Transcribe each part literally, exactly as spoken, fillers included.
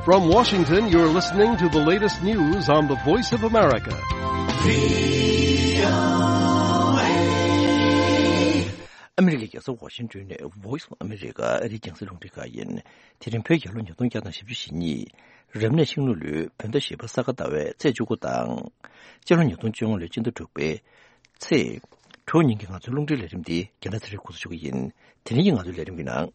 From Washington, you're listening to the latest news on the Voice of America. ཨ་མི་རི་ཀའི་རྒྱལ་ས་ཝ་ཤིང་ཏོན་ནས་Voice of America ཨ་རིའི་རྒྱང་སྲིང་རླུང་འཕྲིན་ཁང་ཡིན། དེ་རིང་བོད་རྒྱལ་ལོ་ཉིས་སྟོང་བརྒྱ་དང་བཞི་བཅུ་ཞེ་གཉིས། རབ་གནས་ཤིང་ལུག་ལོའི་བོད་ཟླ་བཞི་པ་ས་ག་ཟླ་བའི་ཚེས་བཅུ་དགུ་དང་། སྤྱི་ལོ་ཉིས་སྟོང་བཅོ་ལྔ་ལོའི་སྤྱི་ཟླ་དྲུག་པའི་ཚེས་དྲུག་ཉིན་གྱི་ང་ཚོའི་རླུང་འཕྲིན་ལས་རིམ་འདི་རྒན་ལགས་ཚེ་རིང་འགོ་འཛུགས་ཞུ་གི་ཡིན། དེ་རིང་གི་ང་ཚོའི་ལས་རིམ་གྱི་ནང་།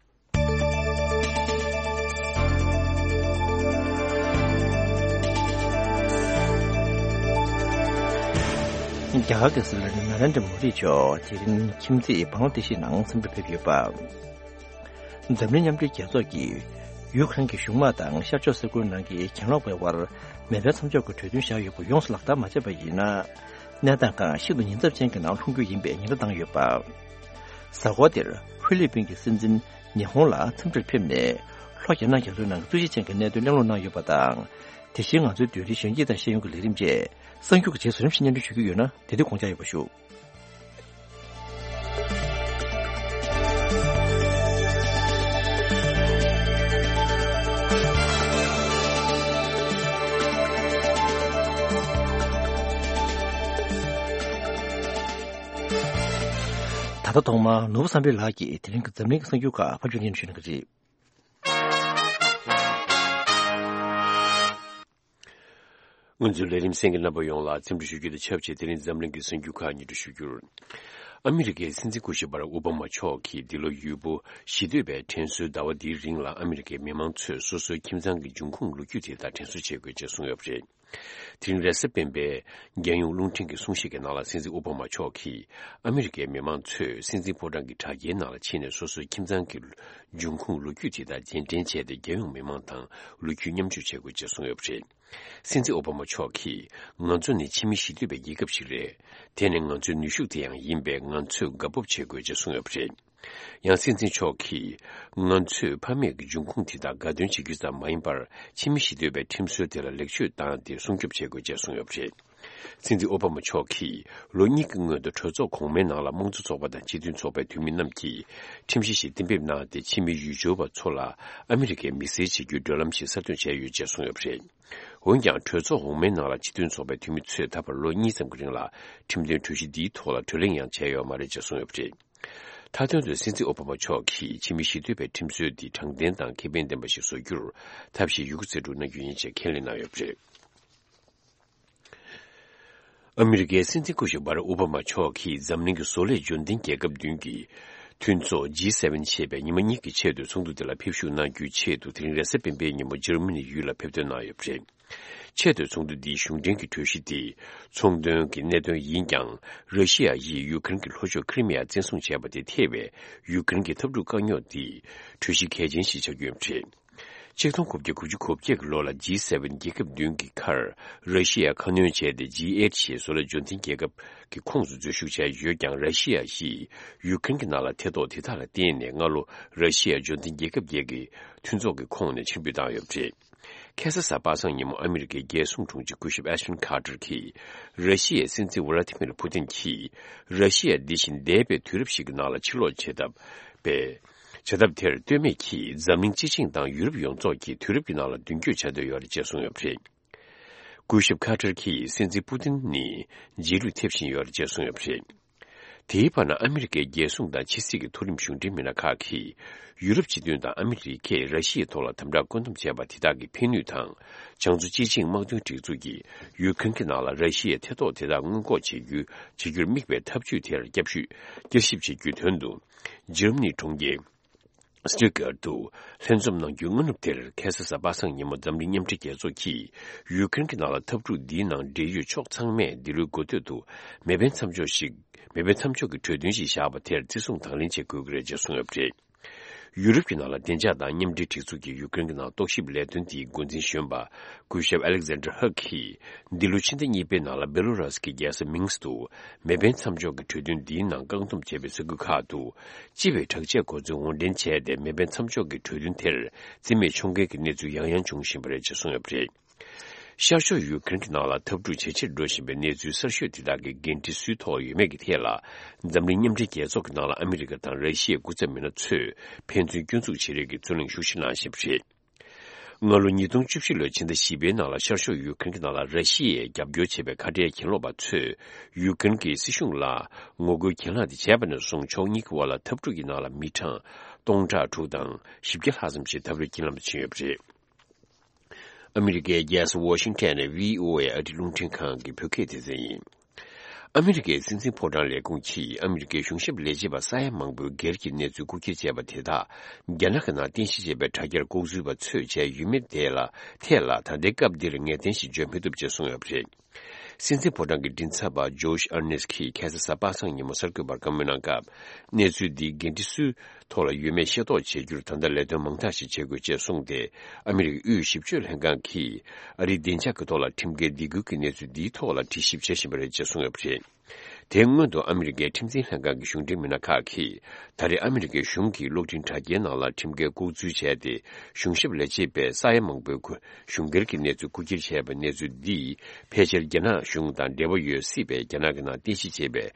རྒྱ་གར་གྱི་སྲིད་བློན་ནཱ་རེན་དྲ་མོ་དི་མཆོག་དེ་རིང་ཁྱིམ་མཚེས་བང་ལ་དེ་ཤི་ནང་འཚམས་འདྲིར་ཕེབས་ཡོད་པ། འཛམ་གླིང་མཉམ་འབྲེལ་རྒྱལ་ཚོགས་ཀྱིས་ཡུ་ཁུ་རེན་གྱི་གཞུང་དམག་དང་ཤར་ཕྱོགས་ས་ཁུལ་ནང་གི་གྱེན་ལོག་པའི་དབར་མེ་འཕེན་མཚམས་འཇོག་གི་གྲོས་མཐུན་བཞག་ཡོད་པ་ཡོངས་སུ་ལག་བསྟར་མ་བྱས་པ་ཡིན་ན། གནས་སྟངས་ཁག་ཤིན་ཏུ་ཉེན་ཚབས་ཅན་གྱི་ནང་ལྷུང་རྒྱུ་ཡིན་པའི་ཉེན་བརྡ་བཏང་ཡོད་པ། གཟའ་འཁོར་འདིར་ཧྥི་ལི་པིན་གྱི་སྲིད་འཛིན་ཉི་ཧོང་ལ་འཚམས་འདྲིར་ཕེབས་ནས་ལྷོ་རྒྱ་ནག་རྒྱ་མཚོའི་ནང་གི་འཚོ་བྱེད་ཅན་གྱི་གནད་དོན་གླེང་སློང་གནང་ཡོད་པ་དང་། དེ་བཞིན་ང་ཚོའི་བདུད་རིགས་གཞོན་སྐྱེས་དང་ཤེས་ཡོན་གྱི་ལས་རིམ་བཅས་གསར་འགྱུར་གྱི་རྗེས་སུ་རིམ་བཞིན་སྙན་སྒྲོན་ཞུ་རྒྱུ་ཡོད་ན་དེ་དུས་དགོངས་འཇགས་ཡོད་པ་ཞུ། ད་ལྟ་ཐོག་མར་ནོར་བུ་བསམ་འཕེལ་ལགས་ཀྱིས་དེ་རིང་གི་འཛམ་གླིང་གི་གསར་འགྱུར་ཁག་ཕབ་སྒྱུར་སྙན་སྒྲོན་ཞུ་གནང་གི་རེད། ང་ཚོའི་ལས་རིམ་གསན་མཁན་རྣམ་པ་ཡོངས་ལ་འཚམས་འདྲི་ཞུ་རྒྱུ་དང་ཆབས་ཅིག་དེ་རིང་འཛམ་གླིང་གི་གསར་འགྱུར་ཁག་སྙན་སྒྲོན་ཞུ་རྒྱུར། ཨ་མི་རི་ཀའི་སྲིད་འཛིན་སྐུ་ཞབས་བྷ་རག་ཨོ་བྷ་མ་མཆོག་གིས་འདི་ལོ་ཡུལ་པོ་གཞིས་སྡོད་པའི་དྲན་གསོའི་ཟླ་བ་འདིའི་རིང་ལ་ཨ་མི་རི་ཀའི་མི་མང་ཚོས་སོ་སོའི་ཁྱིམ་ཚང་གི་འབྱུང་ཁུངས་ལོ་རྒྱུས་དེ་དག་དྲན་གསོ་བྱེད་དགོས་ཅེས་གསུངས་ཡོད་པ་རེད། དེ་རིང་རེས་གཟའ་སྤེན་པའི་རྒྱལ་ཡོངས་རླུང་འཕྲིན་གྱི་གསུང་བཤད་ཀྱི་ནང་ལ་སྲིད་འཛིན་ཨོ་བྷ་མ་མཆོག་གིས་ཨ་མི་རི་ཀའི་མི་མང་ཚོས་སྲིད་འཛིན་ཕོ་བྲང་གི་དྲ་རྒྱའི་ནང་ལ་ཕྱིན་ནས་སོ་སོའི་ཁྱིམ་ཚང་གི་འབྱུང་ཁུངས་ལོ་རྒྱུས་དེ་དག་རྗེས་དྲན་བྱས་ཏེ་རྒྱལ་ཡོངས་མི་མང་དང་ལོ་རྒྱུས་མཉམ་སྤྱོད་བྱེད་དགོས་ཅེས་གསུངས་ཡོད་པ་རེད། སྲིད་འཛིན་ཨོ་བྷ་མ་མཆོག་གིས་ང་ཚོ་ནི་ཕྱི་མི་གཞིས་སྡོད་པའི་རྒྱལ་ཁབ་ཞིག་རེད། དེ་ནི་ང་ཚོའི་ནུས་ཤུགས་དེ་ཡང་ཡིན་པས་ང་ཚོས་དགའ་སྤོབས་བྱེད་དགོས་ཅེས་གསུངས་ཡོད་པ་རེད། ཡང་སྲིད་འཛིན་མཆོག་གིས་ང་ཚོས་ཕ་མེས་ཀྱི་འབྱུང་ཁུངས་དེ་དག་དགའ་སྟོན་བྱེད་རྒྱུ་ཙམ་མ་ཡིན་པར་ཕྱི་མི་གཞིས་སྡོད་པའི་ཁྲིམས་སྲོལ་དེ་ལ་ལེགས་བཅོས་བཏང་སྟེ་སྲུང་སྐྱོབ་བྱེད་དགོས་ཅེས་གསུངས་ཡོད་པ་རེད། སྲིད་འཛིན་ཨོ་བྷ་མ་མཆོག་གིས་ལོ་གཉིས་ཀྱི་སྔོན་དུ་གྲོས་ཚོགས་གོང་མའི་ནང་ལ་དམངས་གཙོ་ཚོགས་པ་དང་སྤྱི་མཐུན་ཚོགས་པའི་འཐུས་མི་རྣམས་ཀྱིས་ཁྲིམས་གཞི་ཞིག་གཏན་འབེབས་གནང་སྟེ་ཕྱི་མི་ཡུལ་སྐྱོར་བ་ཚོ་ལ་ཨ་མི་རི་ཀའི་མི་སེར་བྱེད་རྒྱུའི་བགྲོད་ལམ་ཞིག་གསར་གཏོད་བྱས་ཡོད་ཅེས་གསུངས་ཡོད་པ་རེད། འོན་ཀྱང་གྲོས་ཚོགས་འོག་མའི་ནང་ལ་སྤྱི་མཐུན་ཚོགས་པའི་འཐུས་མི་ཚོས་ད་བར་ལོ་གཉིས་ཙམ་གྱི་རིང་ལ་ཁྲིམས་དོན་གྲོས་གཞི་འདིའི་ཐོག་ལ་བགྲོ་གླེང་ཡང་བྱས་ཡོད་མ་རེད་ཅེས་གསུངས་ཡོད་པ་རེད། མཐའ་དོན་དུ་སྲིད་འཛིན་ཨོ་བྷ་མ་མཆོག་གིས་ཕྱི་མི་གཞིས་སྡོད་པའི་ཁྲིམས་སྲོལ་འདི་དྲང་བདེན་དང་ཁེ་ཕན་ལྡན་པ་ཞིག་བཟོ་རྒྱུར་ཐབས་ཤེས་ཡོད་རྒུ་རྩལ་སྤྲུགས་གནང་རྒྱུ་ཡིན་ཅེས་ཁས་ལེན་གནང་ཡོད་པ་རེད། ཨ་མི་རི་ཀའི་སྲིད་འཛིན་སྐུ་ཞབས་བྷ་རག་ཨོ་བྷ་མ་མཆོག་གིས་འཛམ་གླིང་གི་བཟོ་ལས་འབྱོར་ལྡན་རྒྱལ་ཁབ་བདུན་གྱི་མཐུན་ཚོགས་ཇི་སེ་ཝེན་ཞེས་པའི་ཉི་མ་གཉིས་ཀྱི་ཆེས་མཐོའི་ཚོགས་འདུ་དེ་ལ་ཕེབས་ཞུགས་གནང་རྒྱུའི་ཆེད་དུ་དེ་རིང་རེས་གཟའ་སྤེན་པའི་ཉིན་མོ་འཇར་མ་ནི་ཡུལ་ལ་ཕེབས་ཐོན་གནང་ཡོད་པ་རེད། ཆེས་མཐོའི་ཚོགས་འདུ་འདིའི་གཞུང་འབྲེལ་གྱི་གྲོས་གཞི་དེ་ཚོང་དོན་གྱི་གནད་དོན་ཡིན་ཀྱང་། ར་ཤི་ཡ་ཡིས་ཡུ་ཀེ་རེན་གྱི་ལྷོ་ཕྱོགས་ཁི་རི་མི་ཡ་བཙན་བཟུང་བྱས་པ་དེ་ཐེ་བའི་ཡུ་ཀེ་རེན་གྱི་འཐབ་འཁྲུག་དཀའ་རྙོག་འདི་གྲོས་གཞི་གལ་ཆེན་ཞིག་ཆགས་ཀྱི་ཡོད་པ་རེད། ཆིག་སྟོང་དགུ་བརྒྱ་དགུ་བཅུ་གོ་བརྒྱད་ཀྱི་ལོ་ལ་ཇི་སེ་ཝེན་རྒྱལ་ཁབ་བདུན་གྱི་ཁར་ར་ཤི་ཡ་ཁ་སྣོན་བྱས་ཏེ་ཇི་ཨེཊ་ཞེས་བཟོ་ལས་འབྱོར་ལྡན་རྒྱལ་ཁབ་ཀྱི་ཁོངས་སུ་འཛུལ་ཞུགས་བྱས་ཡོད་ཀྱང་། ར་ཤི་ཡ་ཡིས་ཡུ་ཀེ་རེན་གྱི་ནང་ལ་ཐེ་གཏོགས་དེ་དག་ལ་བརྟེན་ནས་སྔ་ལོ་ར་ཤི་ཡ་འབྱོར་ལྡན་རྒྱལ་ཁབ་བརྒྱད་ཀྱི་མཐུན་ཚོགས་ཀྱི་ཁོངས་ནས་ཕྱིར་འབུད་བཏང་ཡོད་པ་རེད། ཁ་སང་གཟའ་པ་སངས་ཉིན་མོ་ཨ་མི་རི་ཀའི་རྒྱལ་སྲུང་དྲུང་ཆེ་སྐུ་ཞབས་ཨེ་ཤ་ཊོན་ཁ་ཏར་གྱིས་ར་ཤི་ཡའི་སྲིད་འཛིན་ཝ་ལ་ཏི་མིར་ཕུ་ཏིན་གྱིས་ར་ཤི་ཡ་འདི་བཞིན་འདས་པའི་དུས་རབས་ཤིག་གི་ནང་ལ་ཕྱིར་ལོག་བྱེད་ཐབས་པའི་བྱ་ཐབས་དེར་ལྟོས་མེད་ཀྱིས་འཛམ་གླིང་སྤྱི་བྱིངས་དང་ཡུ་རོབ་ཡོངས་རྫོགས་ཀྱིས་དུས་རབས་ཀྱི་ནང་ལ་མདུན་སྐྱོད་བྱ་འདོད་ཡོད་རེད་ཅེས་གསུངས་ཡོད་པ་རེད། སྐུ་ཞབས་ཁ་ཏར་གྱིས་སྲིད་འཛིན་པུ་ཏིན་ནི་རྗེས་ལུས་ཐེབས་བཞིན་ཡོད་རེད་ཅེས་གསུངས་ཡོད་པ་རེད། དེའི་བར་ན་ཨ་མི་རི་ཀའི་རྒྱལ་སྲུང་དང་ཕྱི་སྲིད་ཀྱི་མཐོ་རིམ་གཞུང་འབྲེལ་མི་སྣ་ཁག་གིས་ཡུ་རོབ་སྤྱི་མཐུན་དང་ཨ་མི་རི་ཀས་ར་ཤི་ཡའི་ཐོག་ལ་དམ་དྲག་བཀོད་འདོམས་བྱས་པ་དེ་དག་གི་ཕན་ནུས་དང་། བྱང་མཚོ་སྤྱི་བྱིངས་དམག་དོན་སྒྲིག་འཛུགས་ཀྱིས་ཡུ་ཁུ་རེན་གྱི་ནང་ལ་ར་ཤི་ཡའི་ཐེ་གཏོགས་དེ་དག་སྔོན་འགོག་བྱེད་རྒྱུ་བྱེད་རྒྱུར་དམིགས་པའི་ཐབས་ཇུས་དེར་བསྐྱར་ཞིབ་བྱེད་རྒྱུའི་དོན་དུ། འཇར་མ་ནིའི་གྲོང་ཁྱེར་སི་ཏུ་ཀར་ཏུ་ལྷན་འཛོམས་གནང་རྒྱུའི་སྔ་ནུབ་དེར། ཁ་སང་གཟའ་པ་སངས་ཉིན་མོ་འཛམ་གླིང་མཉམ་འབྲེལ་རྒྱལ་ཚོགས་ཀྱིས་ཡུ་ཀེ་རེན་གྱི་ནང་ལ་འཐབ་འཁྲུག་འདིའི་ནང་འབྲེལ་ཡོད་ཕྱོགས་ཚང་མས་འདི་ལོའི་འགོ་སྟོད་དུ་མེ་འཕེན་མཚམས་འཇོག་ཞིག་མེ་འཕེན་མཚམས་འཇོག་གི་གྲོས་མཐུན་ཞིག་བཞག་པ་དེར་བརྩི་སྲུང་དང་ལེན་བྱེད་དགོས་ཀྱི་རེད་ཅེས་གསུངས་ཡོད་པ་རེད། ཡུ་རོབ་ཀྱི་ནང་ལ་བདེ་འཇགས་དང་མཉམ་འབྲེལ་སྒྲིག་འཛུགས་ཀྱིས་ཡུ་ཀེ་རེན་གྱི་ནང་རྟོག་ཞིབ་ལས་དོན་དེའི་འགོ་འཛིན་གཞོན་པ་སྐུ་ཞབས་ཨ་ལེག་ཛན་ཌར་ཧག་གིས། འདི་ལོའི་ཕྱི་ཟླ་གཉིས་པའི་ནང་ལ་བེ་ལོ་རཱས་ཀྱི་རྒྱལ་ས་མིན་སི་ཀི་ཏུ་མེ་འཕེན་མཚམས་འཇོག་གི་གྲོས་མཐུན་འདིའི་ནང་བཀག་སྡོམ་བྱས་པའི་ས་ཁུལ་ཁག་ཏུ། སྤྱི་པའི་དྲག་ཆས་གོ་མཚོན་དབོར་འདྲེན་བྱས་ཏེ། མེ་འཕེན་མཚམས་འཇོག་གི་གྲོས་མཐུན་དེར་རྩིས་མེད་འཕྱོག་འགལ་གྱི་གནས་ཚུལ་ཡང་ཡང་འབྱུང་བཞིན་པ་རེད་ཅེས་གསུངས་ཡོད་པ་རེད། ཤར་ཕྱོགས་ཡུ་ཀེ་རེན་གྱི་ནང་ལ་འཐབ་འཁྲུག་ཇེ་ཆེར་འགྲོ་བཞིན་པའི་གནས་ཚུལ་གསར་ཤོས་དེ་དག་གི་འགན་འཁྲི་སུའི་ཐོག་ཡོད་མེད་ཀྱི་ཐད་ལ། འཛམ་གླིང་མཉམ་འབྲེལ་རྒྱལ་ཚོགས་ཀྱི་ནང་ལ་ཨ་མི་རི་ཀ་དང་ར་ཤི་ཡའི་སྐུ་ཚབ་མི་སྣ་ཚོས་ཕན་ཚུན་སྐྱོན་འཛུགས་བྱེད་རེས་ཀྱི་རྩོད་གླེང་ཤུགས་ཆེ་གནང་བཞིན་པ་རེད། སྔ་ལོ་ཉིས་སྟོང་བཅུ་བཞི་ལོའི་ཕྱི་ཟླ་བཞི་པའི་ནང་ལ་ཤར་ཕྱོགས་ཡུ་ཀེ་རེན་གྱི་ནང་ལ་ར་ཤི་ཡས་རྒྱབ་སྐྱོར་བྱས་པའི་ཁ་བྲལ་གྱེན་ལོག་པ་ཚོས་ཡུ་ཀེ་རེན་གྱི་སྲིད་གཞུང་ལ་ངོ་རྒོལ་གྱེན་ལངས་དེ་བྱས་པ་ནས་བཟུང་ཕྱོགས་གཉིས་ཀྱི་དབར་ལ་འཐབ་འཁྲུག་གི་ནང་ལ་མི་གྲངས་སྟོང་ཕྲག་དྲུག་དང་བཞི་བརྒྱ་ལྷག་ཙམ་ཞིག་འཐབ་རྩོད་གྱེན་ལངས་པ་ཕྱིན་ཡོད་པ་རེད། ཨ་མི་རི་ཀའི་རྒྱལ་ས་ཝ་ཤིང་ཊོན་ནས་བྷི་ཨོ་ཨེ་ཨ་རིའི་རླུང་འཕྲིན་ཁང་གི་བོད་སྐད་སྡེ་ཚན་ཡིན། ཨ་མི་རི་ཀའི་སྲིད་འཛིན་ཕོ་བྲང་ལས་ཁུངས་ཀྱིས་ཨ་མི་རི་ཀའི་གཞུང་ཞབས་ལས་བྱེད་པ་ས་ཡ་མང་པོའི་སྒེར་གྱི་གནས་ཚུལ་རྐུ་འཁྱེར་བྱས་པ་དེ་དག་རྒྱ་ནག་གི་ནང་རྟེན་གཞི་བྱས་པའི་དྲ་རྒྱར་ལྐོག་འཛུལ་བ་ཚོས་བྱས་ཡོད་མེད་དེ་ལ་ཐད་ལ་ད་ལྟའི་སྐབས་འདིར་ངེས་གཏན་ཞིག་བརྗོད་མི་ཐུབ་ཅེས་གསུངས་ཡོད་པ་རེད། སྲིད་འཛིན་ཕོ་བྲང་གི་མགྲིན་ཚབ་པ་ཇོ་ཤ་ཨར་ནེ་སི་ཀིས་ཁ་སང་གཟའ་པ་སངས་ཉིན་མོ་གསར་འགོད་པར་བཀའ་མོལ་གནང་སྐབས། གནས་ཚུལ་འདི་འགན་འཁྲི་སུའི་ཐོག་ལ་ཡོད་མེད་ཤེས་རྟོགས་བྱེད་རྒྱུར་ད་ལྟ་ལས་དོན་མང་དག་ཞིག་བྱེད་དགོས་ཅེས་གསུངས་ཏེ། ཨ་མི་རི་ཀའི་དབུས་ཞིབ་དཔྱོད་ལྷན་ཁང་གིས་ཨ་རིའི་བདེ་འཇགས་ཀྱི་ཐོག་ལ་ཁྲིམས་འགལ་སྡིགས་སྐུལ་གྱི་གནས་ཚུལ་འདིའི་ཐོག་ལ་དྲི་ཞིབ་བྱེད་བཞིན་པ་རེད་ཅེས་གསུངས་ཡོད་པ་རེད། དེའི་སྔོན་དུ་ཨ་མི་རི་ཀའི་ཁྲིམས་འཛིན་ལྷན་ཁང་གི་གཞུང་འབྲེལ་མི་སྣ་ཁག་གིས་ད་རེས་ཨ་མི་རི་ཀའི་གཞུང་གིས་གློག་འཕྲིན་དྲ་རྒྱའི་ནང་ལ་ཁྲིམས་འགལ་ལྐོག་འཛུལ་བྱས་ཏེ། གཞུང་ཞབས་ལས་བྱེད་པའི་ས་ཡ་མང་པོའི་གཞུང་སྒེར་གྱི་གནས་ཚུལ་རྐུ་འཁྱེར་བྱས་པའི་གནས་ཚུལ་འདིས་ཕལ་ཆེར་རྒྱ་ནག་གཞུང་དང་འབྲེལ་བ་ཡོད་སྲིད་པའི་རྒྱ་ནག་གི་ནང་རྟེན་གཞི་བྱས་པའི་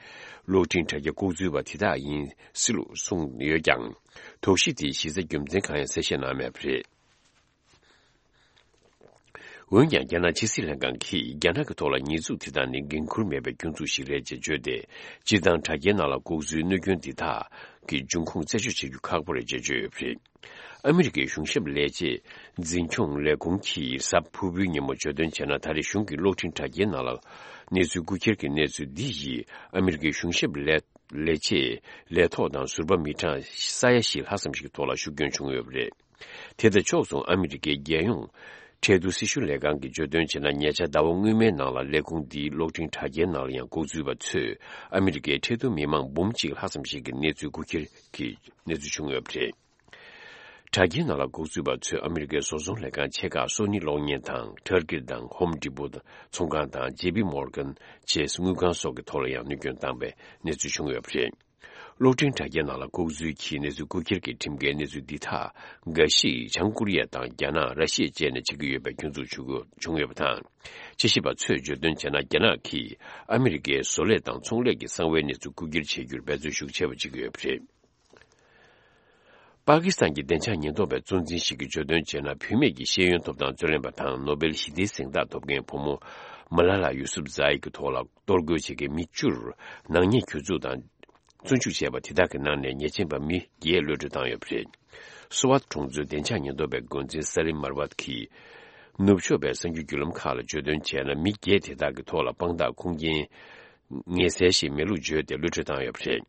གློག་འཕྲིན་དྲ་རྒྱ་ལྐོག་འཛུལ་བ་དེ་དག་ཡིན་སྲིད་ལུགས་གསུངས་ཡོད་ཀྱང་། དོགས་གཞི་དེའི་གཞི་རྩ་རྒྱུ་མཚན་གང་ཡང་གསལ་བཤད་གནང་མེད་པ་རེད། འོན་ཀྱང་། རྒྱ་ནག་ཕྱི་སྲིད་ལྷན་ཁང་གིས་རྒྱ་ནག་གི་ཐོག་ལ་ཉེས་འཛུགས་དེ་དག་ནི་འགན་འཁུར་མེད་པའི་སྐྱོན་འཛུགས་ཤིག་རེད་ཅེས་བརྗོད་དེ། སྤྱིར་བཏང་དྲ་རྒྱའི་ནང་ལ་ལྐོག་འཛུལ་གནོད་སྐྱོན་འདི་དག་གི་འབྱུང་ཁུངས་རྩད་གཅོད་བྱེད་རྒྱུ་ཁག་པོ་རེད་ཅེས་བརྗོད་ཡོད་པ་རེད། ཨ་མི་རི་ཀའི་གཞུང་ཞབས་ལས་བྱེད་འཛིན་སྐྱོང་ལས་ཁུངས་ཀྱིས་གཟའ་ཕུར་བུའི་ཉིན་མོ་བརྗོད་དོན་བྱས་ན། ད་རེས་གཞུང་གི་གློག་འཕྲིན་དྲ་རྒྱའི་ནང་ལ་གནས་ཚུལ་རྐུ་འཁྱེར་གྱི་གནས་ཚུལ་འདི་ཡིས་ཨ་མི་རི་ཀའི་གཞུང་ཞབས་ལས་ལས་བྱེད་ལས་ཐོག་དང་ཟུར་པ་མི་གྲངས་ས་ཡ་བཞི་ལྷག་ཙམ་ཞིག་ཐོག་ལ་ཤུགས་སྐྱོན་བྱུང་ཡོད་པ་རེད། དེ་དང་ཕྱོགས་མཚུངས་ཨ་མི་རི་ཀའི་རྒྱལ་ཡོངས་ཁྲལ་བསྡུ་སྲི་ཞུ་ལས་ཁང་གིས་བརྗོད་དོན་བྱས་ན། ཉེ་ཆར་ཟླ་བ་སྔོན་མའི་ནང་ལ་ལས་ཁུངས་འདིའི་གློག་འཕྲིན་དྲ་རྒྱའི་ནང་ལ་ཡང་ལྐོག་འཛུལ་བ་ཚོས་ཨ་མི་རི་ཀའི་ཁྲལ་བསྡུ་མི་མང་འབུམ་གཅིག་ལྷག་ཙམ་ཞིག་གི་གནས་ཚུལ་རྐུ་འཁྱེར་གྱི་གནས་ཚུལ་བྱུང་ཡོད་པ་རེད། དྲ་རྒྱའི་ནང་ལ་ལྐོག་འཛུལ་བ་ཚོས་ཨ་མི་རི་ཀའི་བཟོ་ཚོང་ལས་ཁང་ཆེ་ཁག་སོ་ནི་གློག་བརྙན་དང་། ཊར་གིར་དང་། ཧོམ་ཌི་པོ་ཚོང་ཁང་དང་། ཇེ་པི་མོར་གན་ཅེས་དངུལ་ཁང་སོགས་ཀྱི་ཐོག་ལ་ཡང་གནོད་སྐྱོན་བཏང་བའི་གནས་ཚུལ་བྱུང་ཡོད་པ་རེད། གློག་འཕྲིན་དྲ་རྒྱའི་ནང་ལ་ལྐོག་འཛུལ་གྱིས་གནས་ཚུལ་རྐུ་འཁྱེར་གྱི་ཁྲིམས་འགལ་གནས་ཚུལ་འདི་དག་འགའ་ཞིག་བྱང་ཀོ་རི་ཡ་དང་རྒྱ་ནག་ར་ཤི་ཡ་བཅས་ནས་བྱེད་ཀྱི་ཡོད་པའི་སྐྱོན་འཛུགས་བྱུང་ཡོད་པ་དང་། དཔྱད་ཞིབ་པ་ཚོས་བརྗོད་དོན་བྱས་ན། རྒྱ་ནག་གིས་ཨ་མི་རི་ཀའི་བཟོ་ལས་དང་ཚོང་ལས་ཀྱི་གསང་བའི་གནས་ཚུལ་རྐུ་འཁྱེར་བྱེད་རྒྱུར་འབད་བརྩོན་ཤུགས་ཆེ་བ་བྱེད་ཀྱི་ཡོད་པ་རེད། པ་ཀི་སི་ཐན་གྱི་བདེ་འཇགས་ཉེན་རྟོག་པའི་གཙོ་འཛིན་ཞིག་གིས་བརྗོད་དོན་བྱས་ན། བུད་མེད་ཀྱི་ཤེས་ཡོན་ཐོབ་ཐང་རྩོད་ལེན་པ་དང་ནོ་སྦེལ་ཞི་བདེའི་གཟེངས་རྟགས་ཐོབ་མཁན་བུ་མོ་མ་ལ་ལ་ཡུ་སུབ་ཛ་ཨི་གི་ཐོག་ལ་གཏོར་རྒོལ་བྱེད་མཁན་མི་བཅུར་ནག་ཉེས་གྱོད་འཛུགས་དང་། བཙོན་འཇུག་བྱས་པ་དེ་དག་གི་ནང་ནས་ཉེས་ཅན་པ་མི་བརྒྱད་གློད་གྲོལ་བཏང་ཡོད་པ་རེད། སུ་ཝཱད་གྲོང་ཚོའི་བདེ་འཇགས་ཉེན་རྟོག་པའི་འགོ་འཛིན་ས་ལིམ་མར་ཝད་ཀྱིས་ནུབ་ཕྱོགས་པའི་གསར་འགྱུར་བརྒྱུད་ལམ་ཁག་ལ་བརྗོད་དོན་བྱས་ན། མི་བརྒྱད་དེ་དག་གི་ཐོག་ལ་དཔང་རྟགས་ཁུངས་སྐྱེལ་ངེས་གསལ་ཞིག་མེད་ལུགས་བརྗོད་དེ་གློད་གྲོལ་བཏང་ཡོད་པ་རེད།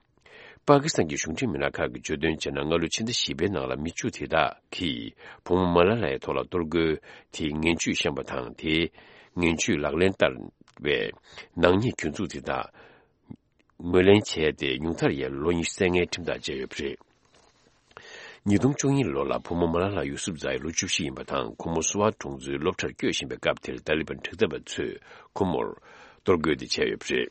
པ་ཀི་སི་ཐན་གྱི་གཞུང་འབྲེལ་མི་སྣ་ཁག་གིས་བརྗོད་དོན་བྱས་ན། སྔ་ལོ་ཕྱི་ཟླ་བཞི་པའི་ནང་ལ་མི་བཅུ་དེ་དག་གིས་བུ་མོ་མ་ལ་ལ་ཡའི་ཐོག་ལ་གཏོར་རྒོལ་དེའི་ངན་ཇུས་བཤམས་པ་དང་། དེའི་ངན་ཇུས་ལག་ལེན་བསྟར་བའི་ནག་ཉེས་གྱོད་འཛུགས་དེ་དག་ངོས་ལེན་བྱས་ཏེ། ཉུང་མཐར་ཡང་ལོ་ཉི་ཤུ་བཙན་ལྔའི་ཁྲིམས་ཐག་བཅད་ཡོད་པ་རེད། ཉིས་སྟོང་བཅུ་གཉིས་ལོ་ལ་བུ་མོ་མ་ལ་ལ་ཡུ་སུབ་ཛ་ཨི་ལོ་བཅུ་བཞི་ཡིན་པ་དང་། ཁོ་མོ་སུ་ཝཱད་གྲོང་ཚོའི་སློབ་གྲྭར་བསྐྱོད་བཞིན་པའི་སྐབས་དེར་ཏཱ་ལི་བན་དྲག་འཐབ་པ་ཚོས་ཁོ་མོར་གཏོར་རྒོལ་དེ་བྱས་ཡོད་པ་རེད།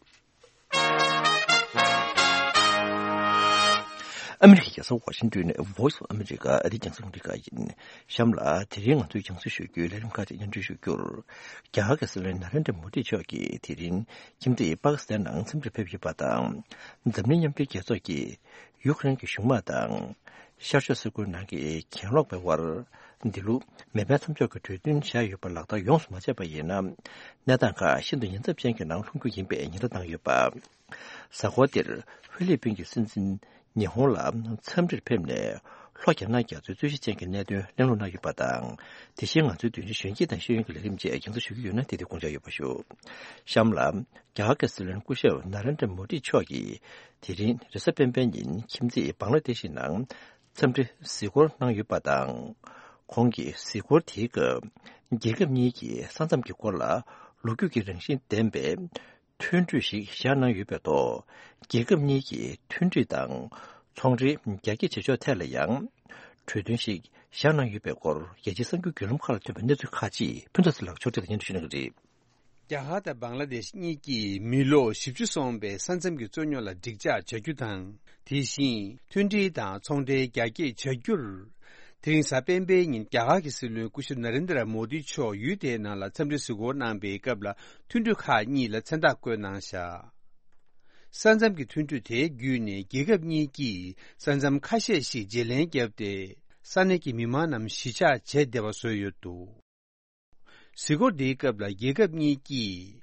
ཨ་མི་རི་ཀའི་རྒྱལ་ས་ཝ་ཤིང་ཏོན་ནས་Voice of America ཨ་རིའི་རྒྱང་སྲིང་རླུང་འཕྲིན་ཁང་ཡིན། གཤམ་ལ་དེ་རིང་ང་ཚོའི་རྒྱང་སྲིང་ཞུ་རྒྱུའི་ལས་རིམ་ཁག་ཅིག་སྙན་སྒྲོན་ཞུ་རྒྱུར། རྒྱ་གར་གྱི་སྲིད་བློན་ན་རེན་དྲ་མོ་དི་མཆོག་གིས་དེ་རིང་ཁྱིམ་མཚེས་པ་ཀི་སི་ཐན་ནང་འཚམས་འདྲིར་ཕེབས་ཡོད་པ་དང་། འཛམ་གླིང་མཉམ་འབྲེལ་རྒྱལ་ཚོགས་ཀྱིས་ཡུཀ་རེན་གྱི་གཞུང་དམག་དང་། ཤར་ཕྱོགས་སིལ་བུའི་ནང་གི་གྱེན་ལོག་པའི་དབར་འདི་ལོ་མེ་འཕེན་མཚམས་འཇོག་གི་གྲོས་མཐུན་བཞག་ཡོད་པ་ལག་བསྟར་ཡོངས་སུ་མ་བྱས་པ་ཡིན་ན། གནས་སྟངས་ཁག་ཤིན་ཏུ་ཉེན་ཚབས་ཅན་གྱི་ནང་ལྷུང་རྒྱུ་ཡིན་པའི་ཉེན་བརྡ་བཏང་ཡོད་པ། གཟའ་འཁོར་འདིར་ཧྥི་ལི་པིན་གྱི་སྲིད་འཛིན་ཉི་ཧོང་ལ་འཚམས་འདྲིར་ཕེབས་ནས། ལྷོ་རྒྱ་ནག་རྒྱ་མཚོའི་རྩོད་གཞི་ཅན་གྱི་གནད་དོན་གླེང་སློང་གནང་ཡོད་པ་དང་། དེ་བཞིན་ང་ཚོའི་བརྗོད་གཞི་གཞོན་སྐྱེས་དང་ཤེས་ཡོན་གྱི་ལས་རིམ་བཅས་རྒྱང་སྲིང་ཞུ་རྒྱུ་ཡོད་ན། དེ་དུས་དགོངས་འཇགས་ཡོད་པ་ཞུ། གཤམ་ལ། རྒྱ་གར་གྱི་སྲིད་བློན་སྐུ་ཞབས་ན་རེན་དྲ་མོ་དི་མཆོག་གིས། དེ་རིང་རེས་གཟའ་སྤེན་པའི་ཉིན་ཁྱིམ་མཚེས་བང་ལ་དེ་ཤི་ནང་འཚམས་འདྲི་གཟིགས་སྐོར་གནང་ཡོད་པ་དང་། ཁོང་གིས་གཟིགས་སྐོར་དེའི་སྐབས། རྒྱལ་ཁབ་གཉིས་ཀྱི་ས་མཚམས་ཀྱི་སྐོར་ལ་ལོ་རྒྱུས་ཀྱི་རང་བཞིན་ལྡན་པའི་མཐུན་གྲོས་ཤིག་བཞག་གནང་ཡོད་པའི་ཐོག་རྒྱལ་ཁབ་གཉིས་ཀྱི་མཐུན་སྒྲིལ་དང་ཚོང་འབྲེལ་རྒྱ་སྐྱེད་བྱེད་ཕྱོགས་ཐད་ལ་ཡང་གྲོས་མཐུན་ཞིག་བཞག་གནང་ཡོད་པའི་སྐོར། རྒྱལ་སྤྱིའི་གསར་འགྱུར་བརྒྱུད་ལམ་ཁག་ལ་ཐོན་པའི་གནས་ཚུལ་ཁག་ཅིག་ཕུན་ཚོགས་ཚེ་ལགས་མཆོག་སྤྲད་དེ་སྙན་སྒྲོན་ཞུ་གནང་གི་རེད། རྒྱ་གར་དང་བང་ལ་དེཤ་གཉིས་ཀྱིས་མི་ལོ་བཞི་བཅུ་སོང་བའི་ས་མཚམས་ཀྱི་རྩོད་རྙོག་ལ་འགྲིག་འཇགས་བྱ་རྒྱུ་དང་། དེ་བཞིན་མཐུན་སྒྲིལ་དང་ཚོང་འབྲེལ་རྒྱ་སྐྱེད་བྱ་རྒྱུར། དེ་རིང་གཟའ་སྤེན་པའི་ཉིན་རྒྱ་གར་གྱི་སྲིད་བློན་སྐུ་ཞབས་ན་རེན་དྲ་མོ་དི་མཆོག་ཡུལ་དེའི་ནང་ལ་འཚམས་འདྲི་གཟིགས་སྐོར་གནང་པའི་སྐབས་ལ། མཐུན་གྲོས་ཁག་གཉིས་ལ་མཚན་རྟགས་བཀོད་གནང་བཞག་ས་མཚམས་ཀྱི་མཐུན་གྲོས་དེ་བརྒྱུད་ནས་རྒྱལ་ཁབ་གཉིས་ཀྱིས་ས་མཚམས་ཁ་ཤས་ཤིག་བརྗེ་ལེན་བརྒྱབ་སྟེ། ས་གནས་ཀྱི་མི་མང་རྣམས་གཞིས་ཆགས་བྱེད་བདེ་བ་བཟོས་ཡོད་འདུག། གཟིགས་སྐོར་འདིའི་སྐབས་ལ་རྒྱལ་ཁབ་གཉིས་ཀྱིས་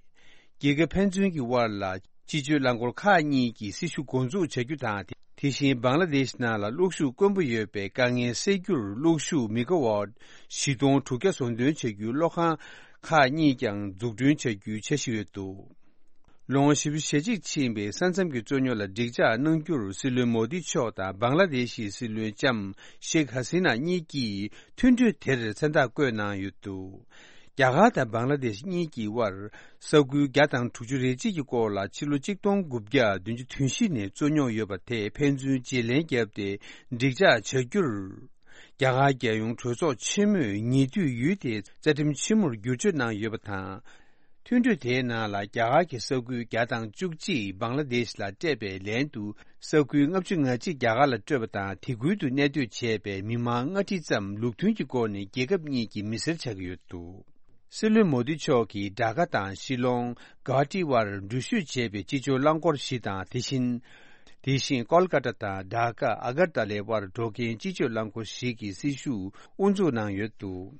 རྒྱལ་ཁབ་ཕན་ཚུན་གྱི་དབར་ལ་སྤྱི་སྤྱོད་རླངས་འཁོར་ཁག་གཉིས་ཀྱི་སྲི་ཞུ་འགོ་འཛུགས་བྱ་རྒྱུ་དང་། དེ་བཞིན་བང་ལ་དེཤ་ནང་ལ་གློག་ཤུགས་དཀོན་པོ་ཡོད་པའི་དཀའ་ངལ་སེལ་རྒྱུར་གློག་ཤུགས་མི་ག་ཝཊ་བཞི་སྟོང་དྲུག་བརྒྱ་བཟོ་འདོན་བྱ་རྒྱུའི་གློག་ཁང་ཁག་གཉིས་ཀྱང་འཛུགས་སྐྲུན་བྱ་རྒྱུའི་འཆར་གཞི་ཡོད་འདུག། ལོ་ངོ་བཞི་བཅུ་ཞེ་གཅིག་ཕྱིན་པའི་ས་མཚམས་ཀྱི་རྩོད་རྙོག་ལ་འགྲིག་འཇགས་གནང་རྒྱུར་སྲིད་བློན་མོ་དི་མཆོག་དང་བང་ལ་དེ་ཤི་སྲིད་བློན་ལྕམ་ཤེག་ཧ་སི་ན་གཉིས་ཀྱིས་མཐུན་གྲོས་དེར་མཚན་རྟགས་བཀོད་གནང་ཡོད་འདུག། རྒྱ་གར་དང་བང་ལ་དེ་ཤི་གཉིས་ཀྱི་དབར་ས་ཁུལ་བརྒྱ་དང་དྲུག་ཅུ་རེ་གཅིག་གི་སྐོར་ལ་ཕྱི་ལོ་གཅིག་སྟོང་དགུ་བརྒྱ་བདུན་ཅུ་དོན་བཞི་ནས་རྩོད་རྙོག་ཡོད་པ་དེ་ཕན་ཚུན་བརྗེ་ལེན་བརྒྱབ་སྟེ་འགྲིག་འཇགས་བྱ་རྒྱུར། རྒྱ་གར་རྒྱལ་ཡོངས་གྲོས་ཚོགས་ཆེན་མོས་ཉེ་དུས་ཡུལ་དེའི་རྩ་ཁྲིམས་ཆེན་མོར་བསྒྱུར་བཅོས་གནང་ཡོད་པ་དང་། མཐུན་གྲོས་དེའི་ནང་ལ་རྒྱ་གར་གྱི་ས་ཁུལ་བརྒྱ་དང་བཅུ་གཅིག་བང་ལ་དེཤ་ལ་སྤྲད་པའི་ལན་དུ་ས་ཁུལ་ལྔ་བཅུ་ང་གཅིག་རྒྱ་གར་ལ་སྤྲོད་པ་དང་། དེ་ཁུལ་དུ་གནས་སྡོད་བྱས་པའི་མི་མང་ལྔ་ཁྲི་ཙམ་ལུགས་མཐུན་གྱི་སྒོ་ནས་རྒྱལ་ཁབ་གཉིས་ཀྱི་མི་སེར་ཆགས་ཀྱི་ཡོད་འདུག། སྲིད་བློན་མོ་དི་མཆོག་གིས་ཌ་ཀ་དང་ཤི་ལོང་གུ་ཝ་ཧ་ཊི་དབར་འགྲུལ་བཞུད་བྱས་པའི་སྤྱི་སྤྱོད་རླངས་འཁོར་བཞི་དང་། དེ་བཞིན། དེ་བཞིན་ཀོལ་ཀ་ཏ་དང་ཌ་ཀ་ཨ་གར་ཏ་ལའི་དབར་འགྲོ་མཁན་སྤྱི་སྤྱོད་རླངས་འཁོར་བཞི་གི་སྲི་ཞུ་དབུ་འཛུགས་གནང་ཡོད་འདུག།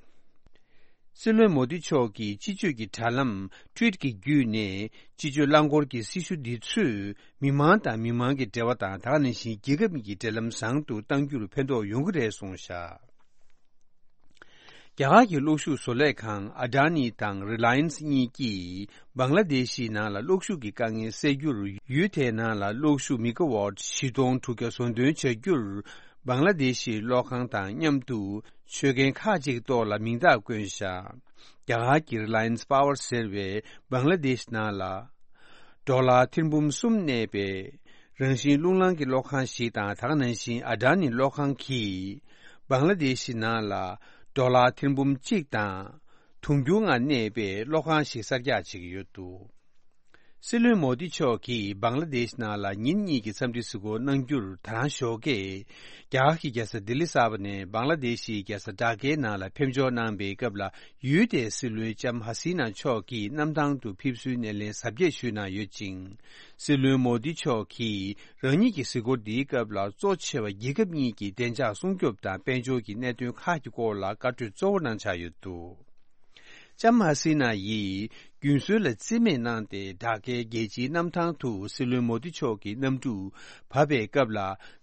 སྲིད་བློན་མོ་དི་མཆོག་གིས་སྤྱི་སྤྱོད་ཀྱི་དྲ་ལམ་ཊུ་ཝིཊ་ཀྱི་བརྒྱུད་ནས་སྤྱི་སྤྱོད་རླངས་འཁོར་གྱི་སྲི་ཞུ་འདི་ཚོས་མི་མང་དང་མི་མང་གི་འབྲེལ་བ་དང་། ད་ག་ནང་བཞིན་རྒྱལ་ཁབ་གཉིས་ཀྱི་འབྲེལ་ལམ་བཟང་དུ་གཏང་རྒྱུར་ཕན་ཐོགས་ཡོང་གི་རེད་གསུངས་བཞག། རྒྱ་གར་གྱི་གློག་ཤུགས་བཟོ་ལས་ཁང་ཨ་ཌ་ནི་དང་རི་ལ་ཡན་སི་གཉིས་ཀྱིས་བང་ལ་དེ་ཤི་ནང་ལ་གློག་ཤུགས་ཀྱི་དཀའ་ངལ་སེལ་རྒྱུར་ཡུལ་དེའི་ནང་ལ་གློག་ཤུགས་མི་ག་ཝཊ་བཞི་སྟོང་དྲུག་བརྒྱ་བཟོ་འདོན་བྱ་རྒྱུར་བང་ལ་དེ་ཤིའི་གློག་ཁང་དང་མཉམ་དུ་ཆོད་མཁན་ཁག་ཅིག་ཐོག་ལ་མིང་རྟགས་བཀོད་བཞག། རྒྱ་གར་གྱི་རི་ལ་ཡན་སི་པ་ཝར་ཟེར་བས་བང་ལ་དེཤ་ནང་ལ་ཌོ་ལར་ཐེར་འབུམ་གསུམ་གནས་པའི་རང་བཞིན་རླུང་ལངས་ཀྱི་གློག་ཁང་ཞིག་དང་། ད་ག་ནང་བཞིན་ཨ་ཌ་ནི་གློག་ཁང་གིས་བང་ལ་དེཤ་ནང་ལ་ཌོ་ལར་ཐེར་འབུམ་གཅིག་དང་དུང་ཕྱུར་ལྔ་གནས་པའི་གློག་ཁང་ཞིག་གསར་རྒྱག་བྱེད་ཀྱི་ཡོད་འདུག། སྲིད་བློན་མོ་དི་མཆོག་གིས་བང་ལ་དེཤ་ནང་ལ་ཉིན་གཉིས་ཀྱི་འཚམས་འདྲི་གཟིགས་སྐོར་གནང་རྒྱུར་ད་རང་ཞོགས་ཀས་རྒྱ་གར་གྱི་རྒྱལ་ས་ལྡི་ལི་གསར་པ་ནས་བང་ལ་དེཤ་ཡི་རྒྱལ་ས་ཌ་ཀའི་ནང་ལ་ཕེབས་འབྱོར་གནང་པའི་སྐབས་ལ། ཡུལ་དེའི་སྲིད་བློན་ལྕམ་ཧ་སི་ན་མཆོག་གིས་གནམ་ཐང་དུ་ཕེབས་བསུའི་སྣེ་ལེན་གཟབ་རྒྱས་ཞུས་གནང་ཡོད་ཅིང་། སྲིད་བློན་མོ་དི་མཆོག་གིས་རང་ཉིད་ཀྱི་གཟིགས་སྐོར་འདིའི་སྐབས་ལ་གཙོ་ཆེ་བ་རྒྱལ་ཁབ་གཉིས་ཀྱི་བདེ་འཇགས་སྲུང་སྐྱོབ་དང་དཔལ་འབྱོར་གྱི་གནད་དོན་ཁག་གི་སྐོར་ལ་བཀའ་གྲོས་གཙོ་བོ་གནང་འཆར་ཡོད་འདུག། ལྕམ་ཧ་སི་ན་ཡིས་རྒྱུན་སྲོལ་ལ་རྩིས་མེད་གནང་སྟེ། ཌ་ཀའི་རྒྱལ་སྤྱིའི་གནམ་ཐང་དུ་སྲིད་བློན་མོ་དི་མཆོག་གི་གནམ་གྲུ་བབས་པའི་སྐབས་ལ།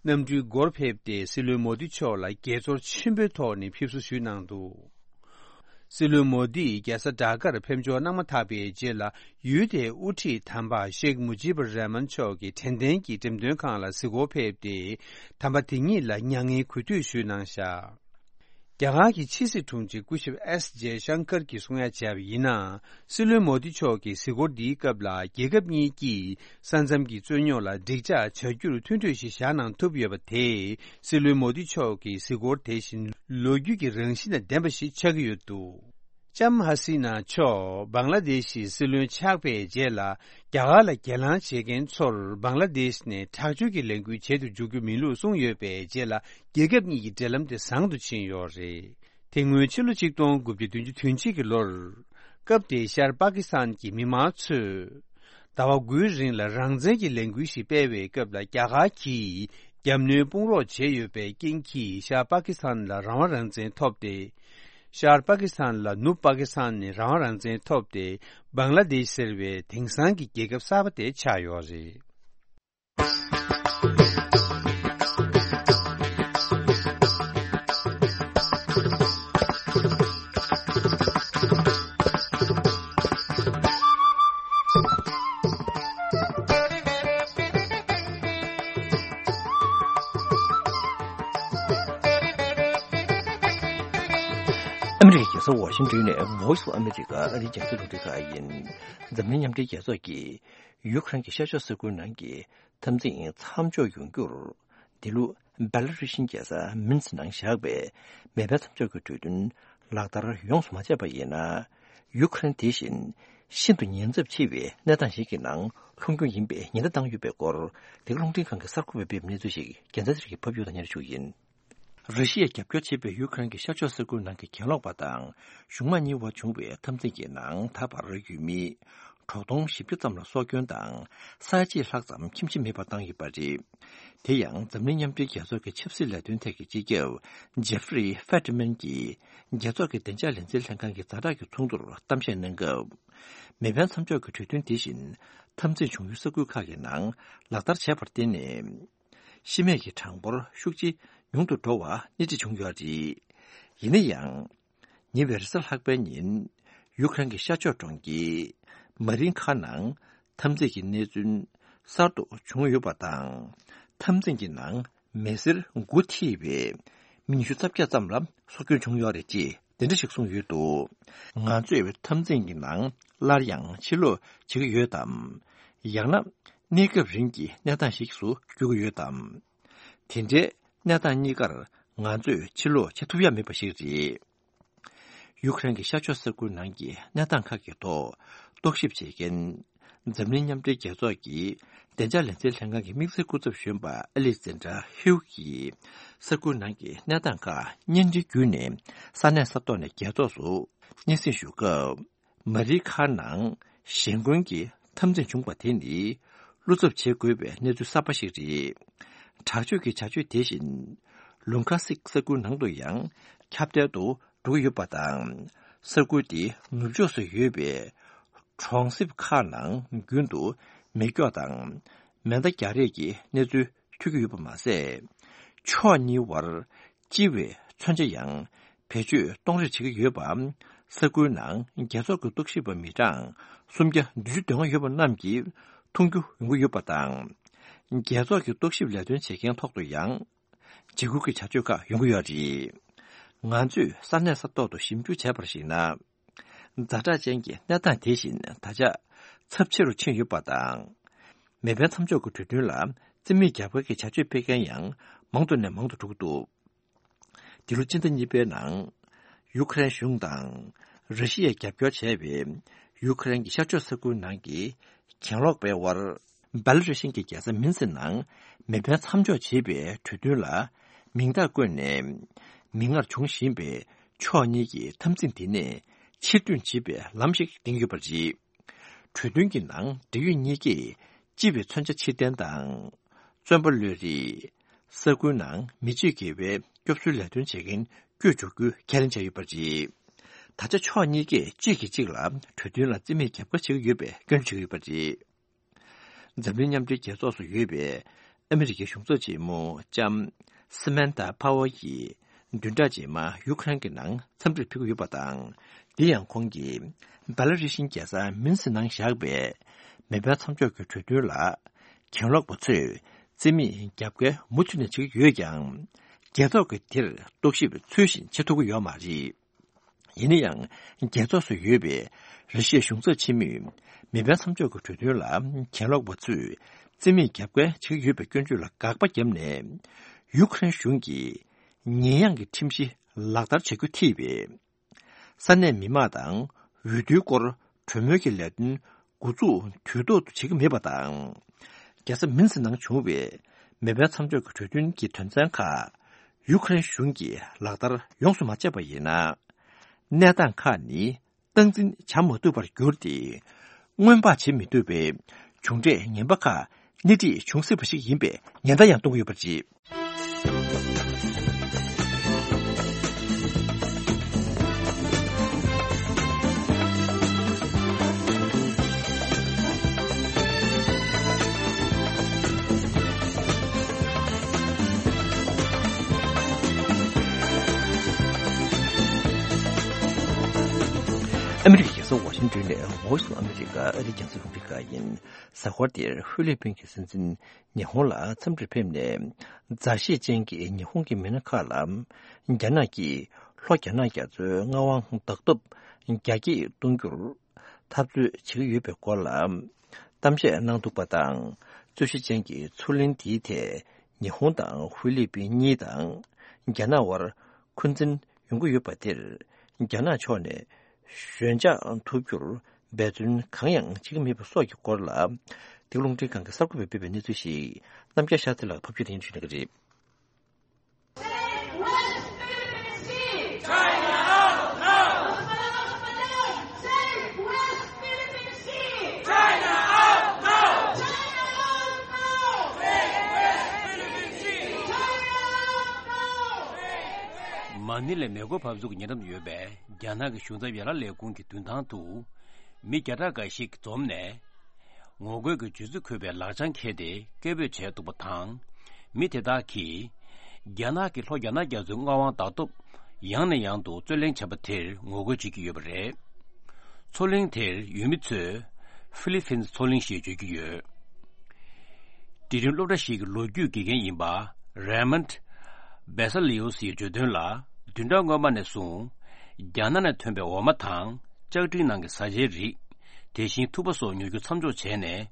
གནམ་གྲུའི་སྒོར་ཕེབས་ཏེ་སྲིད་བློན་མོ་དི་མཆོག་ལ་དགྱེས་ཚོར་ཆེན་པོའི་ཐོག་ནས་ཕེབས་བསུ་ཞུས་གནང་འདུག། སྲིད་བློན་མོ་དིས་རྒྱལ་ས་ཌ་ཀར་ཕེབས་འབྱོར་གནང་མ་ཐག་པའི་རྗེས་ལ། ཡུལ་དེའི་དབུ་ཁྲིད་དམ་པ་ཤེག་མུ་ཇིབ་ར་མན་མཆོག་གི་དྲན་རྟེན་གྱི་འགྲེམས་སྟོན་ཁང་ལ་གཟིགས་སྐོར་ཕེབས་ཏེ། དམ་པ་དེ་ཉིད་ལ་མྱ་ངན་གུས་འདུད་ཞུས་གནང་བཞག། རྒྱ་གར་གྱི་ཕྱི་སྲིད་དྲུང་ཆེ་སྐུ་ཞབས་ཨེསི་ཇེ་ཤང་ཀར་གྱིས་གསུང་ཡ་བྱས་པ་ཡིན་ན། སྲིད་བློན་མོ་དི་མཆོག་གི་གཟིགས་སྐོར་འདིའི་སྐབས་ལ། རྒྱལ་ཁབ་གཉིས་ཀྱིས་ས་མཚམས་ཀྱི་རྩོད་རྙོག་ལ་འགྲིག་འཇགས་བྱ་རྒྱུར་མཐུན་གྲོས་ཤིག་བཞག་གནང་ཐུབ་ཡོད་པ་དེས། སྲིད་བློན་མོ་དི་མཆོག་གི་གཟིགས་སྐོར་དེ་བཞིན་ལོ་རྒྱུས་ཀྱི་རང་བཞིན་དང་ལྡན་པ་ཞིག་ཆགས་ཀྱི་ཡོད་འདུག། ལྕམ་ཧ་སི་ན་མཆོག་བང་ལ་དེ་ཤི་སྲིད་བློན་ཆགས་པའི་རྗེས་ལ། རྒྱ་གར་ལ་གྱེན་ལངས་བྱེད་མཁན་ཚོར་བང་ལ་དེཤ་ནས་དྲག་སྤྱོད་ཀྱི་ལས་འགུལ་བྱེད་དུ་འཇུག་རྒྱུ་མིན་ལུགས་གསུངས་ཡོད་པའི་རྗེས་ལ། རྒྱལ་ཁབ་གཉིས་ཀྱི་འབྲེལ་ལམ་དེ་བཟང་དུ་ཕྱིན་ཡོད་རེད། དེ་སྔོན་ཕྱི་ལོ་གཅིག་སྟོང་དགུ་བརྒྱ་བདུན་ཅུ་དོན་གཅིག་གི་ལོར། སྐབས་དེའི་ཤར་པ་ཀི་སི་ཐན་གྱི་མི་མང་ཚོས། ཟླ་བ་དགུའི་རིང་ལ་རང་བཙན་གྱི་ལས་འགུལ་ཞིག་སྤེལ་བའི་སྐབས་ལ། རྒྱ་གར་གྱིས་རྒྱབ་གནོན་དཔུང་རོགས་བྱས་ཡོད་པའི་རྐྱེན་གྱིས། ཤར་པ་ཀི་སི་ཐན་ལ་རང་དབང་རང་བཙན་ཐོབ་སྟེ། ཤར་པ་ཀི་སི་ཐན་ལ་ནུབ་པ་ཀི་སི་ཐན་ནས་རང་དབང་རང་བཙན་ཐོབ་སྟེ། བང་ལ་དེཤ་ཟེར་བའི་དེང་སང་གི་རྒྱལ་ཁབ་གསར་པ་དེ་ཆགས་ཡོད་རེད། ཨ་མི་རི་ཀའི་རྒྱལ་ས་ཝ་ཤིང་ཏོན་ནས་Voice of America ཨ་རིའི་རྒྱང་སྲིང་རླུང་འཕྲིན་ཁང་ཡིན། འཛམ་གླིང་མཉམ་འབྲེལ་རྒྱལ་ཚོགས་ཀྱིས་ཡུ་ཁ་རན་གྱི་ཤར་ཕྱོགས་ས་ཁུལ་ནང་གི་འཐབ་འཛིང་མཚམས་འཇོག་ཡོང་རྒྱུར། འདི་ལོ་སྦེ་ལ་རུ་ཤིའི་རྒྱལ་ས་མིན་སི་ནང་བཞག་པའི་མེ་འཕེན་མཚམས་འཇོག་གི་གྲོས་མཐུན་ལག་བསྟར་ཡོངས་སུ་མ་བྱས་པ་ཡིན་ན། ཡུ་ཁ་རན་དེ་བཞིན་ཤིན་ཏུ་ཉེན་ཚབས་ཆེ་བའི་གནས་སྟངས་ཤིག་གི་ནང་ལྷུང་རྒྱུ་ཡིན་པའི་ཉེན་བརྡ་བཏང་ཡོད་པའི་སྐོར། འདི་ག་རླུང་འཕྲིན་ཁང་གི་གསར་འགོད་པས་སྤེལ་བའི་གནས་ཚུལ་ཞིག་རྒྱལ་མཚན་ཚེ་རིང་གིས་ཕབ་སྒྱུར་དང་སྙན་སྒྲོན་ཞུ་གི་ཡིན། ར་ཤི་ཡས་རྒྱབ་སྐྱོར་བྱེད་པའི་ཡུ་ཁ་རན་གྱི་ཤར་ཕྱོགས་ས་ཁུལ་ནང་གི་གྱེན་ལོག་པ་དང་གཞུང་མང་གཉིས་དབར་བྱུང་བའི་འཐབ་འཛིང་གི་ནང་ད་བར་ཡུལ་མི་ དྲུག་སྟོང་བཞི་བརྒྱ་ཙམ་ལ་སྲོག་སྐྱོན་དང་། ས་ཡ་གཅིག་ལྷག་ཙམ་ཁྱིམ་གཞིས་མེད་པར་བཏང་ཡོད་པ་རེད། དེ་ཡང་འཛམ་གླིང་མཉམ་འབྲེལ་རྒྱལ་ཚོགས་ཀྱི་ཆབ་སྲིད་ལས་དོན་ཐད་ཀྱི་སྤྱི་ཁྱབ་ཇེ་ཧྥི་རི་ཧྥེ་ཏྲི་མན་གྱིས་རྒྱལ་ཚོགས་ཀྱི་བདེ་འཇགས་ལས་འཛིན་ལྷན་ཁང་གི་ཛ་དྲག་གི་ཚོགས་འདུར་གཏམ་བཤད་གནང་སྐབས། མེ་འཕེན་མཚམས་འཇོག་གི་གྲོས་མཐུན་དེ་བཞིན་འཐབ་འཛིང་བྱུང་ཡུལ་ས་ཁུལ་ཁག་གི་ནང་ལག་བསྟར་བྱས་པར་བརྟེན་ནས། ཤི་རྨས་ཀྱི་གྲངས་འབོར་ཤུགས་ཆེ་ཉུང་དུ་འགྲོ་བ་སྣེ་ཁྲིད་བྱུང་ཡོད་རེད། ཡིན་ན་ཡང་། ཉེ་བའི་རེས་གཟའ་ལྷག་པའི་ཉིན། ཡུ་ཁ་རན་གྱི་ཤར་ཕྱོགས་གྲོང་ཁྱེར་མ་རིན་ཁ་ནང་འཐབ་འཛིང་གི་གནས་ཚུལ་གསར་དུ་བྱུང་ཡོད་པ་དང་། འཐབ་འཛིང་གི་ནང་མི་སེར་དགུ་ཐེ་བའི་མི་ཉི་ཤུ་རྩ་བརྒྱད་ཙམ་ལ་སྲོག་སྐྱོན་བྱུང་ཡོད་རེད་ཅེས་དེ་འདྲ་ཞིག་གསུངས་ཡོད་འདུག་ང་ཚོས་འཐབ་འཛིང་གི་ནང་སླར་ཡང་ཕྱིར་ལོག་བྱེད་ཀྱི་ཡོད་དམ། ཡང་ན་གནས་སྐབས་རིང་གི་གནས་སྟངས་ཤིག་ཏུ་འགྱུར་གྱི་ཡོད་དམ། དེ་འདྲའི་གནས་སྟངས་གཉིས་ཀར་ང་ཚོས་ཕྱིར་ལོག་བྱེད་ཐུབ་ཡ་མེད་པ་ཞིག་རེད། ཡུ་ཁ་རན་གྱི་ཤར་ཕྱོགས་ས་ཁུལ་ནང་གི་གནས་སྟངས་ཁག་གི་ཐོག་རྟོག་ཞིབ་བྱེད་མཁན། འཛམ་གླིང་མཉམ་འབྲེལ་རྒྱལ་ཚོགས་ཀྱི་བདེ་འཇགས་ལས་འཛིན་ལྷན་ཁང་གི་དམིགས་བསལ་སྐུ་ཚབ་གཞོན་པ་ཨ་ལེག་ཛན་དྲ་ཧིའུ་གིས། ས་ཁུལ་ནང་གི་གནས་སྟངས་ཁག་བརྙན་འཕྲིན་བརྒྱུད་ནས་ས་གནས་ས་ཐོག་ནས་རྒྱལ་ཚོགས་སུ་སྙན་སེང་ཞུ་སྐབས། མ་རི་ཁ་ནང་གཞན་རྒོལ་གྱི་འཐབ་འཛིང་བྱུང་བ་དེ་ནི་བློ་འཚབ་བྱེད་དགོས་པའི་གནས་ཚུལ་གསར་པ་ཞིག་རེད། དྲག་སྤྱོད་ཀྱི་བྱ་སྤྱོད་དེ་བཞིན་ལུང་ཁ་སིག་ས་ཁུལ་ནང་དུ་ཡང་ཁྱབ་གདལ་དུ་འགྲོ་གི་ཡོད་པ་དང་། ས་ཁུལ་དེའི་ནུབ་ཕྱོགས་སུ་ཡོད་པའི་གྲོང་གསེབ་ཁག་ནང་རྒྱུན་དུ་མེ་སྒྱོགས་དང་མེ་མདའ་རྒྱག་རེས་ཀྱི་གནས་ཚུལ་ཐོས་ཀྱི་ཡོད་པ་མ་ཟད། ཕྱོགས་གཉིས་བར་ལྕི་བའི་མཚོན་ཆ་ཡང་བེད་སྤྱོད་གཏོང་རེས་བྱེད་ཀྱི་ཡོད་པ། ས་ཁུལ་ནང་རྒྱལ་ཚོགས་ཀྱི་རྟོག་ཞིབ་པ་མི་གྲངས་སུམ་བརྒྱ་བདུན་ཅུ་དོན་ལྔ་ཡོད་པ་རྣམས་ཀྱིས་མཐོང་རྒྱུ་ཡོང་གི་ཡོད་པ་དང་། རྒྱལ་ཚོགས་ཀྱི་རྟོག་ཞིབ་ལས་དོན་བྱེད་མཁན་ཐོག་ཏུ་ཡང་། འཇིགས་སྐུལ་གྱི་བྱ་སྤྱོད་ཁག་ཡོང་གི་ཡོད་རེད། ང་ཚོས་ས་གནས་ས་ཐོག་ཏུ་ཞིབ་འཇུག་བྱས་པར་གཞིགས་ན། ཛ་དྲག་ཅན་གྱི་གནས་སྟངས་དེ་བཞིན་ད་ཆ་ཚབས་ཆེ་རུ་ཕྱིན་ཡོད་པ་དང་། མེ་འཕེན་མཚམས་འཇོག་གི་གྲོས་མཐུན་ལ་རྩིས་མེད་རྒྱབ་འགལ་གྱི་བྱ་སྤྱོད་སྤེལ་མཁན་ཡང་མང་དུ་ནས་མང་དུ་འགྲོ་གི་འདུག་འདི་ལོ་སྤྱི་ཟླ་གཉིས་པའི་ནང་། ཡུ་ཁ་རན་གཞུང་དང་། ར་ཤི་ཡས་རྒྱབ་སྐྱོར་བྱས་པའི་ཡུ་ཁ་རན་གྱི་ཤར་ཕྱོགས་ས་ཁུལ་ནང་གི་གྱེན་ལོག་པའི་དབར། སྦེ་ལ་རུ་ཤིན་གྱི་རྒྱལ་ས་མིན་སི་ནང་མེ་འཕེན་མཚམས་འཇོག་བྱེད་པའི་གྲོས་མཐུན་ལ་མིང་རྟགས་བཀོད་ནས། མིག་སྔར་འབྱུང་བཞིན་པའི་ཕྱོགས་གཉིས་ཀྱི་འཐབ་འཛིང་དེ་ནས་ཕྱིར་ཐོན་བྱེད་པའི་ལམ་ཞིག་འདིང་ཡོད་པ་རེད། གྲོས་མཐུན་གྱི་ནང་འབྲེལ་ཡོད་གཉིས་ཀས་ལྕི་བའི་མཚོན་ཆ་ཕྱིར་འཐེན་དང་། བཙོན་པ་གློད་རེས། ས་ཁུལ་ནང་མི་སྤྱོད་དགེ་བའི་སྐྱོབ་གསོའི་ལས་དོན་བྱེད་མཁན་བསྐྱོད་འཇུག་རྒྱུའི་ཁས་ལེན་བྱས་ཡོད་པ་རེད། ད་ཆ་ཕྱོགས་གཉིས་ཀས་གཅིག་གིས་གཅིག་ལ་གྲོས་མཐུན་ལ་རྩིས་མེད་རྒྱབ་འགལ་བྱེད་ཀྱི་ཡོད་པའི་སྐྱོན་བརྗོད་བྱེད་ཀྱི་ཡོད་པ་རེད། འཛམ་གླིང་མཉམ་འབྲེལ་རྒྱལ་ཚོགས་སུ་ཡོད་པའི་ཨ་མི་རི་ཀའི་གཞུང་ཚབ་ཆེན་མོ་ལྕམ་སི་མན་ཐ་ཕ་ཝར་གྱིས་བདུན་ཕྲག་རྗེས་མ་ཡུ་ཁ་རན་གྱི་ནང་འཚམས་འདྲིར་ཕེབས་ཀྱི་ཡོད་པ་དང་། འདི་ཡང་ཁོང་གིས་སྦེ་ལ་རུ་ཤིའི་རྒྱལ་ས་མིན་སི་ནང་བཞག་པའི་མེ་འཕེན་མཚམས་འཇོག་གི་གྲོས་མཐུན་ལ་གྱེན་ལོག་པ་ཚོས་རྩིས་མེད་རྒྱབ་འགལ་མུ་མཐུད་ནས་བྱེད་ཀྱི་ཡོད་ཀྱང་། རྒྱལ་ཚོགས་ཀྱིས་དེར་རྟོག་ཞིབ་ཚུལ་བཞིན་བྱེད་ཐུབ་ཀྱི་ཡོད་མ་རེད། ཡིན་ན་ཡང་། རྒྱལ་ཚོགས་སུ་ཡོད་པའི་ར་ཤི་ཡའི་གཞུང་ཚབ་ཆེན་མོས་མེ་འཕེན་མཚམས་འཇོག་གི་གྲོས་མཐུན་ལ་གྱེན་ལོག་པ་ཚོས་རྩིས་མེད་རྒྱབ་འགལ་བྱེད་ཀྱི་ཡོད་པའི་སྐྱོན་བརྗོད་ལ་དགག་པ་བརྒྱབ་ནས། ཡུ་ཁ་རེན་གཞུང་གིས་ཉེས་ཡངས་ཀྱི་ཁྲིམས་གཞི་ལག་བསྟར་བྱ་རྒྱུ་ཐེ་བའི་ས་གནས་མི་མང་དང་འོས་བསྡུའི་སྐོར་གྲོས་མོལ་གྱི་ལས་དོན་འགོ་འཛུགས་དུས་ཐོག་ཏུ་བྱེད་ཀྱི་མེད་པ་དང་། རྒྱལ་ས་མིན་སི་ནང་བྱུང་བའི་མེ་འཕེན་མཚམས་འཇོག་གི་གྲོས་མཐུན་གྱི་དོན་ཚན་ཁག་ཡུ་ཁ་རེན་གཞུང་གིས་ལག་བསྟར་ཡོངས་སུ་མ་བྱས་པ་ཡིན་ན། གནས་སྟངས་ཁག་ནི་སྟངས་འཛིན་བྱ་མ་ཐུབ་པར་གྱུར་ཏེ། སྔོན་དཔག་བྱེད་མི་ཐུབ་པའི་གྱོང་འབྲས་ངན་པ་ཁག་སྣེ་ཁྲིད་འབྱུང་སྲིད་པ་ཞིག་ཡིན་པའི་ཉེན་བརྡ་ཡང་གཏོང་གི་ཡོད་པ་རེད། ཨ་མི་རི་ཀའི་རྒྱལ་ས་ཝ་ཤིང་ཏོན་ནས་Voice of America ཨ་རིའི་རྒྱང་སྲིང་རླུང་འཕྲིན་ཁང་ཡིན། གཟའ་འཁོར་འདིར་ཧྥི་ལི་པིན་གྱི་སྲིད་འཛིན་ཉི་ཧོང་ལ་འཚམས་འདྲིར་ཕེབས་ནས། མཛའ་བཤེས་ཅན་གྱི་ཉི་ཧོང་གི་མི་སྣ་ཁག་ལ། རྒྱ་ནག་གིས་ལྷོ་རྒྱ་ནག་རྒྱ་མཚོའི་མངའ་དབང་བདག་ཐབས་རྒྱ་སྐྱེད་གཏོང་རྒྱུར་འཐབ་རྩོད་བྱེད་ཀྱི་ཡོད་པའི་སྐོར་ལ་གཏམ་བཤད་གནང་འདུག་པ་དང་། རྩོད་གཞི་ཅན་གྱི་མཚོ་གླིང་འདིའི་ཐད་ཉི་ཧོང་དང་ཧྥི་ལི་པིན་གཉིས་དང་རྒྱ་ནག་དབར་འཁོན་འཛིན་ཡོང་གི་ཡོད་པ་དེར། རྒྱ་ནག་ཕྱོགས་ནས་ཞོད་འཇགས་ཐུབ་རྒྱུར་འབད་བརྩོན་གང་ཡང་བྱེད་ཀྱི་མེད་པ་སོགས་ཀྱི་སྐོར་ལ། འདི་ག་རླུང་འཕྲིན་ཁང་གི་གསར་འགོད་པས་སྤེལ་བའི་གནས་ཚུལ་ཞིག་རྣམ་རྒྱལ་ཤཱ་ཚེ་ལགས་ཕབ་སྒྱུར་དེ་ཉིད་ཞུ་གནང་གི་རེད། Take West Philippine Sea! China out now! Take West Philippine Sea! མ་ནི་ལའི་མེ་འཁོར་འབབ་ཚུགས་ཀྱི་ཉེ་འགྲམ་དུ་ཡོད་པའི་རྒྱ་ནག་གི་གཞུང་ཚབ་ཡན་ལག་ལས་ཁུངས་ཀྱི་མདུན་ཐང་དུ། མི་བརྒྱ་ཕྲག་འགའ་ཞིག་འཛོམས་ནས། ངོ་རྒོལ་གྱི་བརྗོད་ཚིག་འཁོད་པའི་ལག་བྱང་འཁྱེར་ཏེ་སྐད་འབོད་བྱས་འདུག་པ་དང་། མི་དེ་དག་གིས། རྒྱ་ནག་གིས་ལྷོ་རྒྱ་ནག་རྒྱ་མཚོའི་མངའ་དབང་ལྡབ་ལྡིབ་ཡང་ནས་ཡང་དུ་རྩོད་གླེང་བྱས་པ་དེར་ངོ་རྒོལ་བྱེད་ཀྱི་ཡོད་པ་རེད། མཚོ་གླིང་དེར་ཡུལ་མི་ཚོས་ཧྥི་ལི་ཕིན་མཚོ་གླིང་ཞེས་བརྗོད་ཀྱི་ཡོད། འབྲིང་རིམ་སློབ་གྲྭ་ཞིག་གི་ལོ་རྒྱུས་དགེ་རྒན་ཡིན་པ་རེ་མོན་བེ་ས་ལི་ཡོ་སིས་བརྗོད་དོན་ལ། བདུན་ཕྲག་སྔོན་མ་ནས་བཟུང་རྒྱ་ནག་ནས་ཐོན་པའི་འོ་མ་དང་། ལྕགས་ཀྲིན་ནང་གི་བཟའ་བཅའི་རིགས། དེ་བཞིན་ཐུག་པ་སོགས་ཉོ་རྒྱུ་མཚམས་འཇོག་བྱས་ནས།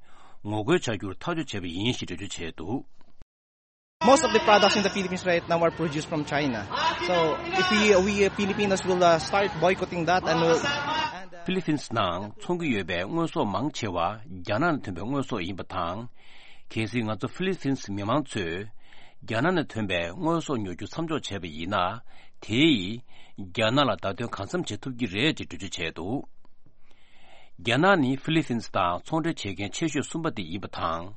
ངོ་རྒོལ་བྱ་རྒྱུར་ཐག་གཅོད་བྱས་པ་ཡིན་ཞེས་འགྲེལ་བརྗོད་བྱས་འདུག། Most of the products in the Philippines right now are produced from China. So if we, we Filipinos will uh, start boycotting that and will and, uh, ཕི་ལི་ཕིན་སི་ནང་འཚོང་གི་ཡོད་པའི་དངོས་ཟོག་མང་ཆེ་བ་རྒྱ་ནག་ནས་ཐོན་པའི་དངོས་ཟོག་ཡིན་པ་དང་། གལ་སྲིད་ང་ཚོ་ཕི་ལི་ཕིན་སི་མི་མང་ཚོས་རྒྱ་ནག་ནས་ཐོན་པའི་དངོས་ཟོག་ཉོ་རྒྱུ་མཚམས་འཇོག་བྱས་པ་ཡིན་ན། དེས་རྒྱ་ནག་ལ་བརྡ་སྟོན་གང་འཚམ་བྱེད་ཐུབ་ཀྱི་རེད་ཅེས་འགྲེལ་བརྗོད་བྱས་འདུག། རྒྱ་ནག་ནི་ཧྥི་ལི་ཕིན་སི་དང་ཚོང་འབྲེལ་བྱེད་མཁན་ཆེ་ཤོས་གསུམ་པ་དེ་ཡིན་པ་དང་།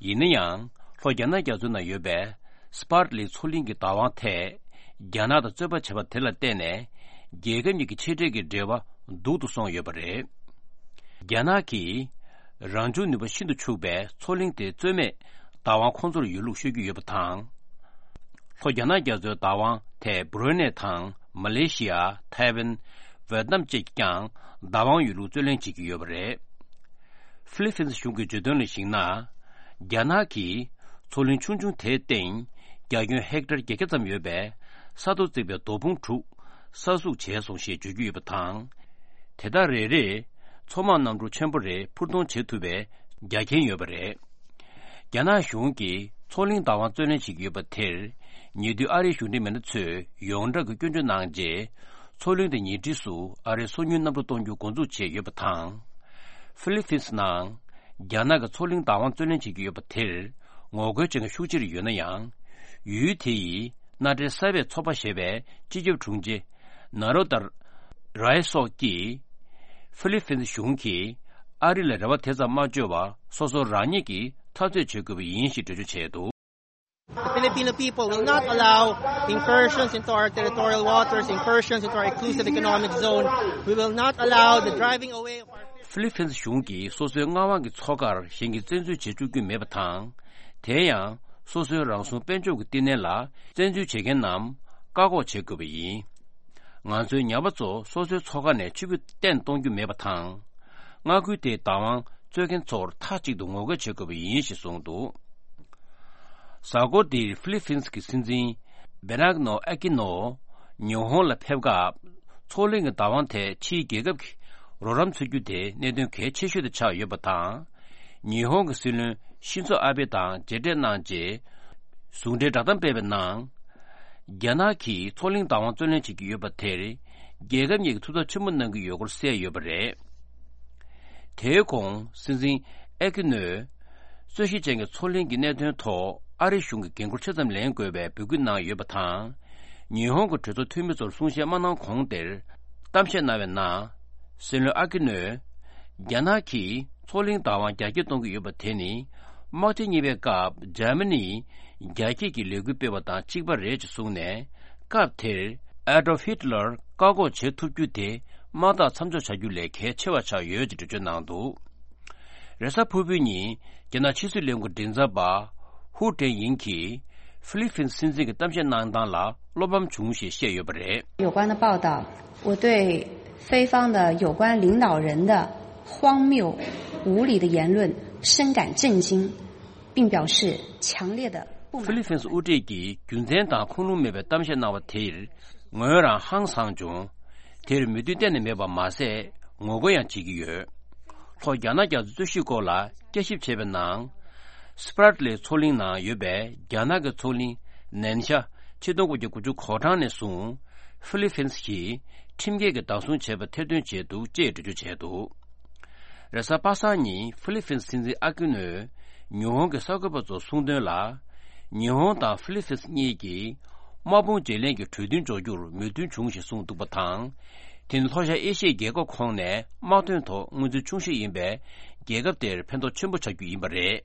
ཡིན་ན་ཡང་། ལྷོ་རྒྱ་ནག་རྒྱ་མཚོའི་ནང་ཡོད་པའི་སི་པར་ལི་མཚོ་གླིང་གི་བདག་དབང་ཐད། རྒྱ་ནག་དང་རྩོད་པ་བྱས་པ་དེ་ལ་བརྟེན་ནས། རྒྱལ་ཁབ་གཉིས་ཀྱི་ཆེ་གྲས་ཀྱི་འབྲེལ་བ་སྡུག་ཏུ་སོང་ཡོད་པ་རེད། རྒྱ་ནག་གིས་རང་བྱུང་ནུས་པ་ཤིན་ཏུ་ཕྱུག་པའི་མཚོ་གླིང་དེ་རྩོད་མེད་བདག་དབང་ཁོང་ཚོར་ཡོད་ལུགས་ཤོད་ཀྱི་ཡོད་པ་དང་། ལྷོ་རྒྱ་ནག་རྒྱ་མཚོའི་བདག་དབང་ཐད་བྷུ་རུ་ནེ་དང་མ་ལེ་ཤི་ཡ། ཐའེ་ཝན། ཝེ་ཏི་ནམ་བཅས་ཀྱིས་ཀྱང་བདག་དབང་ཡོད་ལུགས་རྩོད་གླེང་བྱེད་ཀྱི་ཡོད་པ་རེད། ཧྥི་ལི་ཕིན་སི་གཞུང་གིས་བརྗོད་དོན་ལ་གཞིགས་ན། རྒྱ་ནག་གིས་མཚོ་གླིང་ཆུང་ཆུང་དེའི་སྟེང་རྒྱ་ཁྱོན་ཧེག་ཊར་བརྒྱད་བརྒྱ་ཙམ་ཡོད་པའི་ས་རྡོ་བརྩིགས་པའི་རྡོ་ཕུང་དྲུག་གསར་བཙུགས་བྱས་སོང་ཞེས་བརྗོད་ཀྱི་ཡོད་པ་དང་། དེ་དག་རེ་རེས་མཚོ་དམག་གནམ་གྲུ་ཆེན་པོ་རེ་འཕུར་གཏོང་བྱེད་ཐུབ་པའི་རྒྱ་ཁྱོན་ཡོད་པ་རེད། རྒྱ་ནག་གཞུང་གིས་མཚོ་གླིང་བདག་དབང་རྩོད་ལེན་བྱེད་ཀྱི་ཡོད་པ་དེར། ཉེ་དུས་ཨ་རིའི་གཞུང་འབྲེལ་མི་སྣ་ཚོས་ཡོངས་གྲགས་ཀྱི་སྐྱོན་བརྗོད་གནང་རྗེས། མཚོ་གླིང་དེ་ཉེ་འཁྲིས་སུ་ཨ་རིའི་སོ་ཉུལ་གནམ་གྲུ་གཏོང་རྒྱུ་འགོ་འཛུགས་བྱས་ཡོད་པ་དང་། ཧྥི་ལི་ཕིན་སི་ནང་རྒྱ་ནག་གི་མཚོ་གླིང་བདག་དབང་རྩོད་ལེན་བྱེད་ཀྱི་ཡོད་པ་དེར་ངོ་རྒོལ་བྱེད་མཁན་ཤུགས་ཆེར་ཡོད་ན་ཡང་། ཡུལ་དེ་ཡི་མནའ་འབྲེལ་གསར་པའི་ཚོགས་པ་ཞེས་པའི་སྤྱི་ཁྱབ་དྲུང་ཆེ་ན་རོ་ཏར་རའི་སོགས་ཀྱིས། ཧྥི་ལི་ཕིན་སི་གཞུང་གིས་ཨ་རི་ལ་རེ་བ་དེ་ཙམ་མ་བཅོལ་བར། སོ་སོ་རང་ཉིད་ཀྱིས་འཐབ་རྩོད་བྱེད་དགོས་པ་ཡིན་ཞེས་འགྲེལ་བརྗོད་བྱས་འདུག། The Filipino people will not allow incursions into our territorial waters, incursions into our exclusive economic zone. We will not allow the driving away of our ཧྥི་ལི་ཕིན་སི་གཞུང་གིས་སོ་སོའི་མངའ་དབང་གི་མཚོ་ཁར་གཞན་གྱིས་བཙན་འཛུལ་བྱེད་བཅུག་རྒྱུ་མེད་པ་དང་། དེ་ཡང་སོ་སོའི་རང་སྲུང་དཔལ་འབྱོར་གྱི་བསྟི་གནས་ལ་བཙན་འཛུལ་བྱེད་མཁན་རྣམས་བཀག་འགོག་བྱེད་དགོས་པ་ཡིན། ང་ཚོའི་ཉ་པ་ཚོ་སོ་སོའི་མཚོ་ཁ་ནས་ཆུ་རྒྱུན་གཏན་གཏོང་རྒྱུ་མེད་པ་དང་། མངའ་ཁུལ་དེའི་བདག་དབང་རྩོད་མཁན་ཚོར་མཐའ་གཅིག་ཏུ་ངོ་རྒོལ་བྱེད་དགོས་པ་ཡིན་ཞེས་གསུངས་འདུག། གཟའ་འཁོར་འདིར་ཧྥི་ལི་ཕིན་སི་གི་སྲིད་འཛིན་བེ་ནག་ནོ་ཨེ་ཀི་ནོ་ཉི་ཧོང་ལ་ཕེབས་སྐབས། མཚོ་གླིང་གི་བདག་དབང་ཐད་ཕྱིའི་རྒྱལ་ཁབ་ཀྱིས་རོགས་རམ་འཚོལ་རྒྱུ་དེ་གནད་དོན་གལ་ཆེ་ཤོས་དེ་ཆགས་ཡོད་པ་དང་། ཉི་ཧོང་གི་སྲིད་བློན་ཤིན་ཛོ་ཨ་བྷེ་དང་མཇལ་འཕྲད་གནང་རྗེས། ཟུང་འབྲེལ་བསྒྲགས་གཏམ་སྤེལ་བའི་ནང་། རྒྱ་ནག་གིས་མཚོ་གླིང་བདག་དབང་རྩོད་ལེན་བྱེད་ཀྱི་ཡོད་པ་དེར། རྒྱལ་ཁབ་གཉིས་ཀྱིས་ཐུགས་འཚབ་ཆེན་པོ་གནང་གི་ཡོད་སྐོར་གསལ་ཡོད་པ་རེད། དེའི་གོང་སྲིད་འཛིན་ཨེ་ཀི་ནོས། རྩོད་གཞི་ཅན་གྱི་མཚོ་གླིང་གི་གནད་དོན་ཐོག་ཨ་རི་གཞུང་གི་འགན་འཁུར་ཆ་ཙམ་ལེན་དགོས་པའི་འབོད་སྐུལ་གནང་ཡོད་པ་དང་། ཉི་ཧོང་གི་གྲོས་ཚོགས་འཐུས་མི་ཚོར་གསུང་བཤད་མ་གནང་གོང་དེར། གཏམ་བཤད་གནང་བའི་ནང་། སྲིད་བློན་ཨ་ཀི་ནོས། རྒྱ་ནག་གིས་མཚོ་གླིང་བདག་དབང་རྒྱ་སྐྱེད་གཏོང་གི་ཡོད་པ་དེ་ནི། དམག་ཆེན་གཉིས་པའི་སྐབས་འཇར་མ་ནིས་རྒྱ་སྐྱེད་ཀྱི་ལས་འགུལ་སྤེལ་བ་དང་གཅིག་པ་རེད་ཅེས་གསུངས་ནས། སྐབས་དེར་ཨེ་ཌོལ་ཧིད་ལར་བཀག་འགོག་བྱེད་ཐུབ་རྒྱུ་དེ་དམག་འཐབ་མཚམས་འཇོག་བྱ་རྒྱུ་ལས་གལ་ཆེ་བ་ཆགས་ཡོད་ཅེས་འགྲེལ་བརྗོད་གནང་འདུག། རེས་གཟའ་ཕུར་བུའི་ཉིན་རྒྱ་ནག་ཕྱི་སྲིད་ལས་ཁུངས་མགྲིན་ཚབ་པ་ཧུའུ་ཀྲེང་ཡིང་གིས་ཧྥི་ལི་ཕིན་སྲིད་འཛིན་གྱི་གཏམ་བཤད་གནང་སྟངས་ལ་བློ་ཕམ་བྱུང་ཞེས་བཤད་ཡོད་པ་རེད། 有关的报道，我对非方的有关领导人的荒谬无礼的言论深感震惊，并表示强烈的不满。 ཧྥི་ལི་ཕིན་སི་དབུ་ཁྲིད་ཀྱིས་རྒྱུ་མཚན་དང་ཁུངས་ལུང་མེད་པའི་གཏམ་བཤད་གནང་བ་དེར་ངོས་རང་ཧང་སངས་བྱུང་། དེར་མོས་མཐུན་གཏན་ནས་མེད་པ་མ་ཟད་ངོ་རྒོལ་ཡང་བྱེད་ཀྱི་ཡོད། ལྷོ་རྒྱ་ནག་རྒྱ་མཚོའི་རྩོད་གཞིའི་སྐོར་ལ་བསྐྱར་ཞིབ་བྱས་པའི་ནང་། སི་པ་ར་ཏི་ལི་མཚོ་གླིང་ནང་ཡོད་པའི་རྒྱ་ནག་གི་མཚོ་གླིང་ནན་ཤ་ཆིག་སྟོང་དགུ་བརྒྱ་དགུ་བཅུ་གོ་གྲངས་ནས་བཟུང་། ཧྥི་ལི་ཕིན་སི་གིས་ཁྲིམས་འགལ་གྱི་བདག་བཟུང་བྱས་པ་ཐེར་འདོན་བྱས་འདུག་ཅེས་འགྲེལ་བརྗོད་བྱས་འདུག། རེས་གཟའ་པ་སངས་ཉིན་ཧྥི་ལི་ཕིན་སི་སྲིད་འཛིན་ཨ་ཀི་ནོས་ཉི་ཧོང་གི་གསར་འགོད་པ་ཚོར་གསུངས་དོན་ལ། ཉི་ཧོང་དང་ཧྥི་ལི་ཕིན་སི་གཉིས་ཀྱིས་དམག་དཔུང་བརྗེ་ལེན་གྱི་གྲོས་མཐུན་འཇོག་རྒྱུར་མོས་མཐུན་བྱུང་ཞེས་གསུངས་འདུག་པ་དང་། དེ་ནི་ལྷོ་ཤར་ཨེ་ཤི་ཡའི་རྒྱལ་ཁབ་ཁོངས་ནས་དམག་དོན་ཐོག་མངོན་ཚུལ་ཆུང་ཤོས་ཡིན་པའི་རྒྱལ་ཁབ་དེར་ཕན་ཐོགས་ཆེན་པོ་ཆགས་རྒྱུ་ཡིན་པ་རེད།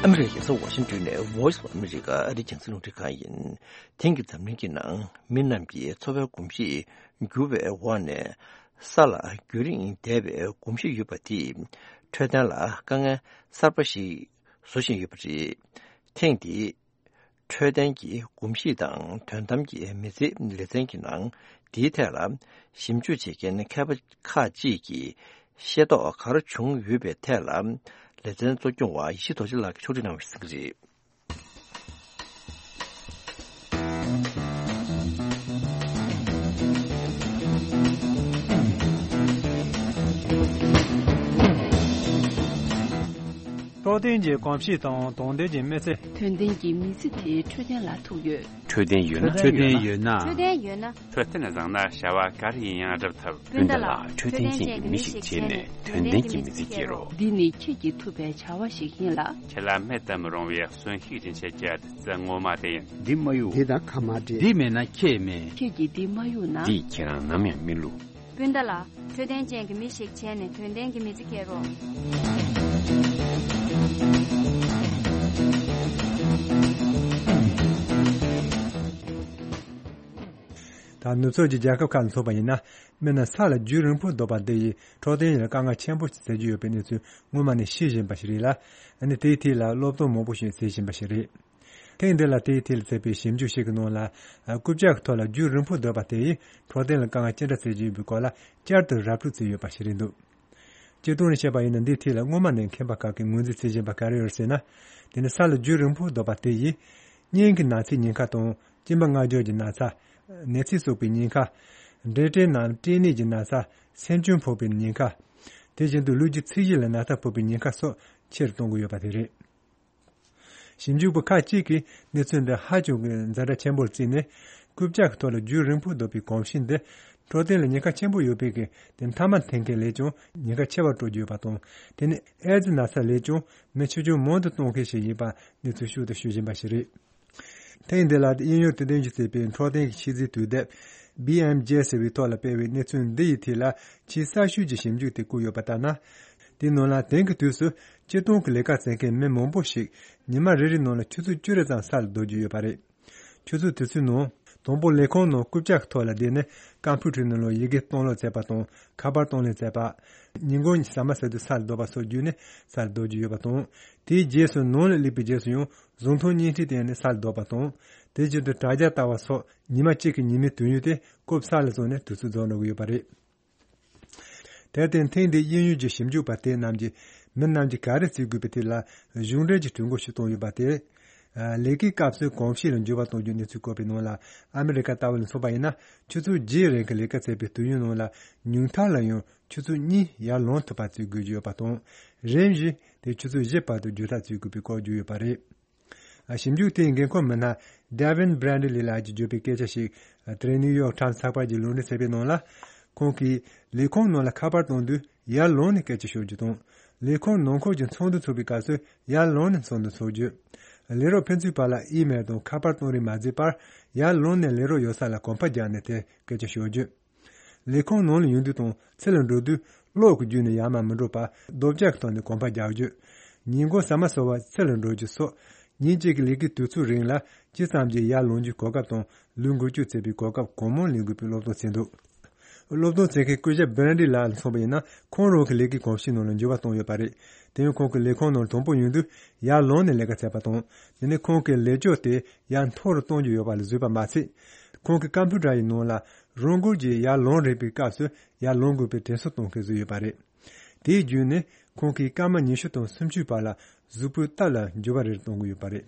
ཨ་མི་རི་ཀའི་རྒྱལ་ས་ཝ་ཤིང་ཏོན་ནས་Voice of America ཨ་རིའི་རྒྱང་སྲིང་རླུང་འཕྲིན་ཁང་ཡིན། དེང་གི་འཛམ་གླིང་གི་ནང་མི་རྣམས་ཀྱི་འཚོ་བའི་གོམས་གཤིས་འགྱུར་བའི་འོག་ནས། ས་ལ་རྒྱུན་རིང་བསྡད་པའི་གོམས་གཤིས་ཡོད་པ་དེས་འཕྲོད་བསྟེན་ལ་དཀའ་ངལ་གསར་པ་ཞིག་བཟོ་བཞིན་ཡོད་པ་རེད། ཐེངས་འདིའི་འཕྲོད་བསྟེན་གྱི་གོམས་གཤིས་དང་དོན་དམ་གྱི་མི་ཚེའི་ལེ་ཚན་གྱི་ནང་། འདིའི་ཐད་ལ་ཞིབ་འཇུག་བྱེད་མཁན་མཁས་པ་ཁག་ཅིག་གིས་ཤེས་རྟོགས་ག་རེ་བྱུང་ཡོད་པའི་ཐད་ལ། ལེ་ཚན་གཙོ་སྐྱོང་བ་ཡེ་ཤེས་རྡོ་རྗེ་ལགས་ཀྱིས་ཕྱོགས་སྒྲིག་གནང་བ་ཞིག་གཟིགས་གི་རེད། འཕྲོད་བསྟེན་གྱི་གོམས་གཤིས་དང་དོན་ལྡན་གྱི་མི་ཚེ། དོན་ལྡན་གྱི་མི་ཚེ་དེ་འཕྲོད་བསྟེན་ལ་ཐུག་ཡོད། འཕྲོད་བསྟེན་ཡོད་ན། འཕྲོད་བསྟེན་ཡོད་ན། འཕྲོད་བསྟེན་ཡོད་ན། འཕྲོད་བསྟེན་བཟང་ན་བྱ་བ་ག་རེ་ཡིན་ཡང་སྒྲུབ་ཐུབ། སྤུན་ཟླ་ལགས། འཕྲོད་བསྟེན་ཅན་གྱི་མི་ཞིག་བྱས་ནས་དོན་ལྡན་གྱི་མི་ཚེ་སྐྱེལ་རོགས། འདི་ནི་ཁྱེད་ཀྱིས་ཐུབ་པའི་བྱ་བ་ཞིག་ཡིན་ལ། ཁྱེད་ལ་མེད་དུ་མི་རུང་བའི་གསོན་ཤུགས་སྦྱིན་བྱེད་ཀྱི་བདུད་རྩི་ངོ་མ་དེ་ཡིན། འདི་མ་གཡུག་འདི་དང་ཁ་མ་འབྲལ། འདི་མེད་ན་ཁྱེད་མེད། ཁྱེད་ཀྱིས་འདི་མ་གཡུག་ན། འདིས་ཁྱེད་རང་ནམ་ཡང་མི་བསླུ། སྤུན་ཟླ་ལགས། འཕྲོད་བསྟེན་ཅན་གྱི་མི་ཞིག་བྱས་ནས་དོན་ལྡན་གྱི་མི་ཚེ་སྐྱེལ་རོགས། ད་ནུབ་ཕྱོགས་ཀྱི་རྒྱལ་ཁབ་ཁག་ལ་མཚོན་པ་ཡིན་ན། མི་རྣམས་ས་ལ་རྒྱུན་རིང་པོ་སྡོད་པ་འདི་ཡིས་འཕྲོད་བསྟེན་ལ་དཀའ་ངལ་ཆེན་པོ་ཞིག་བཟོ་གི་ཡོད་པའི་གནས་ཚུལ་སྔོན་མ་ནས་ཤེས་བཞིན་པ་ཞིག་རེད་ལ། ཨ་ནི་དེའི་ཐད་ལ་སློབ་སྟོན་མང་པོ་ཞིག་བྱེད་བཞིན་པ་ཞིག་རེད། ཐེངས་འདི་ལ་དེའི་ཐད་ལ་བྱས་པའི་ཞིབ་འཇུག་ཞིག་གི་ནང་ལ། རྐུབ་བཀྱག་གི་ཐོག་ལ་རྒྱུན་རིང་པོ་སྡོད་པ་དེ་ཡིས་འཕྲོད་བསྟེན་ལ་དཀའ་ངལ་ཅི་འདྲ་བཟོ་གི་ཡོད་པའི་སྐོར་ལ་བསྐྱར་དུ་ར་སྤྲོད་བྱས་ཡོད་པ་ཞིག་རེད་འདུག་སྤྱིར་བཏང་ནས་བཤད་པ་ཡིན་ན། འདིའི་ཐད་ལ་སྔོན་མ་ནས་མཁས་པ་ཁག་གིས་ངོས་འཛིན་བྱེད་བཞིན་པ་ག་རེ་ཡོད་ཟེར་ན། དེ་ནི་ས་ལ་རྒྱུན་རིང་པོ་སྡོད་པ་དེ་ཡིས་སྙིང་གི་ན་ཚའི་ཉེན་ཁ་དང་། གཅིན་པ་སྔ་འགྱུར་གྱི་ན་ཚ། ནད་ཚིལ་གསོག་པའི་ཉེན་ཁ། འབྲས་སྐྲན་ནམ་སྐྲན་ནད་ཀྱི་ན་ཚ། སེམས་ཅན་ཕོག་པའི་ཉེན་ཁ། དེ་བཞིན་དུ་ལུས་ཀྱི་ཚད་གཞི་ལ་ན་ཚ་ཕོག་པའི་ཉེན་ཁ་སོགས་ཆེ་རུ་གཏོང་གི་ཡོད་པ་དེ་རེད། ཞིབ་འཇུག་པ་ཁག་ཅིག་གིས་གནས་ཚུལ་འདི་ཧ་ཅང་གི་ཛ་དྲག་ཆེན་པོར་བརྩིས་ནས། རྐུབ་བཀྱག་གི་ཐོག་ལ་རྒྱུན་རིང་པོ་སྡོད་པའི་གོམས་གཤིས་འདི་འཕྲོད་བསྟེན་ལ་ཉེན་ཁ་ཆེན་པོ་ཡོད་པའི་གི་དེ་མཐའ་མ་འཐེན་མཁན་ལས་ཀྱང་ཉེན་ཁ་ཆེ་བར་སྤྲོད་ཀྱི་ཡོད་པ་དང་། དེ་ནི་ཨེ་ཙི་ན་ཚ་ལས་ཀྱང་མི་ཆེ་ཆུང་མང་དུ་གཏོང་མཁན་ཞིག་ཡིན་པ་གནས་ཚུལ་ཤུགས་ཏུ་ཤོད་བཞིན་པ་ཞིག་རེད། ཐེངས་འདི་ལ་དབྱིན་ཡུལ་དུ་སྟོན་གྱི་བྱས་པའི་འཕྲོད་བསྟེན་གྱི་ཤེས་ཚད་དུས་དེབ་བི་ཨེམ་ཇེ་ཟེར་བའི་ཐོག་ལ་སྤེལ་བའི་གནས་ཚུལ་འདི་ཡི་ཐད་ལ་ཆེས་གསར་ཤོས་ཀྱི་ཞིབ་འཇུག་དེ་བཀོད་ཡོད་པ་ལྟར་ན། དེའི་ནང་ལ་དེང་གི་དུས་སུ་སྤྱིར་བཏང་གི་ལས་ཀ་བྱེད་མཁན་མི་མང་པོ་ཞིག་ཉི་མ་རེ་རེའི་ནང་ལ་ཆུ་ཚོད་བཅུ་རེ་ཙམ་ས་ལ་སྡོད་ཀྱི་ཡོད་པ་རེད། ཆུ་ཚོད་དེ་ཚོའི་ནང་དང་པོ་ལས་ཁུངས་ནང་རྐུབ་བཀྱག་གི་ཐོག་ལ་བསྡད་ནས་ཀམ་པུ་ཊར་ནང་ལ་ཡི་གེ་གཏོང་ལེན་བྱེད་པ་དང་། ཁ་པར་གཏོང་ལེན་བྱེད་པ། ཉིན་གུང་ཟ་མ་ཟ་དུས་ས་ལ་སྡོད་པ་སོགས་བརྒྱུད་ནས་ས་ལ་སྡོད་ཀྱི་ཡོད་པ་དང་། དེའི་རྗེས་སུ་ནང་ལ་སླེབས་པའི་རྗེས་སུ་ཡང་གཟུགས་མཐོང་བརྙན་འཕྲིན་བལྟས་ནས་ས་ལ་སྡོད་པ་དང་། དེ་བཞིན་དུ་དྲ་རྒྱ་ལྟ་བ་སོགས་ཉི་མ་གཅིག་གི་ཉི་མའི་དུས་ཡུན་དེ་རྐུབ་ས་ལ་བཙུགས་ནས་དུས་ཚོད་རྫོགས་འགྲོ་གི་ཡོད་པ་རེད། དེར་བརྟེན་ཐེངས་འདིའི་དབྱིན་ཡུལ་གྱི་ཞིབ་འཇུག་པ་དེ་རྣམས་ཀྱིས་མི་རྣམས་ཀྱིས་ག་རེ་བྱེད་དགོས་པའི་ཐད་ལ་གཞུང་འབྲེལ་གྱི་གྲོས་འགོ་ཞིག་བཏོན་ཡོད་པ་དེ། ལས་ཀའི་སྐབས་སུ་གོམས་གཤིས་ལ་འགྱུར་བ་གཏོང་རྒྱུའི་གནས་ཚུལ་བཀོད་པའི་ནང་ལ། ཨ་མི་རི་ཀ་ལྟ་བུ་ལ་མཚོན་པ་ཡིན་ན། ཆུ་ཚོད་བརྒྱད་རིང་གི་ལས་ཀ་བྱས་པའི་དུས་ཡུན་ནང་ལ་ཉུང་མཐའ་ལ་ཡང་ཆུ་ཚོད་གཉིས་ཡར་ལོངས་ཐུབ་པ་བྱེད་དགོས་ཀྱི་ཡོད་པ་དང་། རིམ་བཞིན་དེ་ཆུ་ཚོད་བཞི་བར་དུ་བསྒྱུར་ཐག་བཅད་དགོས་པའི་སྐོར་བརྗོད་ཡོད་པ་རེད། ཞིབ་འཇུག་དེའི་འགན་ཁུར་མི་སྣ་Devin Bradley ལགས་ཀྱིས་བརྗོད་པའི་སྐད་ཆ་ཞིག་དེ་རིང་ནིའུ་ཡོག་ཊའིམ་ཚགས་པར་གྱིས་ལུང་འདྲེན་བྱས་པའི་ནང་ལ། ཁོང་གིས་ལས་ཁུངས་ནང་ལ་ཁ་པར་གཏོང་དུས་ཡར་ལངས་ནས་སྐད་ཆ་ཤོད་རྒྱུ་དང་། ལས་ཁུངས་ནང་ཁུལ་གྱི་ཚོགས་འདུ་ཚོགས་པའི་སྐབས་སུ་ཡར་ལངས་ནས་ཚོགས་འདུ་ཚོགས་རྒྱུ། ལས་རོགས་ཕན་ཚུན་བར་ལ་ཨི་མེལ་དང་ཁ་པར་གཏོང་རིན་མ་བརྩིས་པར། ཡར་ལངས་ནས་ལས་རོགས་ཡོད་ས་ལ་གོམ་པ་རྒྱག་ནས་དེར་སྐད་ཆ་ཤོད་རྒྱུ། ལས་ཁུངས་ནང་ལ་ཡོང་དུས་དང་ཕྱི་ལ་འགྲོ་དུས་གློག་གི་བརྒྱུད་ནས་ཡར་མར་མི་འགྲོ་བར་རྡོ་བཀྱག་གི་ཐོག་ནས་གོམ་པ་རྒྱག་རྒྱུ། ཉིན་གུང་ཟ་མ་ཟ་བར་ཕྱི་ལ་འགྲོ་རྒྱུ་སོགས་ཉིན་གཅིག་གི་ལས་ཀའི་དུས་ཚོད་རིང་ལ་ཇི་ཙམ་གྱིས་ཡར་ལངས་རྒྱུའི་གོ་སྐབས་དང་ལུས་འགུལ་སྐྱོད་བྱེད་པའི་གོ་སྐབས་གང་མང་ལེན་དགོས་པའི་སློབ་སྟོན་བྱས་འདུག་སློབ་སྟོན་བྱེད་མཁན་སྐུ་ཞབས་བྷེ་རན་ཌི་ལགས་ལ་མཚོན་པ་ཡིན་ན། ཁོང་རང་གི་ལས་ཀའི་གོམས་གཤིས་ནང་ལ་འགྱུར་བ་བཏང་ཡོད་པ་རེད། དེ་ཡང་ཁོང་གིས་ལས་ཁུངས་ནང་དང་པོ་ཡོང་དུས་ཡར་ལངས་ནས་ལས་ཀ་བྱས་པ་དང་། དེ་ནས་ཁོང་གིས་ལས་ཕྱོགས་དེ་ཡར་མཐོ་རུ་གཏོང་རྒྱུ་ཡོད་པ་ལ་བཟོས་པ་མ་ཚད། ཁོང་གི་ཀམ་པུ་ཊར་ཡི་ནང་ལ་རང་འགུལ་གྱིས་ཡར་ལངས་རན་པའི་སྐབས་སུ་ཡར་ལངས་དགོས་པའི་དྲན་གསོ་གཏོང་མཁན་བཟོས་ཡོད་པ་རེད། དེའི་བརྒྱུད་ནས་ཁོང་གིས་སྐར་མ་ཉི་ཤུ་དང་སུམ་ཅུའི་བར་ལ་གཟུགས་པོའི་སྟབས་ལ་འགྱུར་བ་རེ་རེ་གཏོང་གི་ཡོད་པ་རེད།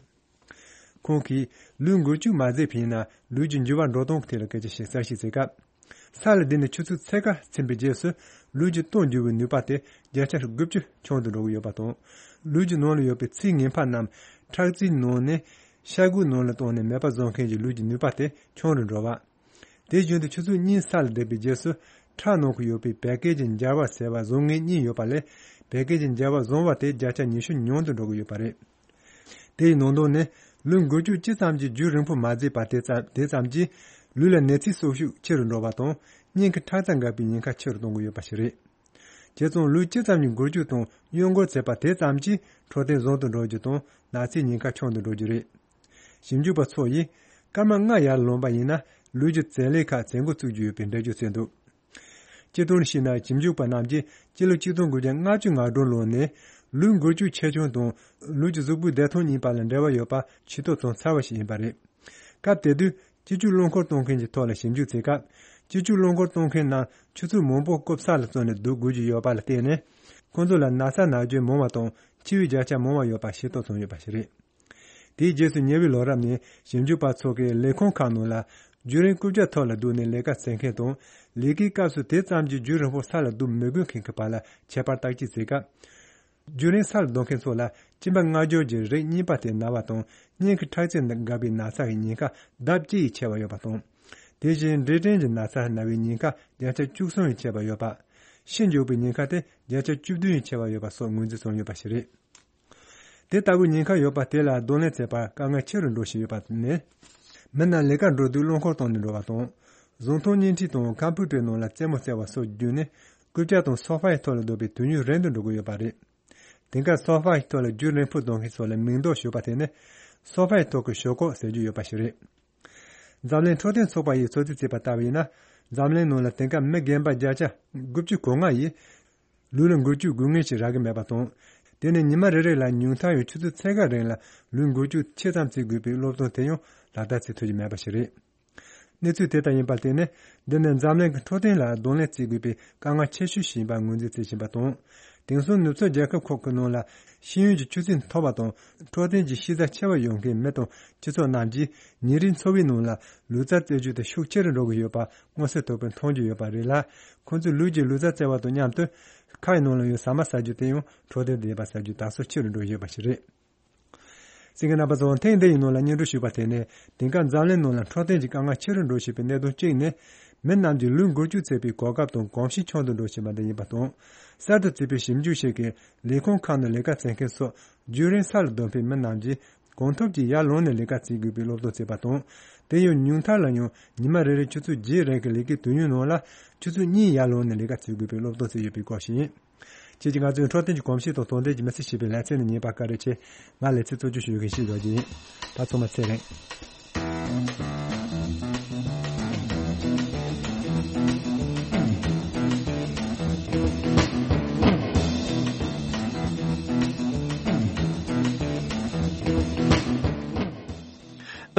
ཁོང་གིས་ལུས་འགུལ་སྐྱོད་མ་བྱས་པ་ཡིན་ན་ལུས་ཀྱི་འགྱུར་བ་འགྲོ་སྟངས་ཀྱི་ཐད་ལ་སྐད་ཆ་ཞིག་གསལ་བཤད་བྱེད་སྐབས། ས་ལ་བསྡད་ནས་ཆུ་ཚོད་ཕྱེད་ཀ་ཕྱིན་པའི་རྗེས་སུ་ལུས་ཀྱི་སྟོབས་འགྱུར་བའི་ནུས་པ་དེ་བརྒྱ་ཆ་དགུ་བཅུ་ཆུང་དུ་འགྲོ་གི་ཡོད་པ་དང་། ལུས་ཀྱི་ནང་ལ་ཡོད་པའི་ཚིལ་ངན་པ་རྣམས་ཁྲག་རྩའི་ནང་ནས་ཤ་ཁུའི་ནང་ལ་བཏང་ནས་མེད་པ་བཟོ་མཁན་གྱི་ལུས་ཀྱི་ནུས་པ་དེ་ཆུང་རུ་འགྲོ་བ། དེ་བཞིན་དུ་ཆུ་ཚོད་གཉིས་ས་ལ་བསྡད་པའི་རྗེས་སུ་ཁྲག་ནང་དུ་ཡོད་པའི་བད་ཀན་གྱི་འབྱར་བ་སེལ་བ་བཟང་ངན་གཉིས་ཡོད་པ་ལས། བད་ཀན་གྱི་འབྱར་བ་བཟང་བ་དེ་བརྒྱ་ཆ་ཉི་ཤུ་ཉུང་དུ་འགྲོ་གི་ཡོད་པ་རེད། དེ་ཡི་ནང་དོན་ནི། ལུས་འགུལ་སྐྱོད་ཅི་ཙམ་གྱིས་རྒྱུན་རིང་པོ་མ་བྱས་པ་དེ་ཙམ་དེ་ཙམ་གྱིས་ལུས་ལ་ནད་རྫས་གསོག་ཤུགས་ཆེ་རུ་འགྲོ་བ་དང་། སྙིང་གི་ཁྲག་རྩ་འགག་པའི་ཉེན་ཁ་ཆེ་རུ་གཏོང་གི་ཡོད་པ་ཞིག་རེད། བྱས་ཙང་ལུག་ཅི་ཙམ་གྱི་འགུལ་སྐྱོད་དང་གཡོ་འགུལ་བྱས་པ་དེ་ཙམ་གྱིས་འཕྲོད་བསྟེན་བཟང་དུ་འགྲོ་རྒྱུ་དང་ནག་ཚའི་ཉེན་ཁ་ཆུང་དུ་འགྲོ་རྒྱུ་རེད། ཞིབ་འཇུག་པ་ཚོ་ཡིས་སྐར་མ་ལྔ་ཡར་ལོངས་པ་ཡིན་ན་ལུག་གི་བཙན་ལས་ཁག་བཙན་འགོ་བཙུགས་རྒྱུ་ཡོད་པའི་འགྲེལ་བརྗོད་བྱས་འདུག། སྤྱིར་བཏང་བཤད་ན་ཞིབ་འཇུག་པ་རྣམས་ཀྱིས་སྤྱི་ལོ་ཆིག་སྟོང་དགུ་བརྒྱ་ལྔ་བཅུ་ང་དྲུག་ལོ་ནས་ལུག་འགུལ་སྐྱོད་ཆེ་ཆུང་དང་ལུག་གི་གཟུགས་པོའི་བདེ་ཐང་གཉིས་བར་ལ་འབྲེལ་བ་ཡོད་པ་ཤེས་རྟོགས་བྱུང་ཚར་བ་ཞིག་ཡིན་པ་རེད། སྐབས་དེ་དུས་སྤྱི་སྤྱོད་རླངས་འཁོར་གཏོང་མཁན་གྱི་ཐོག་ལ་ཞིབ་འཇུག་བྱེད་སྐབས་སྤྱི་སྤྱོད་རླངས་འཁོར་གཏོང་མཁན་རྣམས་ཆུ་ཚོད་མང་པོ་རྐུབ་ས་ལ་བཙུགས་ནས་སྡོད་དགོས་ཀྱི་ཡོད་པ་ལ་བརྟེན་ནས་ཁོང་ཚོ་ལ་ན་ཚ་ན་གྱོན་མང་བ་དང་འཆི་བའི་བརྒྱ་ཆ་མང་བ་ཡོད་པ་ཤེས་རྟོགས་བྱུང་ཡོད་པ་ཞིག་རེད། དེའི་རྗེས་སུ་ཉེ་བའི་ལོ་རབས་ནས་ཞིབ་འཇུག་པ་ཚོ་གིས་ལས་ཁུངས་ཁག་ནང་ལ་རྒྱུན་རིང་རྐུབ་བཀྱག་ཐོག་ལ་སྡོད་ནས་ལས་ཀ་བྱེད་མཁན་དང་ལས་ཀའི་སྐབས་སུ་དེ་ཙམ་གྱིས་རྒྱུན་རིང་པོ་ས་ལ་སྡོད་མི་དགོས་མཁན་གྱི་བར་ལ་ཁྱད་པར་བརྟག་དཔྱད་བྱེད་སྐབས། རྒྱུན་རིང་ས་ལ་སྡོད་མཁན་ཚོ་ལ་གཅིན་པ་སྔ་འགྱུར་གྱི་རིགས་གཉིས་པ་དེ་ན་བ་དང་སྙིང་གི་ཁྲག་རྩའི་འགག་པའི་ན་ཚ་ཡི་ཉེན་ཁ་ལྡབ་གཅིག་ཡིས་ཆེ་བ་ཡོད་པ་དང་། དེ་བཞིན་འབྲས་སྐྲན་གྱི་ན་ཚ་ན་བའི་ཉེན་ཁ་བརྒྱ་ཆ་བཅུ་གསུམ་ཡིས་ཆེ་བ་ཡོད་པ། ཤི་འཇུག་པའི་ཉེན་ཁ་དེ་བརྒྱ་ཆ་བཅུ་བདུན་ཡིས་ཆེ་བ་ཡོད་པ་སོགས་ངོས་འཛིན་བྱུང་ཡོད་པ་ཞིག་རེད། དེ་ལྟ་བུའི་ཉེན་ཁ་ཡོད་པ་དེ་ལ་གདོང་ལེན་བྱེད་པར་དཀའ་ངལ་ཆེ་རུ་འགྲོ་བཞིན་ཡོད་པ་ནི། མི་རྣམས་ལས་ཀར་འགྲོ་དུས་རླངས་འཁོར་གཏོང་ནས་འགྲོ་བ་དང་། གཟུགས་མཐོང་བརྙན་འཕྲིན་དང་ཀམ་པུ་ཊར་ནང་ལ་རྩེད་མོ་རྩེ་བ་སོགས་བརྒྱུད་ནས་རྐུབ་བཀྱག་དང་སོ་ཕའི་ཐོག་ལ་སྡོད་པའི་དུས་ཡུན་རིང་དུ་འགྲོ་གི་ཡོད་པ་རེད། དེང་སྐབས་སོ་ཕའི་ཐོག་ལ་རྒྱུན་རིང་པོ་སྡོད་མཁན་ཚོ་ལ་མིང་འདོགས་ཞུས་པ་དེ་ནི་སོ་ཕའི་ཐོག་གི་ཞོག་ཁོག་ཟེར་རྒྱུ་ཡོད་པ་ཞིག་རེད། འཛམ་གླིང་འཕྲོད་བསྟེན་ཚོགས་པ་ཡིས་ཚོད་རྩིས་བྱས་པ་ལྟ་བུ་ཡིན་ན། འཛམ་གླིང་ནང་ལ་དེང་སྐབས་མི་རྒན་པ་བརྒྱ་ཆ་དགུ་བཅུ་གོ་ལྔ་ཡིས། ལུས་ལ་འགུལ་སྐྱོད་དགོས་ངེས་ཤིག་རག་གི་མེད་པ་དང་། དེ་ནི་ཉི་མ་རེ་རེ་ལ་ཉུང་མཐའ་ཡང་ཆུ་ཚོད་ཕྱེད་ཀ་རིང་ལ་ལུས་འགུལ་སྐྱོད་ཆེ་ཙམ་བྱེད་དགོས་པའི་སློབ་སྟོན་དེ་ཡང་ལག་བསྟར་བྱེད་ཐུབ་ཀྱི་མེད་པ་ཞིག་རེད། གནས་ཚུལ་དེ་ལྟར་ཡིན་པར་བརྟེན་ནས་འདི་ནི་འཛམ་གླིང་གི་འཕྲོད་བསྟེན་ལ་གདོང་ལེན་བྱེད་དགོས་པའི་དཀའ་ངལ་ཆེ་ཤོས་ཤིག་ཡིན་པར་ངོས་འཛིན་བྱེད་བཞིན་པ་དང་། དེང་སང་ནུབ་ཕྱོགས་རྒྱལ་ཁབ་ཁག་གི་ནང་ལ་ཤེས་ཡོན་གྱི་ཆུ་ཚད་མཐོ་བ་དང་འཕྲོད་བསྟེན་གྱི་ཤེས་ཚད་ཆེ་བ་ཡོད་མཁན་མི་དང་སྤྱི་ཚོགས་རྣམས་ཀྱིས་ཉིན་རེའི་འཚོ་བའི་ནང་ལ་ལུས་རྩལ་རྩེད་རྒྱུ་དེ་ཤུགས་ཆེ་རུ་འགྲོ་གི་ཡོད་པ་མངོན་གསལ་དོད་པོས་མཐོང་རྒྱུ་ཡོད་པ་རེད་ལ། ཁོང་ཚོས་ལུས་ཀྱི་ལུས་རྩལ་རྩེ་བ་དང་མཉམ་དུ་ཁ་ཡི་ནང་ལ་ཡོད་ཟ་མ་ཟ་རྒྱུ་དེ་ཡང་འཕྲོད་བསྟེན་ལྡན་པ་ཟ་རྒྱུ་དར་སོ་ཆེ་རུ་འགྲོ་བཞིན་ཡོད་པ་ཞིག་རེད། གསན་མཁན་རྣམ་པ་ཚོ་ཐེངས་འདི་ཡི་ནང་ལ་སྙན་སྒྲོན་ཞུས་པ་དེ་ནི་དེང་སྐབས་འཛམ་གླིང་ནང་ལ་འཕྲོད་བསྟེན་གྱི་དཀའ་ངལ་ཆེ་རུ་འགྲོ་བཞིན་པའི་གནད་དོན་གཅིག་ནི། མི་རྣམས་ཀྱི་ལུས་འགུལ་སྐྱོད་བྱེད་པའི་གོ་སྐབས་དང་གོམས་གཤིས་ཆུང་དུ་འགྲོ་བཞིན་པ་འདི་ཡིན་པ་དང་། གསར་དུ་བྱས་པའི་ཞིབ་འཇུག་ཞིག་གིས་ལས་ཁུངས་ཁག་ནང་ལས་ཀ་བྱེད་མཁན་སོགས་རྒྱུན་རིང་ས་ལ་སྡོད་པའི་མི་རྣམས་ཀྱིས་གང་ཐུབ་ཀྱིས་ཡར་ལངས་ནས་ལས་ཀ་བྱེད་དགོས་པའི་སློབ་སྟོན་བྱས་པ་དང་། དེ་ཡང་ཉུང་མཐར་ལ་ཡང་ཉི་མ་རེ་རེ་ཆུ་ཚོད་བརྒྱད་རིང་གི་ལས་ཀའི་དུས་ཡུན་ནང་ལ་ཆུ་ཚོད་གཉིས་ཡར་ལངས་ནས་ལས་ཀ་བྱེད་དགོས་པའི་སློབ་སྟོན་བྱས་ཡོད་པའི་སྐོར་ཞིག་ཡིན། ཁྱེད་ཀྱིས་ང་ཚོའི་འཕྲོད་བསྟེན་གྱི་གོམས་གཤིས་དང་དོ་ལྡན་གྱི་མི་ཚེ་ཞེས་པའི་ལེ་ཚན་ནི་ཉན་པར་བཀའ་དྲིན་ཆེ། ང་ལེ་ཚན་གཙོ་སྐྱོང་ཞུ་མཁན་ཞིག་ཡོད་ཀྱི་ཡིན། ད་ཚང་མ་ཚེ་རིང་།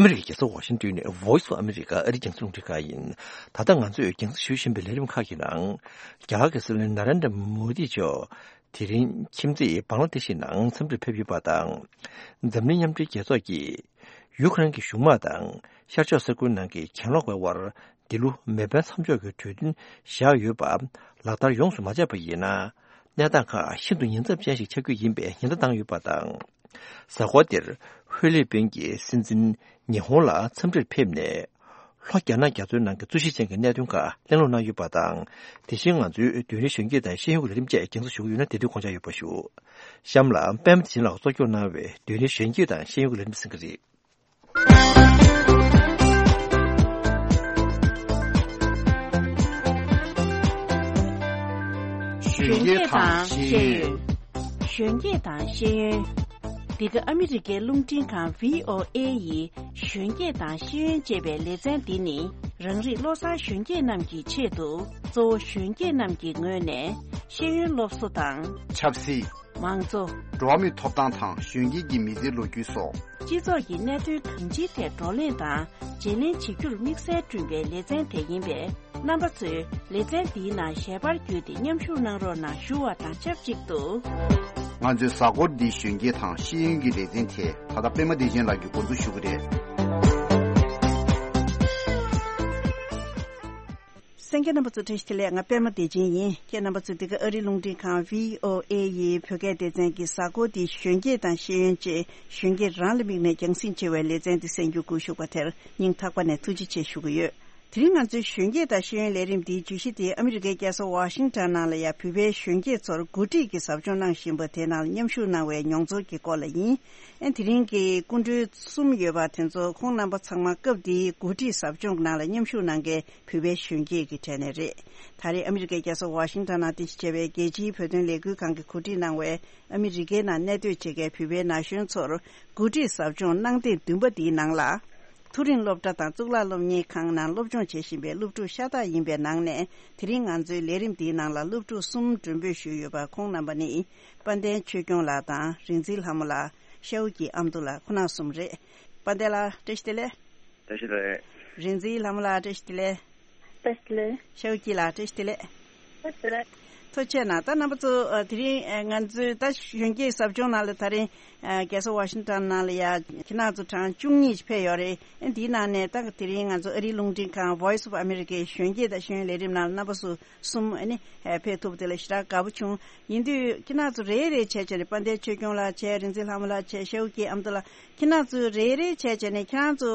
ཨ་མི་རི་ཀའི་རྒྱལ་ས་ཝ་ཤིང་ཏོན་ནས་Voice of America ཨ་རིའི་རྒྱང་སྲིང་རླུང་འཕྲིན་ཁང་ཡིན། ད་ལྟ་ང་ཚོས་རྒྱང་སྲིང་ཞུ་བཞིན་པའི་ལས་རིམ་ཁག་གི་ནང་། རྒྱ་གར་གྱི་སྲིད་བློན་ན་རན་དྲ་མོ་དི་མཆོག་དེ་རིང་ཁྱིམ་མཚེས་བང་ལ་དེ་ཤི་ནང་འཚམས་འདྲིར་ཕེབས་ཡོད་པ་དང་། འཛམ་གླིང་མཉམ་འབྲེལ་རྒྱལ་ཚོགས་ཀྱིས་ཡུ་ཁ་རན་གྱི་གཞུང་དམག་དང་ཤར་ཕྱོགས་ས་ཁུལ་ནང་གི་གྱེན་ལོག་པའི་དབར་འདི་ལོ་མེ་འཕེན་མཚམས་འཇོག་གི་གྲོས་མཐུན་བཞག་ཡོད་པ་ལག་བསྟར་ཡོངས་སུ་མ་བྱས་པ་ཡིན་ན། གནས་སྟངས་ཁག་ཤིན་ཏུ་ཉེན་ཚབས་ཅན་ཞིག་ཆགས་རྒྱུ་ཡིན་པའི་ཉེན་བརྡ་བཏང་ཡོད་པ་དང་། གཟའ་འཁོར་འདིར་ཧྥི་ལི་པིན་གྱི་སྲིད་འཛིན་ཉི་ཧོང་ལ་འཚམས་འདྲིར་ཕེབས་ནས། ལྷོ་རྒྱ་ནག་རྒྱ་མཚོའི་ནང་གི་རྩོད་གཞི་ཅན་གྱི་གནད་དོན་ཁག་གླེང་སློང་གནང་ཡོད་པ་དང་། དེ་བཞིན་ང་ཚོའི་བདུན་རེའི་གཞོན་སྐྱེས་དང་ཤེས་ཡོན་གྱི་ལས་རིམ་བཅས་རྒྱང་སྲིང་ཞུ་གི་ཡོད་ན་དེ་དུས་དགོངས་འཇགས་ཡོད་པ་ཞུ། གཤམ་ལ་པད་མ་བདེ་ཆེན་ལགས་གཙོ་སྐྱོང་གནང་བའི་བདུན་རེའི་གཞོན་སྐྱེས་དང་ཤེས་ཡོན་གྱི་ལས་རིམ་གསན་གྱི་རེད། གཞོན་སྐྱེས་དང་ཤེས་ཡོན། གཞོན་སྐྱེས་དང་ཤེས་ཡོན། འདི་ག་ཨ་མི་རི་ཀའི་རླུང་འཕྲིན་ཁང་V O A ཡི་གཞོན་སྐྱེས་དང་ཤེས་ཡོན་ཅེས་པའི་ལེ་ཚན་འདི་ནི། རང་རིགས་བློ་བཟང་གཞོན་སྐྱེས་རྣམས་ཀྱི་ཆེད་དུ། གཙོ་བོ་གཞོན་སྐྱེས་རྣམས་ཀྱི་ངོས་ནས་ཤེས་ཡོན་སློབ་གསོ་དང་། ཆབ་སྲིད། མང་གཙོ། འགྲོ་བ་མིའི་ཐོབ་ཐང་དང་གཞོན་སྐྱེས་ཀྱི་མི་ཚེའི་ལོ་རྒྱུས་སོགས། སྤྱི་ཚོགས་ཀྱི་གནད་དོན་གང་ཅིའི་ཐད་བགྲོ་གླེང་དང་བརྗེ་ལེན་བྱེད་རྒྱུར་དམིགས་བསལ་བསྐྲུན་པའི་ལེ་ཚན་དེ་ཡིན་པས། རྣམ་པ་ཚོས་ལེ་ཚན་འདིའི་ནང་ཞལ་པར་བརྒྱུད་དེ་མཉམ་ཞུགས་གནང་རོགས་གནང་ཞུ་བ་དང་ཆབས་ཅིག་ཏུ། ང་ཚོའི་གཟའ་འཁོར་འདིའི་གཞོན་སྐྱེས་དང་ཤེས་ཡོན་གྱི་ལེ་ཚན་དེ་ད་ལྟ་པད་མ་བདེ་ཆེན་ལགས་ཀྱིས་འགོ་འཛུགས་ཞུ་གི་རེད། གསན་མཁན་རྣམ་པ་ཚོ་བཀྲ་ཤིས་བདེ་ལེགས། ང་པད་མ་བདེ་ཆེན་ཡིན། ཁྱེད་རྣམ་པ་ཚོས་འདི་ག་ཨ་རིའི་རླུང་འཕྲིན་ཁང་V O A ཡི་བོད་སྐད་སྡེ་ཚན་གྱི་གཟའ་འཁོར་འདིའི་གཞོན་སྐྱེས་དང་ཤེས་ཡོན་ཅེས་གཞོན་སྐྱེས་རང་ལ་དམིགས་ནས་རྒྱང་སྲིང་ཆེ་བའི་ལེ་ཚན་འདི་གསན་རྒྱུ་སྒུག་བཞུགས་པ་དེར་སྙིང་ཐག་པ་ནས་ཐུགས་རྗེ་ཆེ་ཞུ་གི་ཡོད། དེ་རིང་ང་ཚོའི་གཞོན་སྐྱེས་དང་ཤེས་ཡོན་ལས་རིམ་འདིའི་བརྗོད་གཞི་དེ་ཨ་མི་རི་ཀའི་རྒྱལ་ས་ཝ་ཤིང་ཊོན་ནང་ལ་ཡང་བོད་པའི་གཞོན་སྐྱེས་ཚོར་འགོ་ཁྲིད་ཀྱི་ཟབ་སྦྱོང་གནང་བཞིན་པ་དེའི་ནང་ལ་མཉམ་ཞུགས་གནང་བའི་མྱོང་ཚོར་གྱི་སྐོར་ལ་ཡིན། ཨ་དེ་རིང་གི་སྐུ་མགྲོན་གསུམ་ཡོད་པ་དེ་ཚོ་ཁོང་རྣམ་པ་ཚང་མ་སྐབས་དེའི་འགོ་ཁྲིད་ཟབ་སྦྱོང་གི་ནང་ལ་མཉམ་ཞུགས་གནང་མཁན་བོད་པའི་གཞོན་སྐྱེས་ཀྱི་གྲས་ནས་རེད། ད་རེས་ཨ་མི་རི་ཀའི་རྒྱལ་ས་ཝ་ཤིང་ཊོན་ནང་རྟེན་གཞི་བྱས་པའི་རྒྱལ་སྤྱིའི་བོད་དོན་ལས་འགུལ་ཁང་གིས་གོ་སྒྲིག་གནང་བའི་ཨ་མི་རི་ཀའི་ནང་གནས་སྡོད་བྱེད་མཁན་བོད་པའི་ན་གཞོན་ཚོར་འགོ་ཁྲིད་ཟབ་སྦྱོང་གནང་ཐེངས་བདུན་པ་འདིའི་ནང་ལ། མཐོ་རིམ་སློབ་གྲྭ་དང་གཙུག་ལག་སློབ་གཉེར་ཁང་ནང་སློབ་སྦྱོང་བྱེད་བཞིན་པའི་སློབ་ཕྲུག་ཤ་སྟག་ཡིན་པའི་ནང་ནས། དེ་རིང་ང་ཚོའི་ལས་རིམ་འདིའི་ནང་ལ་སློབ་ཕྲུག་གསུམ་མགྲོན་འབོད་ཞུས་ཡོད་པ། ཁོང་རྣམ་པ་ནི་དཔལ་ལྡན་ཆོས་སྐྱོང་ལགས་དང་། རིག་འཛིན་ལྷ་མོ་ལགས། ཤའོ་ཀྱི་ཨ་མདོ་ལགས། ཁོང་རྣམ་གསུམ་རེད། དཔལ་ལྡན་ལགས། བཀྲ་ཤིས་བདེ་ལེགས། བཀྲ་ཤིས་བདེ་ལེགས། རིག་འཛིན་ལྷ་མོ་ལགས། བཀྲ་ཤིས་བདེ་ལེགས། བཀྲ་ཤིས་བདེ་ལེགས། ཤའོ་ཀྱི་ལགས། བཀྲ་ཤིས་བདེ་ལེགས། བཀྲ་ཤིས་བདེ་ལེགས། ཐུགས་རྗེ་ཆེ་གནང་། ད་རྣམ་པ་ཚོ་ཨ་དེ་རིང་ཨ་ང་ཚོའི་ད་གཞོན་སྐྱེས་ཟབ་སྦྱོང་ནང་ལ་ད་རིང་ཨ་རྒྱལ་ས་ཝ་ཤིང་ཊོན་ནང་ལ་ཡ་ཁྱེད་རང་ཚོ་གྲངས་བཅུ་གཉིས་ཕེབས་ཡོད་རེད། ཨ་འདིའི་ནང་ནས་ད་དེ་རིང་ང་ཚོ་ཨ་རིའི་རླུང་འཕྲིན་ཁང་Voice of America གཞོན་སྐྱེས་དང་ཤེས་ཡོན་ལས་རིམ་ནང་ལ་རྣམ་པ་ཚོ་གསུམ་ཨ་ནི་ཨ་ཕེབས་ཐུབ་པ་དེ་ལ་ཞེ་དྲག་དགའ་པོ་བྱུང་། ཡིན་དུས་ཁྱེད་རང་ཚོ་རེ་རེ་བྱས་བྱས་ནས་དཔལ་ལྡན་ཆོས་སྐྱོང་ལགས་བྱས། རིག་འཛིན་ལྷ་མོ་ལགས་བྱས། ཤའོ་ཀྱི་ཨ་མདོ་ལགས། ཁྱེད་རང་ཚོ་རེ་རེ་བྱས་བྱས་ནས་ཁྱེད་རང་ཚོ་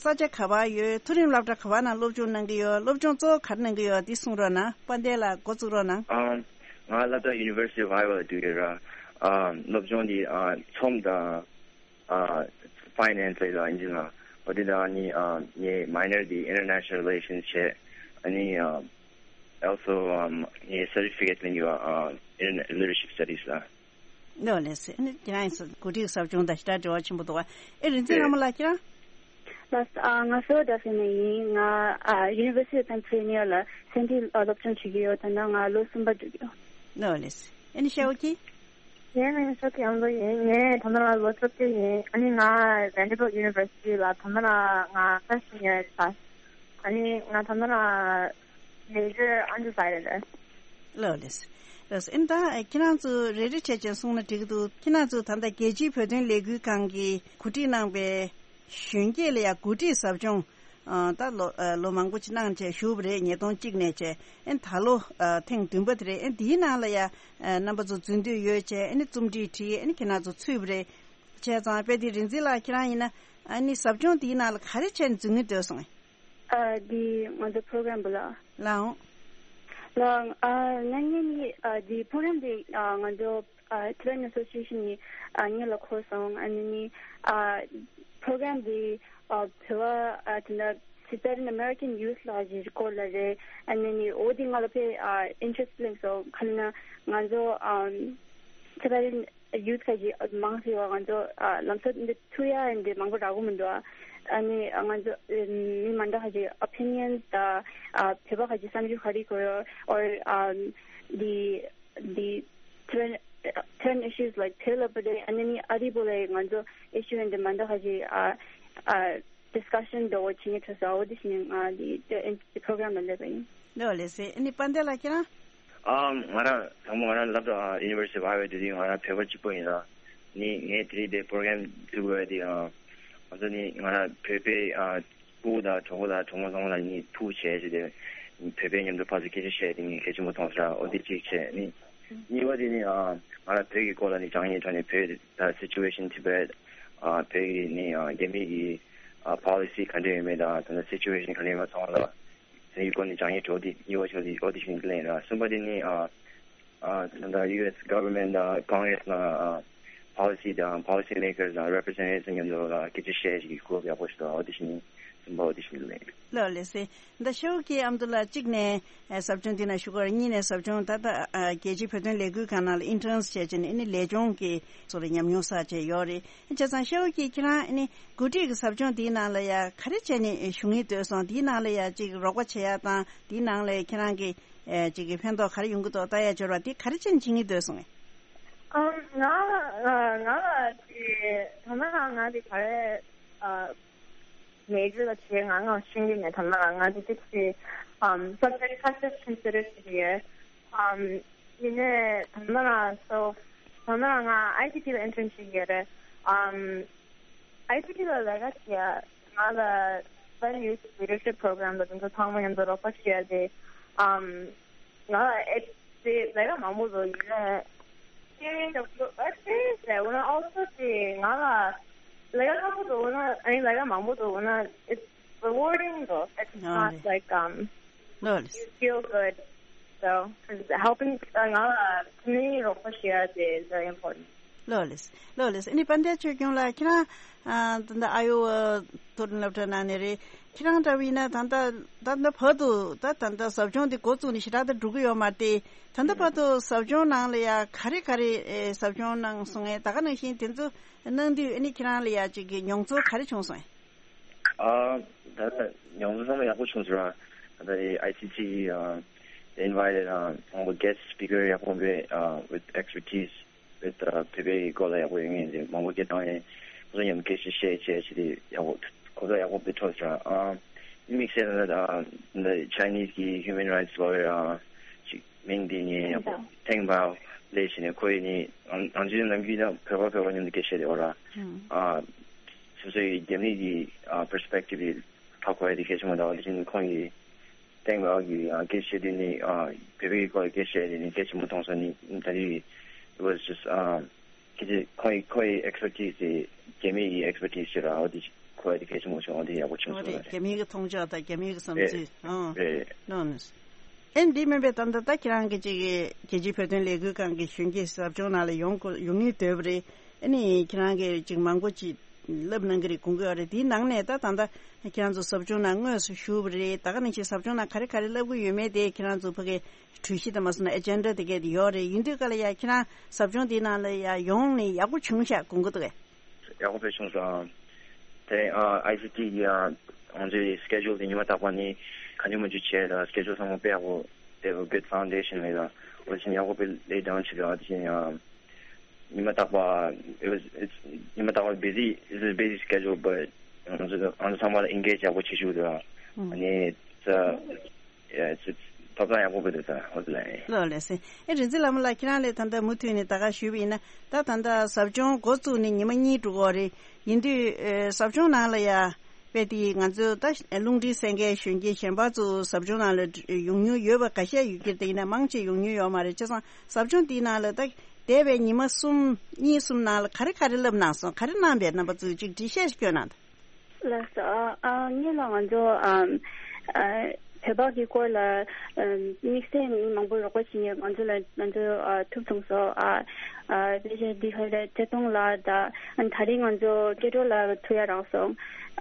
ས་ཆ་ག་པར་ཡོད། མཐོ་རིམ་སློབ་གྲྭ་ག་པར་ནང་སློབ་སྦྱོང་གནང་གི་ཡོད། སློབ་སྦྱོང་གཙོ་བོ་ག་རེ་གནང་གི་ཡོད། འདི་གསུང་རོགས་གནང་། དཔལ་ལྡན་ལགས་འགོ་བཙུགས་རོགས་གནང་། ཨང་། ང་སློབ་གྲྭ་University of Iowa ལ་འགྲོ་གི་ཡོད་ར། ཨ་སློབ་སྦྱོང་འདི་ཨ་ཚོང་དང་ཨ་finance ལ་ཡིན་ལ་ཡིན་ཟེར་ན། འོ་དེ་དང་ནི་ཨ་ངའི་minor འདི་international relations བྱས། ཨ་ནི་ཨ་also ཨམ་ངའི་certificate ལེན་གི་ཡོད། ཨ་Interna- Leadership Studies ལ། ལགས་ལགས་སེ། ཨ་ནི་ཁྱེད་རང་གི་འགོ་ཁྲིད་ཟབ་སྦྱོང་དང་ཞེ་དྲག་འབྲེལ་བ་ཆེན་པོ་འདུག་ག་ཨེ་རིག་འཛིན་ལྷ་མོ་ལགས་ཁྱེད་རང་། ལགས་ཨ་ང་Philadelphia ནས་ཡིན། ང་ཨ་University of Pennsylvania ལ་སེམས་ཁྲལ་སློབ་སྦྱོང་བྱེད་ཀྱི་ཡོད། ད་ནང་ང་ལོ་གསུམ་པ་འགྲོ་གི་ཡོད། ལགས་ལགས་སེ། ཨ་ནི་ཤའོ་ཀྱི། ངའི་མིང་ཤའོ་ཀྱི་ཨ་མདོ་ཡིན། ངས་ད་ནང་ལ་ལོ་བཅོ་བརྒྱད་ཡིན། ཨ་ནི་ང་Vanderbilt University ལ་ད་ནང་ལ་ང་freshman year ཡིན། ཨ་ནི་ང་ད་ནང་ལ་major undecided ལགས་ལགས་སེ། ལགས་སེ། ཨ་ནི་ད་ཁྱེད་རང་ཚོ་རེ་རེ་བྱས་བྱས་གསུངས་ན་འགྲིག་གི་འདུག་ཁྱེད་རང་ཚོ་ད་ལྟ་རྒྱལ་སྤྱིའི་བོད་དོན་ལས་འགུལ་ཁང་གིས་གོ་སྒྲིག་གནང་པའི་གཞོན་སྐྱེས་ལ་ཡང་འགོ་ཁྲིད་ཟབ་སྦྱོང་ཨ་ད་ལོ་ཨ་ལོ་མང་པོ་ཅིག་གནང་བྱས་བཞུགས་པ་རེད། ཉིས་སྟོང་གཅིག་ནས་བྱས། ཨ་ནི་ད་ལོ་ཨ་ཐེངས་བདུན་པ་དེ་རེད། ཨ་ནི་དེའི་ནང་ལ་ཡང་ཨ་རྣམ་པ་ཚོ་འཛུལ་འདོད་ཡོད་བྱས། ཨ་ནི་རྩོམ་བྲིས་བྲིས། ཨ་ནི་ཁྱེད་རང་ཚོ་ཚུད་པ་རེད། བྱས་ཙང་དཔེ་དེ་རིག་འཛིན་ལགས་ཁྱེད་རང་ཡིན་ན་ཨ་ནི་ཟབ་སྦྱོང་དེའི་ནང་ལ་ག་རེ་བྱས་ནས་འཛུལ་སྙིང་འདོད་སོང་ངས། ཨ་འདི་ང་ཚོ་program བུ་ལ། ལའང་། ལའང་། ཨ་ང་ངས་ནི་ཨ་འདི་program དེ་ཨ་ང་ཚོ་ཨ་Tibetan Association ནི་ཨ་ངེད་ལ་འཁོར་སོང་། ཨ་ནི་ནི་ཨ་program དེ་ཨ་བོད་པ་ཨ་དེ་འདྲ་Tibetan American youth ལ་ཞིག་སྐོར་ལ་རེད། ཨ་ནི་ནི་འོ་དེ་ང་ལ་དཔེ་ཨ་interest སླེབས་སོང་། ག་རེ་ན་ང་ཚོ་ཨ་Tibetan youth ཁ་ཅིག་མང་ཆེ་བ་ང་ཚོ་ཨ་ལམ་སང་འདི་ཐུག་ཡ་འདི་མང་པོ་རག་གི་མི་འདུག་ཨ་ནི་ང་ཚོ་མི་མ་འདྲ་ཁ་ཅིག་opinions དང་ཨ་བོད་པ་ཁ་ཅིག་བསམ་ཚུལ་ག་རེ་གོ་ཡོད། or um the the Tibetan issues like བོད་ལ་བར་དེ་ཨ་ནི་ནི་ཨ་རི་བོད་ལ་ང་ཚོ་issue འདི་མ་འདྲ་ཁ་ཅིག་ཨ་ཨ་discussion འདྲ་བོ་བྱེད་མཁན་ཐོས་སོང་། འོ་དེ་བཞིན་ང་འདི་འདི་program ལ་སླེབས་པ་ཡིན། ལགས་ལགས་སེ། ཨ་ནི་དཔལ་ལྡན་ལགས་ཁྱེད་རང་། ཨ་ང་རང་དང་པོ་ང་རང་སློབ་གྲྭ་University of Iowa འགྲོ་དུས་ང་རང་བོད་པ་གཅིག་པོ་ཡིན་ལ། ནི་ངས་དེ་རིང་འདི་program བཙུགས་པ་དེ་ཨ་ང་ཚོ་ནི་ང་རང་བོད་པའི་ཨ་སྤུ་གུ་དང་གྲོགས་པོ་དང་གྲོགས་མོ་ཚང་མ་ལ་ནི་ཐུག་བྱས་བྱས་ཏེ་བོད་པའི་མཉམ་དུ་ཕར་ཚུར་སྐད་ཆ་བཤད་དེ་ངས་གལ་ཆེན་པོ་མཐོང་སོང་། འོ་དེ་གཅིག་བྱས། ནི་གཉིས་པ་དེ་ནི་ཨ་ང་རང་བོད་ཀྱི་སྐོར་ལ་ནི་སྦྱང་ཡིན་དྲ་ནི་བོད་ད་situation Tibet ཨ་བོད་ཀྱི་ནི་ཨ་རྒྱ་མི་གི་ཨ་policy ག་འདྲ་ཡོད་མེད་དང་ད་ལྟ་situation ག་འདྲ་ཡོད་མེད་ཚང་མ་ལ། དེའི་སྐོར་ནས་སྦྱང་ཡིག་འགྲོ་དེ་གཉིས་པ་ཆགས་དེ་ཨོ་དི་ཤིན་ལེན་ར། གསུམ་པ་དེ་ནི་ཨ་ཨ་ད་ལྟ་ཡུ་ཨེས་government དང་Congress ལ་ཨ་policy དང་policy makers དང་representatives མཉམ་དུ་ལ་སྐད་ཆ་བཤད་ཞིག་གི་གོ་སྐབས་ཡག་པོ་ཞིག་འདུག་ཨོ་དི་ཤིན། གསུམ་པ་ཨོ་དི་ཤིན་ལེན། ལགས་ལགས་སེ། ད་ཤའོ་ཀྱི་ཨ་མདོ་ལགས་གཅིག་ནས་ཨ་ཟབ་སྦྱོང་དེ་ན་ཞུགས་ཀྱི་ཡོད་རེད། གཉིས་ནས་ཟབ་སྦྱོང་ད་ལྟ་ཨ་རྒྱལ་སྤྱིའི་བོད་དོན་ལས་འགུལ་ཁང་ནང་ལ་interns བྱས་བྱས་ནས་ཨ་ནི་ལས་སྦྱོང་གི་སོགས་ལ་ཉམས་མྱོང་བསགས་བྱས་ཡོད་རེད། བྱས་ཙང་ཤའོ་ཀྱིས་ཁྱེད་རང་ཨ་ནི་འགོ་ཁྲིད་ཀྱི་ཟབ་སྦྱོང་འདིའི་ནང་ལ་ཡ་ག་རེ་བྱས་ནས་ཞུགས་སྙིང་འདོད་སོང་། འདིའི་ནང་ལ་ཡ་ཅིག་རོགས་པ་བྱེད་ཡ་དང་འདིའི་ནང་ལ་ཁྱེད་རང་གི་ཨེ་ཅིག་གི་ཕན་ཐོགས་ག་རེ་ཡོང་གི་འདུག་ལྟ་ཡ་འབྱོར་བ་འདི་ག་རེ་བྱས་ནས་བྱེད་སྙིང་འདོད་སོང་ངས། ཨམ་ང་ང་ང་ལ་ཅིག་ད་ལྟ་ང་ང་འདི་ག་རེ་ཨ་མེ་ཇར་ལ་བྱས་ང་ང་ཤེས་ཀྱི་མེད། ད་ལྟ་ང་ང་འདི་ཅིག་ཅིག་ཨམ་subject ཁ་ཤས་consider བྱེད་ཀྱི་ཡོད། ཨམ། ཡིན་ནའི་ད་ལྟ་ང་so ད་ལྟ་ང་ཨའི་ཐི་ཊི་ལ་intern བྱེད་ཀྱི་ཡོད་རེད། ཨམ། ཨའི་ཐི་ཊི་ལ་ལས་ཀ་བྱེད་ཡ་ང་ལ་Tibetan Youth Leadership Program ལ་དེ་ཚོ་ཚང་མ་མཉམ་དུ་རོགས་པ་བྱེད་ཡ་དེ། ཨམ། ང་ལ་ཨེ་དེ་ལས་ཀ་མང་པོ་འདུག་ཡིན་ནའི་ཤེས་ཡོན་ཞབས་བྲོ་ཨ་ཤེས་ཡོན་ཟེར་འོ་ན་also དེ་ང་ལ་ལས་ཀ་སླ་པོ་འདུག་འོ་ན་ཨ་ནི་ལས་ཀ་མང་པོ་འདུག་འོ་ན་it's rewarding though. It's not like, um, ལོ་ལེགས། You feel good. So, 'cause helping, uh, community རོགས་པ་བྱེད་ཡ་དེ is very important. ལོ་ལེགས། ལོ་ལེགས། ཨ་ནི་དཔལ་ལྡན་ཆོས་སྐྱོང་ལགས། ཁྱེད་རང་ཨ་ད་ལྟ་ཨ་ཡོ་ཝ་མཐོ་རིམ་སློབ་གྲྭ་ནང་ནས་རེད། ཁྱེད་རང་འདྲ་བ་ཡིན་ན་ད་ལྟ་ད་ལྟ་བར་དུ་ད་ད་ལྟ་ཟབ་སྦྱོང་འདི་འགོ་བཙུགས་ནས་ཞེ་དྲག་ད་འགྲོ་གི་ཡོད་མ་རེད་དེ། ད་ལྟ་བར་དུ་ཟབ་སྦྱོང་ནང་ལ་ཡ་ག་རེ་ག་རེ་ཨེ་ཟབ་སྦྱོང་གནང་སོང་ངས། ད་ག་ནང་བཞིན་དེ་ཚོ་གནང་དུས་ཨ་ནི་ཁྱེད་རང་ལ་ཡ་ཅིག་གི་མྱོང་ཚོར་ག་རེ་བྱུང་སོང་ངས། ཨ་ད་ལྟ་མྱོང་ཚོར་ཚང་མ་ཡག་པོ་བྱུང་སོང་ར། ད་ལྟ་ཨའི་སི་ཊི་ཨ་invited ཨ་མང་པོ་guest speaker ཡག་པོ་འབད་ཨ་with expertise with ཨ་བོད་པའི་སྐོར་ལ་ཡག་པོ་ཡོད་མཁན་དེ་མང་པོ་སྐད་བཏང་ཡས། ཁོ་ཚོ་མཉམ་སྐད་ཆ་བཤད་བྱས་བྱས་དེ་ཡག་པོ་གོ་སྐབས་ཡག་པོ་འབད་ཐོབ་སོང་ར། ཨ་དམིགས་བསལ་ད་ལྟ་ཨ་ད་Chinese གི་human rights lawyer ཨ་ཅིག་མིང་དེ་ངས་ཡག་པོ་ཐེངས་པ་ལས་བྱས་ནས་ཁོ་ཡིས་ནི་ཨང་ཨང་ཅི་ནམ་རྒྱུན་ད་བོད་པ་བོད་པ་མཉམ་དུ་སྐད་ཆ་བཤད་དེ་འོ་ར། ཨ་སོ་སོའི་རྒྱ་མི་གི་ཨ་perspective ཡི་ཕ་གོ་ཡ་དེ་གལ་ཆེན་པོ་འདྲ་བ། དེ་བཞིན་ཁོང་གིས་ཐེངས་པ་གི་ཨ་སྐད་ཆ་བཤད་དུས་ནི་ཨ་བོད་པའི་སྐོར་སྐད་ཆ་བཤད་དེ་ནི་གལ་ཆེན་པོ་མཐོང་སོང་ནི། ད་རེས་it was just ཨ་སྐད་ཆ་ཁོ་ཡི་ཁོ་ཡི་expertise དེ་རྒྱ་མི་ཡི་expertise ཞིག་ར། འོ་དེ་ཁོ་ཡི་དེ་གལ་ཆེན་པོ་བྱུང་། འོ་དེ་ཡག་པོ་བྱུང་འོ་སོང་རེད། རེད། རྒྱ་མི་གི་མཐོང་ཕྱོགས་དང་རྒྱ་མི་གི་བསམ་རེད་ཚུལ་ཨང་རེད། ལོ་ནི། ཨེ་འདི་མིན་པའི་ད་ལྟ་ད་ཁྱེད་རང་གི་ཅིག་རྒྱལ་སྤྱིའི་བོད་དོན་ལས་འགུལ་ཁང་གི་གཞོན་སྐྱེས་ཟབ་སྦྱོང་ནང་ལ་ཡོང་དགོས་ཡོང་སྙིང་འདོད་པ་རེད། ཨ་ནི་ཁྱེད་རང་གིས་ཅིག་མང་པོ་ཅིག་བསླབ་གནང་གི་རེད་དགོངས་ཀྱི་ཡོད་རེད། དེའི་ནང་ནས་ད་ད་ལྟ་ཁྱེད་རང་ཚོ་ཟབ་སྦྱོང་ནང་དངོས་སུ་ཞུགས་པ་རེད། ད་ག་ནང་བཞིན་ཟབ་སྦྱོང་ནང་ག་རེ་ག་རེ་བསླབ་ཀྱི་ཡོད་མེད་དེ་ཁྱེད་རང་ཚོ་ཕ་གི་གྲོས་གཞི་དང་མ་སོང་ན་agenda དེ་གས་དེ་ཡོད་རེད། ཡིན་དུས་ག་ལ་ཡ་ཁྱེད་རང་ཟབ་སྦྱོང་དེའི་ནང་ལ་ཡ་ཡོང་ནས་ཡག་པོ་བྱུང་ཤག་དགོངས་ཀྱི་འདུག་གས། ཡག་པོ་དཔེ་བྱུང་སོང་། དེ་རིང་ཨ་ཨའི་སི་ཊི་གི་ཨ་ང་ཚོའི་schedule དེ་ཉི་མ་རྟག་པར་ནི་གང་བྱུང་མང་བྱུང་བྱས་དང་schedule ཚང་མ་དཔེ་ཡག་པོ། They have a good foundation ལས་དང་འོ་དེ་བཞིན་ཡག་པོ་དཔེ་lay down བྱས་དང་། དེ་བཞིན་ཨ་ཉི་མ་རྟག་པར it was it's ཉི་མ་རྟག་པར་busy, it's a busy schedule, but ང་ཚོ་ང་ཚོ་ཚང་མ་ལ་engage ཡག་པོ་བྱེད་བཅུག་དང་། ཨ་ནི་ད་ཡ་ཅིག་ཐོབ་ཐང་ཡག་པོ་དགོས་འདུག་ད་འོ་དེ་ལ་ཡིན། ལགས་ལགས་སེ། ཨེ་རིག་འཛིན་ལྷ་མོ་ལགས་ཁྱེད་རང་ལས་ད་ལྟ་མུ་མཐུད་ནས་ད་ག་ཞུས་པ་ཡིན་ན་ད་ད་ལྟ་ཟབ་སྦྱོང་འགོ་བཙུགས་ནས་ཉི་མ་གཉིས་འགྲོ་གི་རེད། ཡིན་དུས་ཨེ་ཟབ་སྦྱོང་ནང་ལ་ཡ་དཔེ་དེ་ང་ཚོ་ད་རླུང་འཕྲིན་གསན་མཁན་གཞོན་སྐྱེས་གཞན་པ་ཚོ་ཟབ་སྦྱོང་ནང་ལ་ཡོང་མྱོང་ཡོད་པ་ཁ་ཤས་ཡོད་ཀྱི་རེད། དེ་ཡིན་ན་མང་ཆེ་ཡོང་མྱོང་ཡོད་མ་རེད། བྱས་ཙང་ཟབ་སྦྱོང་དེའི་ནང་ལ་ད་འདས་པའི་ཉི་མ་གསུམ་གཉིས་གསུམ་ནང་ལ་ག་རེ་ག་རེ་བསླབ་གནང་སོང་། ག་རེ་གནང་པས་རྣམ་པ་ཚོས་ཅིག་འགྲེལ་བཤད་ཞིག་སྐྱོན་གནང་དང་། ལགས་སོ། ཨ་ཨ་ངེད་ལ་ང་ཚོ་ཨམ་ཨ་བོད་པ་གི་སྐོར་ལ་ཨམ་དམིགས་བསལ་མི་མང་པོ་རོགས་པ་བྱེད་མཁན་ང་ཚོ་ལ་ང་ཚོ་ཨ་ཐུག་སོང་སོ། ཨ་ཨ་དཔེ་ཆ་འདི་ཧ་ལས་ཐད་གཏོང་ལ་ད་ཨ་ད་རིང་ང་ཚོ་སྐད་འཕྲོ་ལ་ཐུག་ཡ་རག་སོང་།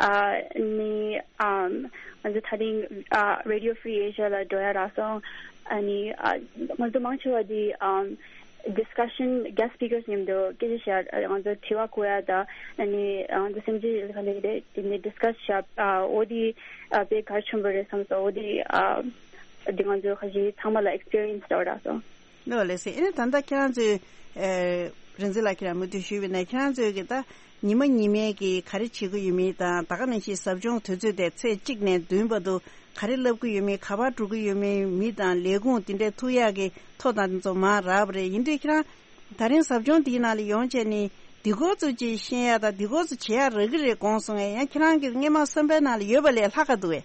ཨ་ནི་ཨམ་ང་ཚོ་ད་རིང་ཨ་Radio Free Asia ལ་འགྲོ་ཡ་རག་སོང་། ཨ་ནི་ཨ་ང་ཚོ་མང་ཆེ་བ་འདི་ཨམ discussion, guest speakers མཉམ་དུ་སྐད་ཆ་བཤད། ང་ཚོ་དྲི་བ་བཀོད་ཡ་དང་ཨ་ནི་ང་ཚོ་སེམས་ཅན་ལ་ག་ལེ་རེད་དེ་ནས་discuss བྱ། འོ་དེ་དཔེ་གལ་ཆེན་པོ་རེད་བསམ་སོང་། འོ་དེ་འདི་ང་ཚོ་ཁ་ཤས་ཚང་མ་ལ་experience འདྲ་བོ་རག་སོང་། ལགས་ལགས་སེ། ཨ་ནི་ད་ལྟ་ཁྱེད་རང་ཚོས་རིག་འཛིན་ལགས་ཁྱེད་རང་མུ་མཐུད་ཞུས་པ་ཡིན་ན་ཁྱེད་རང་ཚོས་ཀྱི་ད་ཉི་མ་ཉི་མའི་གི་ག་རེ་བྱེད་ཀྱི་ཡོད་མེད་དང་ད་ག་ནང་བཞིན་ཟབ་སྦྱོང་དུས་ཚོད་དེ་ཚེས་གཅིག་ནས་བདུན་བར་དུ་ག་རེ་བསླབ་ཀྱི་ཡོད་མེད། ག་པར་འགྲོ་གི་ཡོད་མེད། མི་དང་ལས་ཁུངས་དེ་འདྲའི་ཐུག་ཡག་གི་ཐོ་དང་དེ་ཚོ་མར་རག་པ་རེད། ཡིན་དུས་ཁྱེད་རང་ད་རིང་ཟབ་སྦྱོང་འདིའི་ནང་ལ་ཡོང་བྱས་ནས་འདི་སྐོར་ཚོ་ཅིག་ཤེས་ཡག་དང་འདི་སྐོར་ཚོ་བྱེད་ཡག་རག་གི་རེད་དགོངས་སོང་ངས། ཡང་ཁྱེད་རང་གི་སྔོན་མ་བསམ་པའི་ནང་ལ་ཡོད་པ་ལས་ལྷག་ག་འདུག་གས།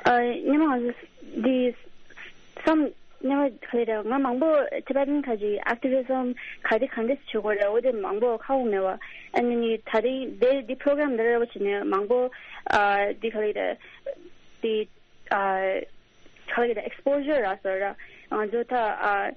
ཨ་སྔོན་མ་ང་ཚོ་འདི་བསམ་སྔོན་མ་ག་རེ་རེད། ང་མང་པོ་Tibetan ག་ཅིག་activism ག་རེ་གང་འདྲ་བྱེད་དགོས་རེད། འོ་དེ་མང་པོ་ཧ་གོ་མེད་པ། ཨ་ནི་ད་རིང་དེ་འདི་program འདི་རེད་བ་བྱས་ནས་མང་པོ་ཨ་འདི་ག་རེ་རེད། འདི་ཨ་ག་རེ་རེད། exposure རག་སོང་ར། ང་ཚོ་ད་ཨ་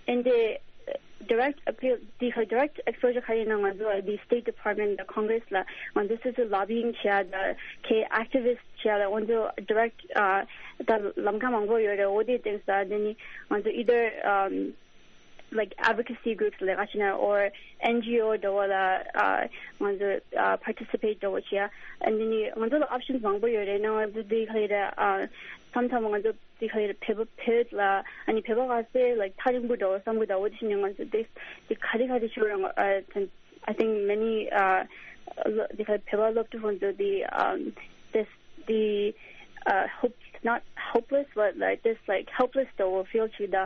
ཨེ་འདི་direct appeal འདི་ག་direct exposure ག་རེ་ཡིན་ན་ང་ཚོ་འདི་State Department དང་Congress ལ་ང་ཚོ་སོ་སོ་lobbying བྱེད་ཡ་དང་ཁེ་activist བྱེད་ཡ་ལ་ང་ཚོ་direct ཨ་ད་ལམ་ཁ་མང་པོ་ཡོད་རེད། འོ་དེ་སྟེང་ས་དེ་ནི་ང་ཚོ་either um like advocacy groups ལས་ཀ་བྱེད་ན་or N G O འདྲ་བོ་ལ་ཨ་ང་ཚོ་ཨ་participate འདྲ་བོ་བྱེད་ཡ། ཨ་ནི་ནི་ང་ཚོ་ལ་options མང་པོ་ཡོད་རེད། ན་ང་ཚོ་འདི་ག་རེ་རེད། ཨ་མཚམས་མཚམས་ང་ཚོ་འདི་ག་རེ་རེད། བོད་པ་བོད་ལ་ཨ་ནི་བོད་པ་ག་ཚོད་like ཐག་རིང་པོ་འདྲ་བོ་བསམ་གི་འདུག་འོ་དེ་བཞིན་ནི་ང་ཚོ་འདི་འདི་ག་རེ་ག་རེ་བྱེད་རང་ཨ་I think many uh འདི་ག་བོད་པ་སློབ་ཕྲུག་ཁོང་ཚོ་འདི་um this the uh hope not hopeless but like this like helpless འདྲ་བོ་feel བྱེད་ད།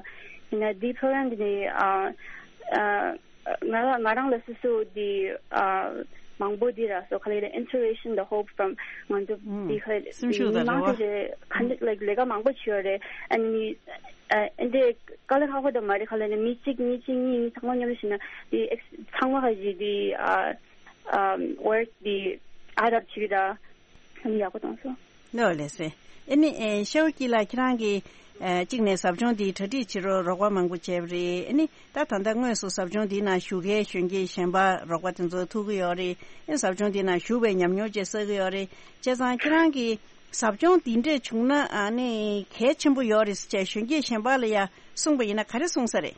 ཡིན་ན་འདི་program འདི་ནི་uh uh ང་ང་རང་ལ་སོ་སོ་འདི་uh མང་པོ་འདི་ར་སོ་ག་ལེ་ལ་inspiration the hope from ང་ཚོ་འདི་ག་ལེ་སེམས་ཤུགས་མི་དང་མང་རེ་བ་ཆེ་ཆེ་ག་འདི་like ལས་ཀ་མང་པོ་བྱེད་ཡོད་རེད། ཨ་ནི་uh འདི་དཀའ་ལས་ཁག་པོ་དང་མ་རེད། ག་ལེ་ནི་མི་གཅིག་མི་གཅིག་གཉིས་གཉིས་ཚང་མ་མཉམ་དུ་བྱས་ན་འདི་ex- ཚང་མ་ག་ཞིག་འདི uh um work འདི་add up བྱེད་ད། ཡག་པོ་གཏོང་སོང་། ལོ་ལེ་སེ། ཨེ་ནི་ཨེ་ཤའོ་ཀི་ལགས་ཁྱེད་རང་གིས་ཨེ་གཅིག་ནས་ཟབ་སྦྱོང་འདི་གྲ་སྒྲིག་བྱེད་རོགས་རོགས་པ་མང་པོ་བྱས་པ་རེད། ཨེ་ནི་ད་ད་ལྟ་དངོས་སུ་ཟབ་སྦྱོང་འདི་ནང་ཞུགས་མཁན་གཞོན་སྐྱེས་གཞན་པ་རོགས་པ་དེ་ཚོ་ཐུག་གི་ཡོད་རེད། ཨེ་ཟབ་སྦྱོང་འདི་ནང་ཞུགས་པའི་ཉམས་མྱོང་བཅས་བསགས་ཀྱི་ཡོད་རེད། བྱས་ཙང་ཁྱེད་རང་གིས་ཟབ་སྦྱོང་འདི་འདྲས་བྱུང་ན་ཨ་ནི་གལ་ཆེན་པོ་ཡོད་རེད་ཟེར་བྱས་གཞོན་སྐྱེས་གཞན་པ་ལ་ཡང་གསུངས་པ་ཡིན་ན་ག་རེ་གསུངས་ས་རེད།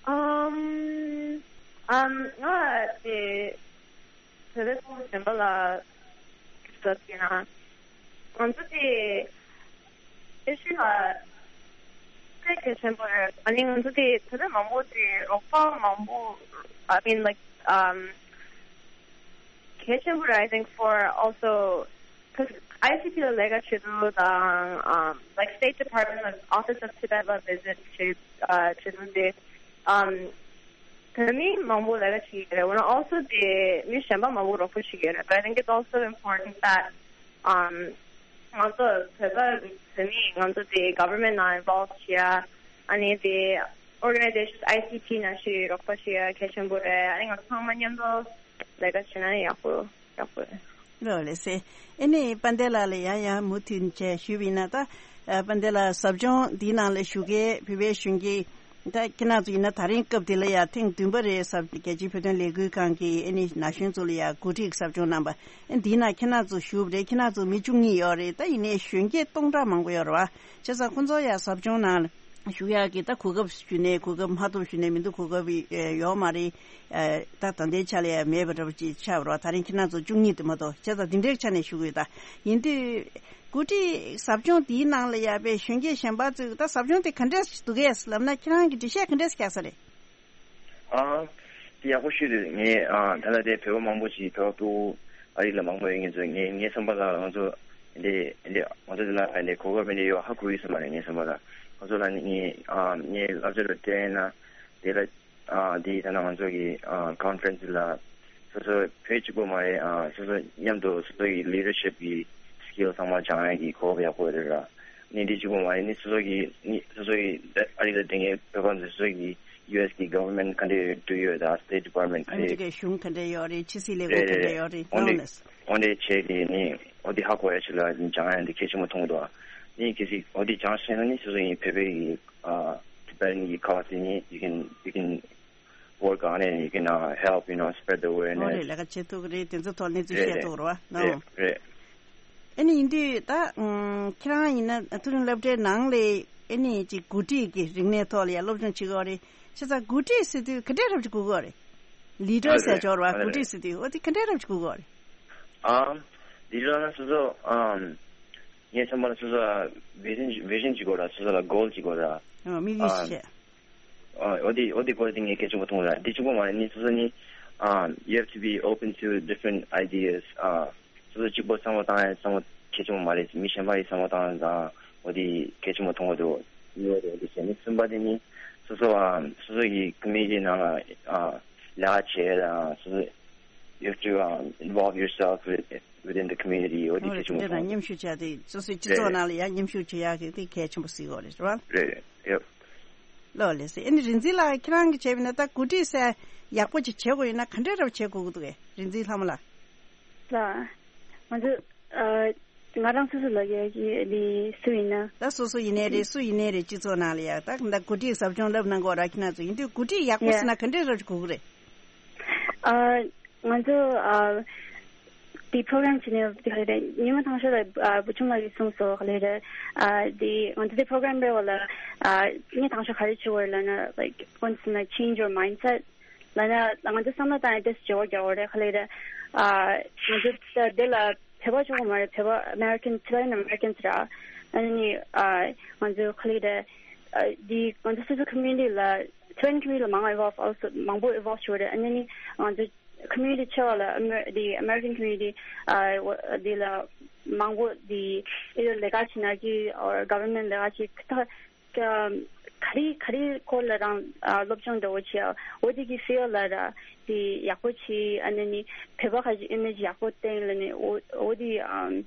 ཨམ། ཨམ། ང་དེ་བོད་པའི་ཚོགས་པ་གཞན་པ་ལ་ཞུ་ཐབས་བྱས་ན། ང་ཚོ་དེ་ཨེ་ཤི་ཡ་ལ་དཔེ་གལ་ཆེན་པོ་རེད། ཨ་ནི་ང་ཚོ་དེ་བོད་པ་མང་པོ་དེ་རོགས་པ་མང་པོ། I mean, like, um, གལ་ཆེན་པོ་རེད། I think for also, because I C P ལ་ལས་ཀ་བྱེད་དུས་དང་um, like, State Department ལ་Office of Tibet ལ་visit བྱེད་ཨ་བྱེད་དུས་དེ་um, བོད་མི་མང་པོ་ལས་ཀ་བྱེད་ཀྱི་རེད། འོ་ན་also དེ་མི་གཞན་པ་མང་པོ་རོགས་པ་བྱེད་ཀྱི་རེད། But I think it's also important that um, ང་ཚོ་བོད་པ་བོད་མི་ང་ཚོ་དེ་government ནང་involve བྱེད་ཡ། ཨ་ནི་དེ་organizations I C P ནང་ཞིག་རོགས་པ་བྱེད་ཡ་གལ་ཆེན་པོ་རེད། ཨ་ནི་ང་ཚོ་ཚང་མ་མཉམ་དུ་ལས་ཀ་བྱེད་ན་ཡག་པོ་ཡག་པོ་རེད། ལོ་ལེ་སེ། ཨེ་ནི་པན་ཏེ་ལགས་ལ་ཡང་ཡང་མུ་མཐུད་བྱས་ཞུས་པ་ཡིན་ན་ད་ཨ་པན་ཏེ་ལགས་ཟབ་སྦྱོང་འདིའི་ནང་ལ་ཞུགས་མཁན་བོད་པའི་གཞོན་སྐྱེས་ད་ཁྱེད་རང་ཚོ་ཡིན་ན་ད་རིང་སྐབས་འདི་ལ་ཡང་ཐེངས་བདུན་པ་རེད། ཟབ་རྒྱལ་སྤྱིའི་བོད་དོན་ལས་འགུལ་ཁང་གིས་ཨེ་ནི་ན་གཞོན་ཚོ་ལ་ཡང་འགོ་ཁྲིད་ཟབ་སྦྱོང་གནང་པ། ཨེ་འདིའི་ནང་ཁྱེད་རང་ཚོ་ཞུགས་པ་རེད། ཁྱེད་རང་ཚོ་མི་བཅུ་གཉིས་ཡོད་རེད། ད་ཡིན་ནའི་གཞོན་སྐྱེས་སྟོང་ཕྲག་མང་པོ་ཡོད་རེད་བ། བྱས་ཙང་ཁོང་ཚོ་ཡང་ཟབ་སྦྱོང་ནང་ཞུགས་ཡག་གི་ད་གོ་སྐབས་ཞུས་ནའི་གོ་སྐབས་མ་ཐོབ་ཞུས་ནའི་མི་འདུག་གོ་སྐབས་ཡོད་མ་རེད། ད་ད་ལྟའི་ཆ་ལ་ཡང་མེད་པ་འདྲ་པོ་ཅིག་ཆགས་པ་རེད་བ། ད་རིང་ཁྱེད་རང་ཚོ་བཅུ་གཉིས་དེ་མ་གཏོགས། བྱས་ཙང་འདི་འདྲའི་ཆ་ནས་ཞུ་གི་ཡོད། ད་ཡིན་དུས་འགོ་ཁྲིད་ཟབ་སྦྱོང་འདིའི་ནང་ལ་ཡང་པའི་གཞོན་སྐྱེས་གཞན་པ་ཚོས་ད་ཟབ་སྦྱོང་དེ་ག་འདྲས་འདུག་གས་ལབ་ན་ཁྱེད་རང་གི་འགྲེལ་བཤད་ག་འདྲས་བརྒྱབ་ས་རེད། ཨ། དེ་ཡག་པོ་ཞིག་རེད། ངས་ཨ་ད་ལྟ་དེ་བོད་པ་མང་པོ་ཞིག་བོད་པ་ཕྲུ་གུ་ཨ་རི་ལ་མང་པོ་ཡོད་མཁན་ཚོས་ངས་ངའི་བསམ་པ་ལ་ང་ཚོ་འདི་འདི་ང་ཚོ་འདི་ལ་ཨ་འདི་གོ་སྐབས་འདི་ཡོད་ཧ་གོ་ཡོད་ས་མ་རེད། ངའི་བསམ་པ་ལ་ང་ཚོ་ལ་ནི་ངས་ཨ་ངའི་བསླབ་བྱ་ལ་བལྟས་ན་དེ་ལ་ཨ་འདི་ད་ནང་ང་ཚོ་གི་ཨ་conference ལ་སོ་སོ་བོད་གཅིག་པོ་མ་རེད། ཨ་སོ་སོ་མཉམ་དུ་སོ་སོ་གི་leadership གི་skill ཚང་མ་སྦྱང་ཡ་གི་གོ་སྐབས་ཡག་པོ་རེད་ར། ནི་འདི་གཅིག་པོ་མ་རེད། ནི་སོ་སོ་གི་ནི་སོ་སོ་གི་ཨ་རི་ལ་བསྡད་མཁན་བོད་པ་ཚོ་སོ་སོ་གི་ཡུ་ཨེས་གི་government ག་འདྲ་འདུག་ཡོད་ད། State Department ག་ཨ་མི་རི་རེད། ཀའི་གཞུང་ག་འདྲ་ཡོད་རེད། ཕྱི་སྲིད་ལས་ཁུངས་ག་འདྲ་ཡོད་རེད། འོ་འདྲ་ནང་ལ། འོ་འདྲ་བྱས་ཏེ་ནི་འོ་འདི་ཧ་གོ་ཡ་ཆེད་ལ་སྦྱང་ཡ་འདི་གལ་ཆེན་པོ་མཐོང་འདུག་ནི་གལ་སྲིད་འོ་འདི་སྦྱང་ཤེས་ན་ནི་སོ་སོ་ཡི་བོད་པའི་གི་ཨ་Tibetan གི་ཁ་བ་ཟེར་ནི་you can you can work on it, you can uh, help, you know, spread the འོ་awareness. རེད། ལས་ཀ་བྱེད་ཐུབ་ཀྱི་རེད། དེ་ཚོ་ཐོག་གནས་ཚུལ་རེད་བཤད་རེད་ཐུབ་ཀྱི་རེད་བ། རེད་ནོ། རེད། ཨ་ནི་ཡིན་དུས་ད་ཨུམ་ཁྱེད་རང་ཡིན་ན་མཐོ་རིམ་སློབ་གྲྭའི་ནང་ལས་ཨ་ནི་ཅིག་འགོ་ཁྲིད་ཀྱི་རིག་གནས་ཐོག་ལ་ཡང་སློབ་སྦྱོང་བྱེད་དགོས་རེད། བྱས་ཙང་འགོ་ཁྲིད་ཟེར་དུས་ག་འདྲས་རབ་ཅིག་དགོས་ཀྱི་རེད། ལི་ཌར་ཨ་ཟེར་རེད་འབྱོར་བ་ཨ་འགོ་རེད། ཁྲིད་ཟེར་དུས་འོ་དེ་ག་འདྲས་རབ་ཅིག་དགོས་ཀྱི་རེད། ཨ་འདི་ལ་ན་སོ་སོ་ཨམ་ངའི་བསམ་པ་ལ་སོ་སོ་ལ་vision vision ཅིག་དགོས་ར། སོ་སོ་ལ་goal ཅིག་དགོས་ར། ཨ་དམིགས་ཡུལ་ཨམ་ཞིག་བྱས། ཨ་འོ་དེ་འོ་དེ་སྐོར་དེ་ངས་གལ་ཆེན་པོ་མཐོང་ར། དེ་གཅིག་པོ་མ་རེད། ནི་སོ་སོ་ནི་um, you have to be open to different ideas. Uh, སོ་སོ་གཅིག་པོ་བསམ་བློ་བཏང་ཡ་བསམ་བློ་གལ་ཆེན་པོ་མ་རེད། མི་གཞན་པ་ཡི་བསམ་བློ་བཏང་ཡ་དང་འོ་དེ་གལ་ཆེན་པོ་མཐོང་གི་འདུག་ཡོད་རེད། འོ་དེ་བྱས་ནི་གསུམ་པ་དེ་ནི་སོ་སོ་um, སོ་སོ་ཡི་community ནང་ལ་uh, ལས་ཀ་བྱེད་ཡ་དང་སོ་སོ you have to um, involve yourself with, within the community. འོ་དེ་འོ་རེད། གལ་ཆེན་དེ་པོ་འདྲ་མཐོང་གི་མཉམ་འདུག་ཞུགས་བྱ་དེ་སོ་སོའི་སྤྱི་ཚོགས་རེད་ནང་ལ་ཡང་མཉམ་ཞུགས་བྱེད་ཡག་གི་དེ་གལ་ཆེན་པོ་གཟིགས་ཡོད་རེད། རེད་བ། རེད་རེད། ཡོད། ལོ་ལེགས་སེ། ཨ་ནི་རིག་འཛིན་ལགས་ཁྱེད་རང་གིས་བྱས་པ་ཡིན་ན་ད་འགོ་ཁྲིད་ཟེར་ཡག་པོ་ཅིག་བྱེད་དགོས་ཡིན་ན་ག་འདྲས་རབ་བྱེད་དགོས་ཀྱི་འདུག་གས། རིག་འཛིན་ལྷ་མོ་ལགས། ལགས། ང་ཚོ་ཨ་ང་རང་སོ་སོ་ལ་ཡ་གི་ལི་སུ་ཡིན་ན། ད་སོ་སོ་ཡིན་ནའི་རེད། སུ་ཡིན་ནའི་རེད། སྤྱི་ཚོགས་ནང་ལ་ཡ་ད་ད་འགོ་ཁྲིད་ཟབ་སྦྱོང་བསླབ་གནང་གི་ཡོད་ར། ཁྱེད་རང་ཚོ་ཡིན་དུས་འགོ་ཁྲིད་ཡག་པོ་ཡ་ཟེར་ན་ག་འདྲས་རབ་ཅིག་དགོས་ཀྱི་རེད། ཨ། ང་ཚོ་ཨ་དེ་པོ་རོ་གྷ་རམ་བྱས་ནས་དེ་ག་རེ་རེད། ཉི་མ་དང་ཤོས་ལ་ཨ་བུ་ཆུང་ལགས་ཀྱིས་གསུངས་སོང་། ག་ལེ་རེད། ཨ་དེ་ང་ཚོ་དེ་པོ་རོ་གྷ་རམ་རེད་བ་ལ། ཨ་ངས་དང་ཤོས་ག་རེ་བྱེད་དགོས་རེད་ལབ་ན། Like, once in a change your mindset ལབ་ན་ང་ཚོ་བསམ་བློ་བཏང་ཡ་དེ་བརྗེ་བོ་རྒྱག་དགོས་རེད། ག་ལེ་རེད། ཨ་ང་ཚོ་ད་དེ་ལ་བོད་པ་ཆོག་གི་མ་རེད། བོད་པ་American, Tibetan Americans ར། ཨ་ནི་ཨ་ང་ཚོ་ག་ལེ་རེད། ཨ་དེ་ང་ཚོ་སོ་སོ་community ལ་Tibetan community ལ་མང་involve, also མང་པོ་involve བྱེད་དགོས་རེད། ཨ་ནི་ང་ཚོ་community ཆེ་བ་ལ་Amer- the American community ཨ་འོ་དེ་ལ་མང་པོ་དེ་either ལས་ཀ་བྱེད་ན་གི་or government ལས་ཀ་བྱེད་ད་ག་རེ་ག་རེ་སྐོར་ལ་རང་ཨ་སློབ་སྦྱོང་འདྲ་བོ་བྱེད་ཡ་འོ་དེ་གི་field ལ་ར་དེ་ཡག་པོ་བྱེད། ཨ་ནི་ནི་བོད་པ་ཁ་ཅིག་image ཡག་པོ་བསྟན་ལ་ནི་འོ་འོ་དེ་ཨམ་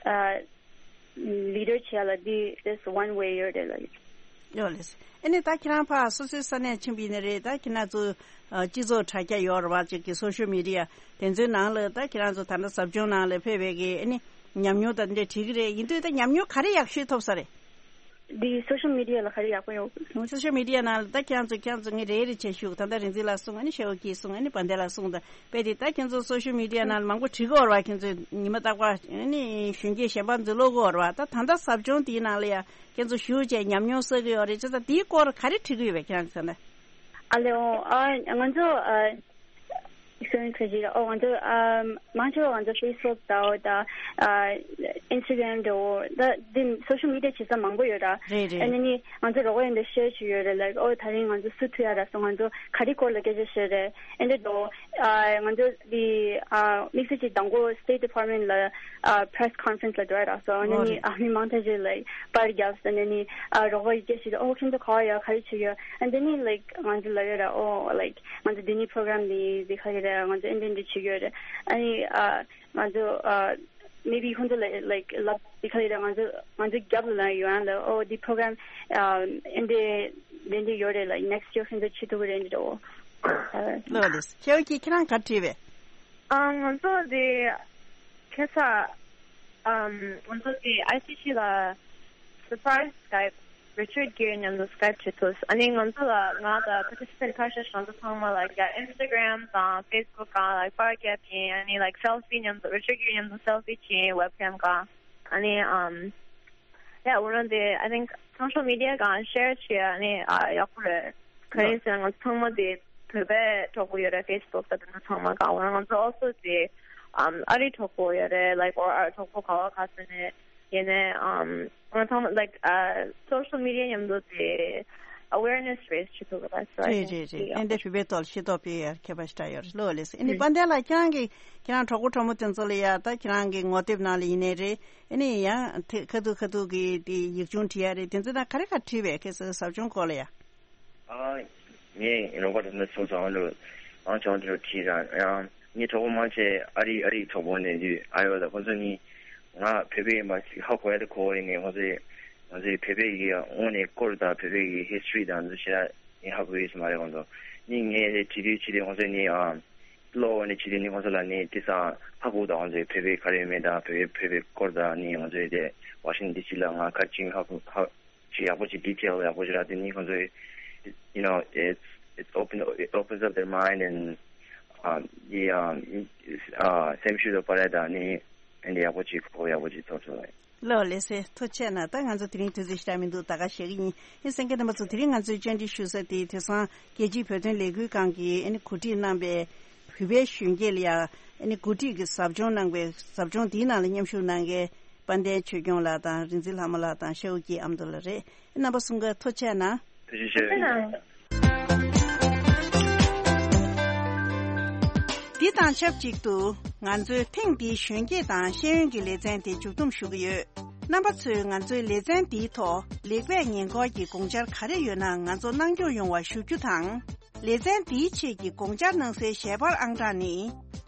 ཨ་leader བྱེད་ཡ་ལ་དེ་that's one way ཡོད་རེད་ལ། ཡོད་ལེ། ཨ་ནི་ད་ཁྱེད་རང་ཕར་སོ་སོའི་ས་གནས་ཕྱིན་པ་ཡིན་ན་རེད། ད་ཁྱེད་རང་ཚོ་ཨ་སྤྱི་ཚོགས་དྲ་རྒྱ་ཡོད་རེད་བ། ཅིག་གི་སོ་ཤལ་མི་ཌི་ཡ་དེ་ཚོའི་ནང་ལ་ད་ཁྱེད་རང་ཚོ་ད་ལྟ་ཟབ་སྦྱོང་ནང་ལ་ཕེབས་པའི་གི་ཨ་ནི་ཉམས་མྱོང་དང་འདྲ་དྲིས་ཀྱི་རེད། ཡིན་དུས་ད་ཉམས་མྱོང་ག་རེ་ཡག་ཤོས་ཐོབ་ས་རེད། འདི་སོ་ཤལ་མི་ཌི་ཡ་ལ་ག་རེ་ཡག་པོ་ཡོད། སོ་ཤལ་མི་ཌི་ཡ་ནང་ལ་ད་ཁྱེད་རང་ཚོ་ཁྱེད་རང་ཚོ་ངས་རེ་རེ་བྱས་ཞུ། ད་ལྟ་རིག་འཛིན་ལགས་གསུངས། ཨ་ནི་ཤེའུ་ཀི་གསུངས། ཨ་ནི་བན་དེ་ལགས་གསུངས། ད་དཔེ་དེ་ད་ཁྱེད་ཚོ་སོ་ཤལ་མི་ཌི་ཡ་ནང་ལ་མང་པོ་བྲིས་ཀྱི་ཡོད་རེད་བ། ཁྱེད་ཚོས་ཉི་མ་རྟག་པར་ཨ་ནི་གཞོན་སྐྱེས་གཞན་པ་ཚོ་ཀློག་གི་ཡོད་རེད་བ། ད་ད་ལྟ་ཟབ་སྦྱོང་དེའི་ནང་ལ་ཡ་ཁྱེད་ཚོ་ཞུགས་བྱས་ཉམས་མྱོང་བསགས་ཀྱི་ཡོད་རེད་བྱས་ཙང་དེའི་སྐོར་ག་རེ་བྲིས་ཀྱི་ཡོད་པས་ཁྱེད་རང་ཚོ་ད་ལྟ། ཨ་ལེ་ཨོ་ཨ་ང་ཚོ་ཨ་སོན་ཁ་ཞིག་ཨོ་ང་ཚོ་ཨ་མང་ཆེ་བ་ང་ཚོ་ཕེ་སི་བུག་དང་ཨོ་ད་ཨ་ཨིན་སི་ཊ་གྷ་རམ་དང་ཨོ་ད་འདི་སོ་ཤལ་མི་ཌི་ཡ་བྱེད་ས་མང་པོ་ཡོད་ར། རེད་རེད། ཨ་ནི་ནི་ང་ཚོ་རོགས་པ་ཡིན་དུ་ཤེར་བྱེད་ཡོད་རེད། ལའིཀ་ཨོ་ད་རིང་ང་ཚོ་སུ་ཐུག་ཡ་ར་སོང་། ང་ཚོ་ག་རེ་སྐོར་ལ་སྐད་ཆ་བཤད་རེད། ཨེ་འདྲ་དོ། ཨ་ང་ཚོ་འདི་ཨ་དམིགས་བསལ་གྱི་མདང་དགོང་State Department་ལ་ཨ་press conference ལ་འགྲོ་ཡ་རག་སོང་། ཨ་ནི་ཨོ་ནི་རེད། ཨ་མི་མང་ཐག་ཆོད་ལའིཀ་པར་རྒྱབ་སྟེ་ནི་ནི་ཨ་རོགས་པ་ཡི་སྐད་ཞིག་ཨོ་ཁྱེད་ཚོ་ག་བ་ཡ་ག་རེ་བྱེད་ཡོད། ཨ་འདི་ནི་ལའིཀ་ང་ཚོ་ལབ་ཡོད་ར། ཨོ་ལའིཀ་ང་ཚོ་འདི་ནི་པོ་རོ་གྷ་རམ་འདི་འདི་ག་རེ་རེད། ང་ཚོ་ཨེ་འདྲ་འདྲ་བྱེད་ཡོད་རེད། ཨ་ནི་ཨ་ང་ཚོ་ཨ་maybe ཁོང་ཚོ་ལ་ལའིཀ་ལབ་འདི་ག་རེ་རེད། ང་ཚོ་ང་ཚོ་རྒྱབ་ལ་ལ་ཡོད་ཨ་ལ་ཨོ་འདི་པོ་རོ་གྷ་རམ་ཨ་ཨེ་འདྲ་འདྲ་འདྲ་ཡོད་རེད། ལའིཀ་ནེག་སི་ཊི་ཡར་ཁྱེད་ཚོ་བྱེད་ཐུབ་ཀྱི་རེད་འདྲ་ཨོ། ལོ་ལེས་ཁྱེད་ཀྱིས་ཁྱེད་རང་ག་བྲིས་པས། ཨ་ང་ཚོ་དེ་ཁ་སང་ཨམ་ང་ཚོ་དེ་ཨའི་སི་ཤི་ལ་surprise Skype Richard Gere མཉམ་དུ་Skype བྱེད་ཐུབ། ཨ་ནི་ང་ཚོ་ལ་ང་དང་participant ཁ་ཤས་ང་ཚོ་ཚང་མ་ལ་ཡ་Instagram དང་Facebook སྒང་ལ་པར་རྒྱབ་ཡིན། ཨ་ནི་like selfie མཉམ་དུ་Richard Gere མཉམ་དུ་selfie བྱེད་ཡིན་webcam སྒང་། ཨ་ནི་ཨམ་yeah འོ་ན་དེ་I think social media སྒང་share བྱེད་ཨ་ནི་ཨ་ཡག་པོ་རེད། ག་རེ་ཟེར་ན་ང་ཚོ་ཚང་མ་དེ་བོད་པའི་གྲོགས་པོ་ཡོད་རེད་Facebook ད་དེ་ཚོ་ཚང་མ་སྒང་། འོ་ན་ང་ཚོ་also དེ་um ཨ་རི་གྲོགས་པོ་ཡོད་རེད། like or ཨ་རི་གྲོགས་པོ་ག་བ་ག་ས་ནས་ཡིན་ནའི་um ང་ཚང་མ་like uh social media མཉམ་དུ་དེ་awareness raise བྱེད་ཐུབ་ཀྱི་རེད། རེད་རེད་རེད། ཨེ་འདྲ་བོད་པའི་ཐོག་ལ་ཤེས་རྟོགས་སྤེལ་ཡར་ཁྱད་པར་ཞེ་དྲག་ཡོད་རེད། ལོ་ལེས་ཨེ་ནི་དཔལ་ལྡན་ལགས་ཁྱེད་རང་གི་ཁྱེད་རང་གྲོགས་པོ་གྲོགས་མོ་དེ་ཚོ་ལ་ཡ་ད་ཁྱེད་རང་གི་ངོ་དེབ་ནང་ལ་ཡིན་ནའི་རེད། ཨེ་ནི་ཡང་དེ་ཁ་ཐུག་ཁ་ཐུག་གི་དེ་ཡིག་ཆུང་བྲིས་ཡ་རེད། དེ་ཚོ་ད་ག་རེ་ག་བྲིས་པས་ཁྱེད་ཚོའི་ཟབ་སྦྱོང་སྐོར་ལ་ཡ། ཨ་ངས་རོགས་པ་དེ་ཚོ་ཚོ་ཚང་ལ་མང་ཆེ་བ་དེ་ཚོ་བྲིས་ར། ཡང་ངའི་གྲོགས་པོ་མང་ཆེ་ཨ་རི་ཨ་རིའི་གྲོགས་པོ་ནས་དུས་ཨ་ཡོ་ད་ཁོ་ཚོ་ནི་ང་བོད་པའི་མ་ཞིག་ཧ་གོ་ཡ་དེ་གོ་བ་ཡིན་ནས་ཁོ་ཚོས་ང་ཚོའི་བོད་པའི་གི་དངོས་གནས་སྐོར་དང་བོད་པའི་གི་history དང་འདི་ཚོ་ཞེ་དྲག་ངས་ཧ་གོ་ཡོད་ས་མ་རེད། ཁོང་ཚོ་ནི་ངས་དེ་བྲིས་དུས་ཕྱི་དེ་ཁོང་ཚོས་ནི་ཨ་གློག་འོག་ནས་ཕྱི་དེ་ནི་ཁོང་ཚོ་ལ་ནི་དེ་སང་ཧ་གོ་དང་ཁོང་ཚོས་བོད་པའི་ག་རེ་ཡོད་མེད་དང་བོད་པའི་བོད་པའི་སྐོར་དང་ནི་ང་ཚོའི་དེ་ཝ་ཤིང་ཊོན་ཌི་སི་ལ་ང་ག་ཅིག་ཧ་གོ་ཧ་ཅིག་ཡག་པོ་ཅིག་ཌི་ཊེལ་ཡག་པོ་ཅིག་རག་དེ་ནི་ཁོང་ཚོས་you know it's it's open it opens up their mind and um the um uh སེམས་ཤུགས་དང་པར་ལས་དང་ནི་ཨེ་འདི་ཡག་པོ་ཅིག་གོ་ཡག་པོ་ཅིག་ཐོབ་ཐུབ་ལ། ལོ་ལེ་སེ་ཐུགས་རྗེ་ཆེ་གནང་། ད་ང་ཚོ་དེ་རིང་དུས་ཚོད་ཞེ་དྲག་མི་འདུག་ད་ག་བཞག་གི་ཡིན། ཡིན་གསན་མཁན་རྣམ་པ་ཚོ་དེ་རིང་ང་ཚོའི་བཅར་འདྲི་ཞུ་ས་དེ་དེང་སང་རྒྱལ་སྤྱིའི་བོད་དོན་ལས་འགུལ་ཁང་གིས་ཨ་ནི་གོ་སྒྲིག་གནང་པའི་བོད་པའི་གཞོན་སྐྱེས་ལ་ཡ་ཨ་ནི་གོ་སྒྲིག་གི་ཟབ་སྦྱོང་གནང་པའི་ཟབ་སྦྱོང་དེའི་ནང་ལ་མཉམ་ཞུགས་གནང་མཁན་དཔལ་ལྡན་ཆོས་སྐྱོང་ལགས་དང་རིག་འཛིན་ལྷ་མོ་ལགས་དང་ཤེའུ་སྐྱིད་ཨ་མདོ་ལགས་རེད། རྣམ་པ་གསུམ་ཀ་ཐུགས་རྗེ་ཆེ་གནང་། ཐུགས་རྗེ་ཆེ། འདི་དང་ཆབས་ཅིག་ཏུ་ང་ཚོའི་ཐེངས་འདིའི་གཞོན་སྐྱེས་དང་ཤེས་ཡོན་གྱི་ལེ་ཚན་དེ་མཇུག་བསྡོམས་ཞུ་གི་ཡོད། རྣམ་པ་ཚོས་ང་ཚོའི་ལེ་ཚན་འདིའི་ཐོག་ལེགས་སྤེལ་ཉེ་འཁོར་གྱི་དགོངས་འཆར་ག་རེ་ཡོད་ན་ང་ཚོ་གནང་སྐྱོང་ཡོང་བ་ཞུ་རྒྱུ་དང་། ལེ་ཚན་འདིའི་ཆེད་ཀྱི་དགོངས་འཆར་གནང་སའི་ཞལ་པར་ཨང་གྲངས་ནི།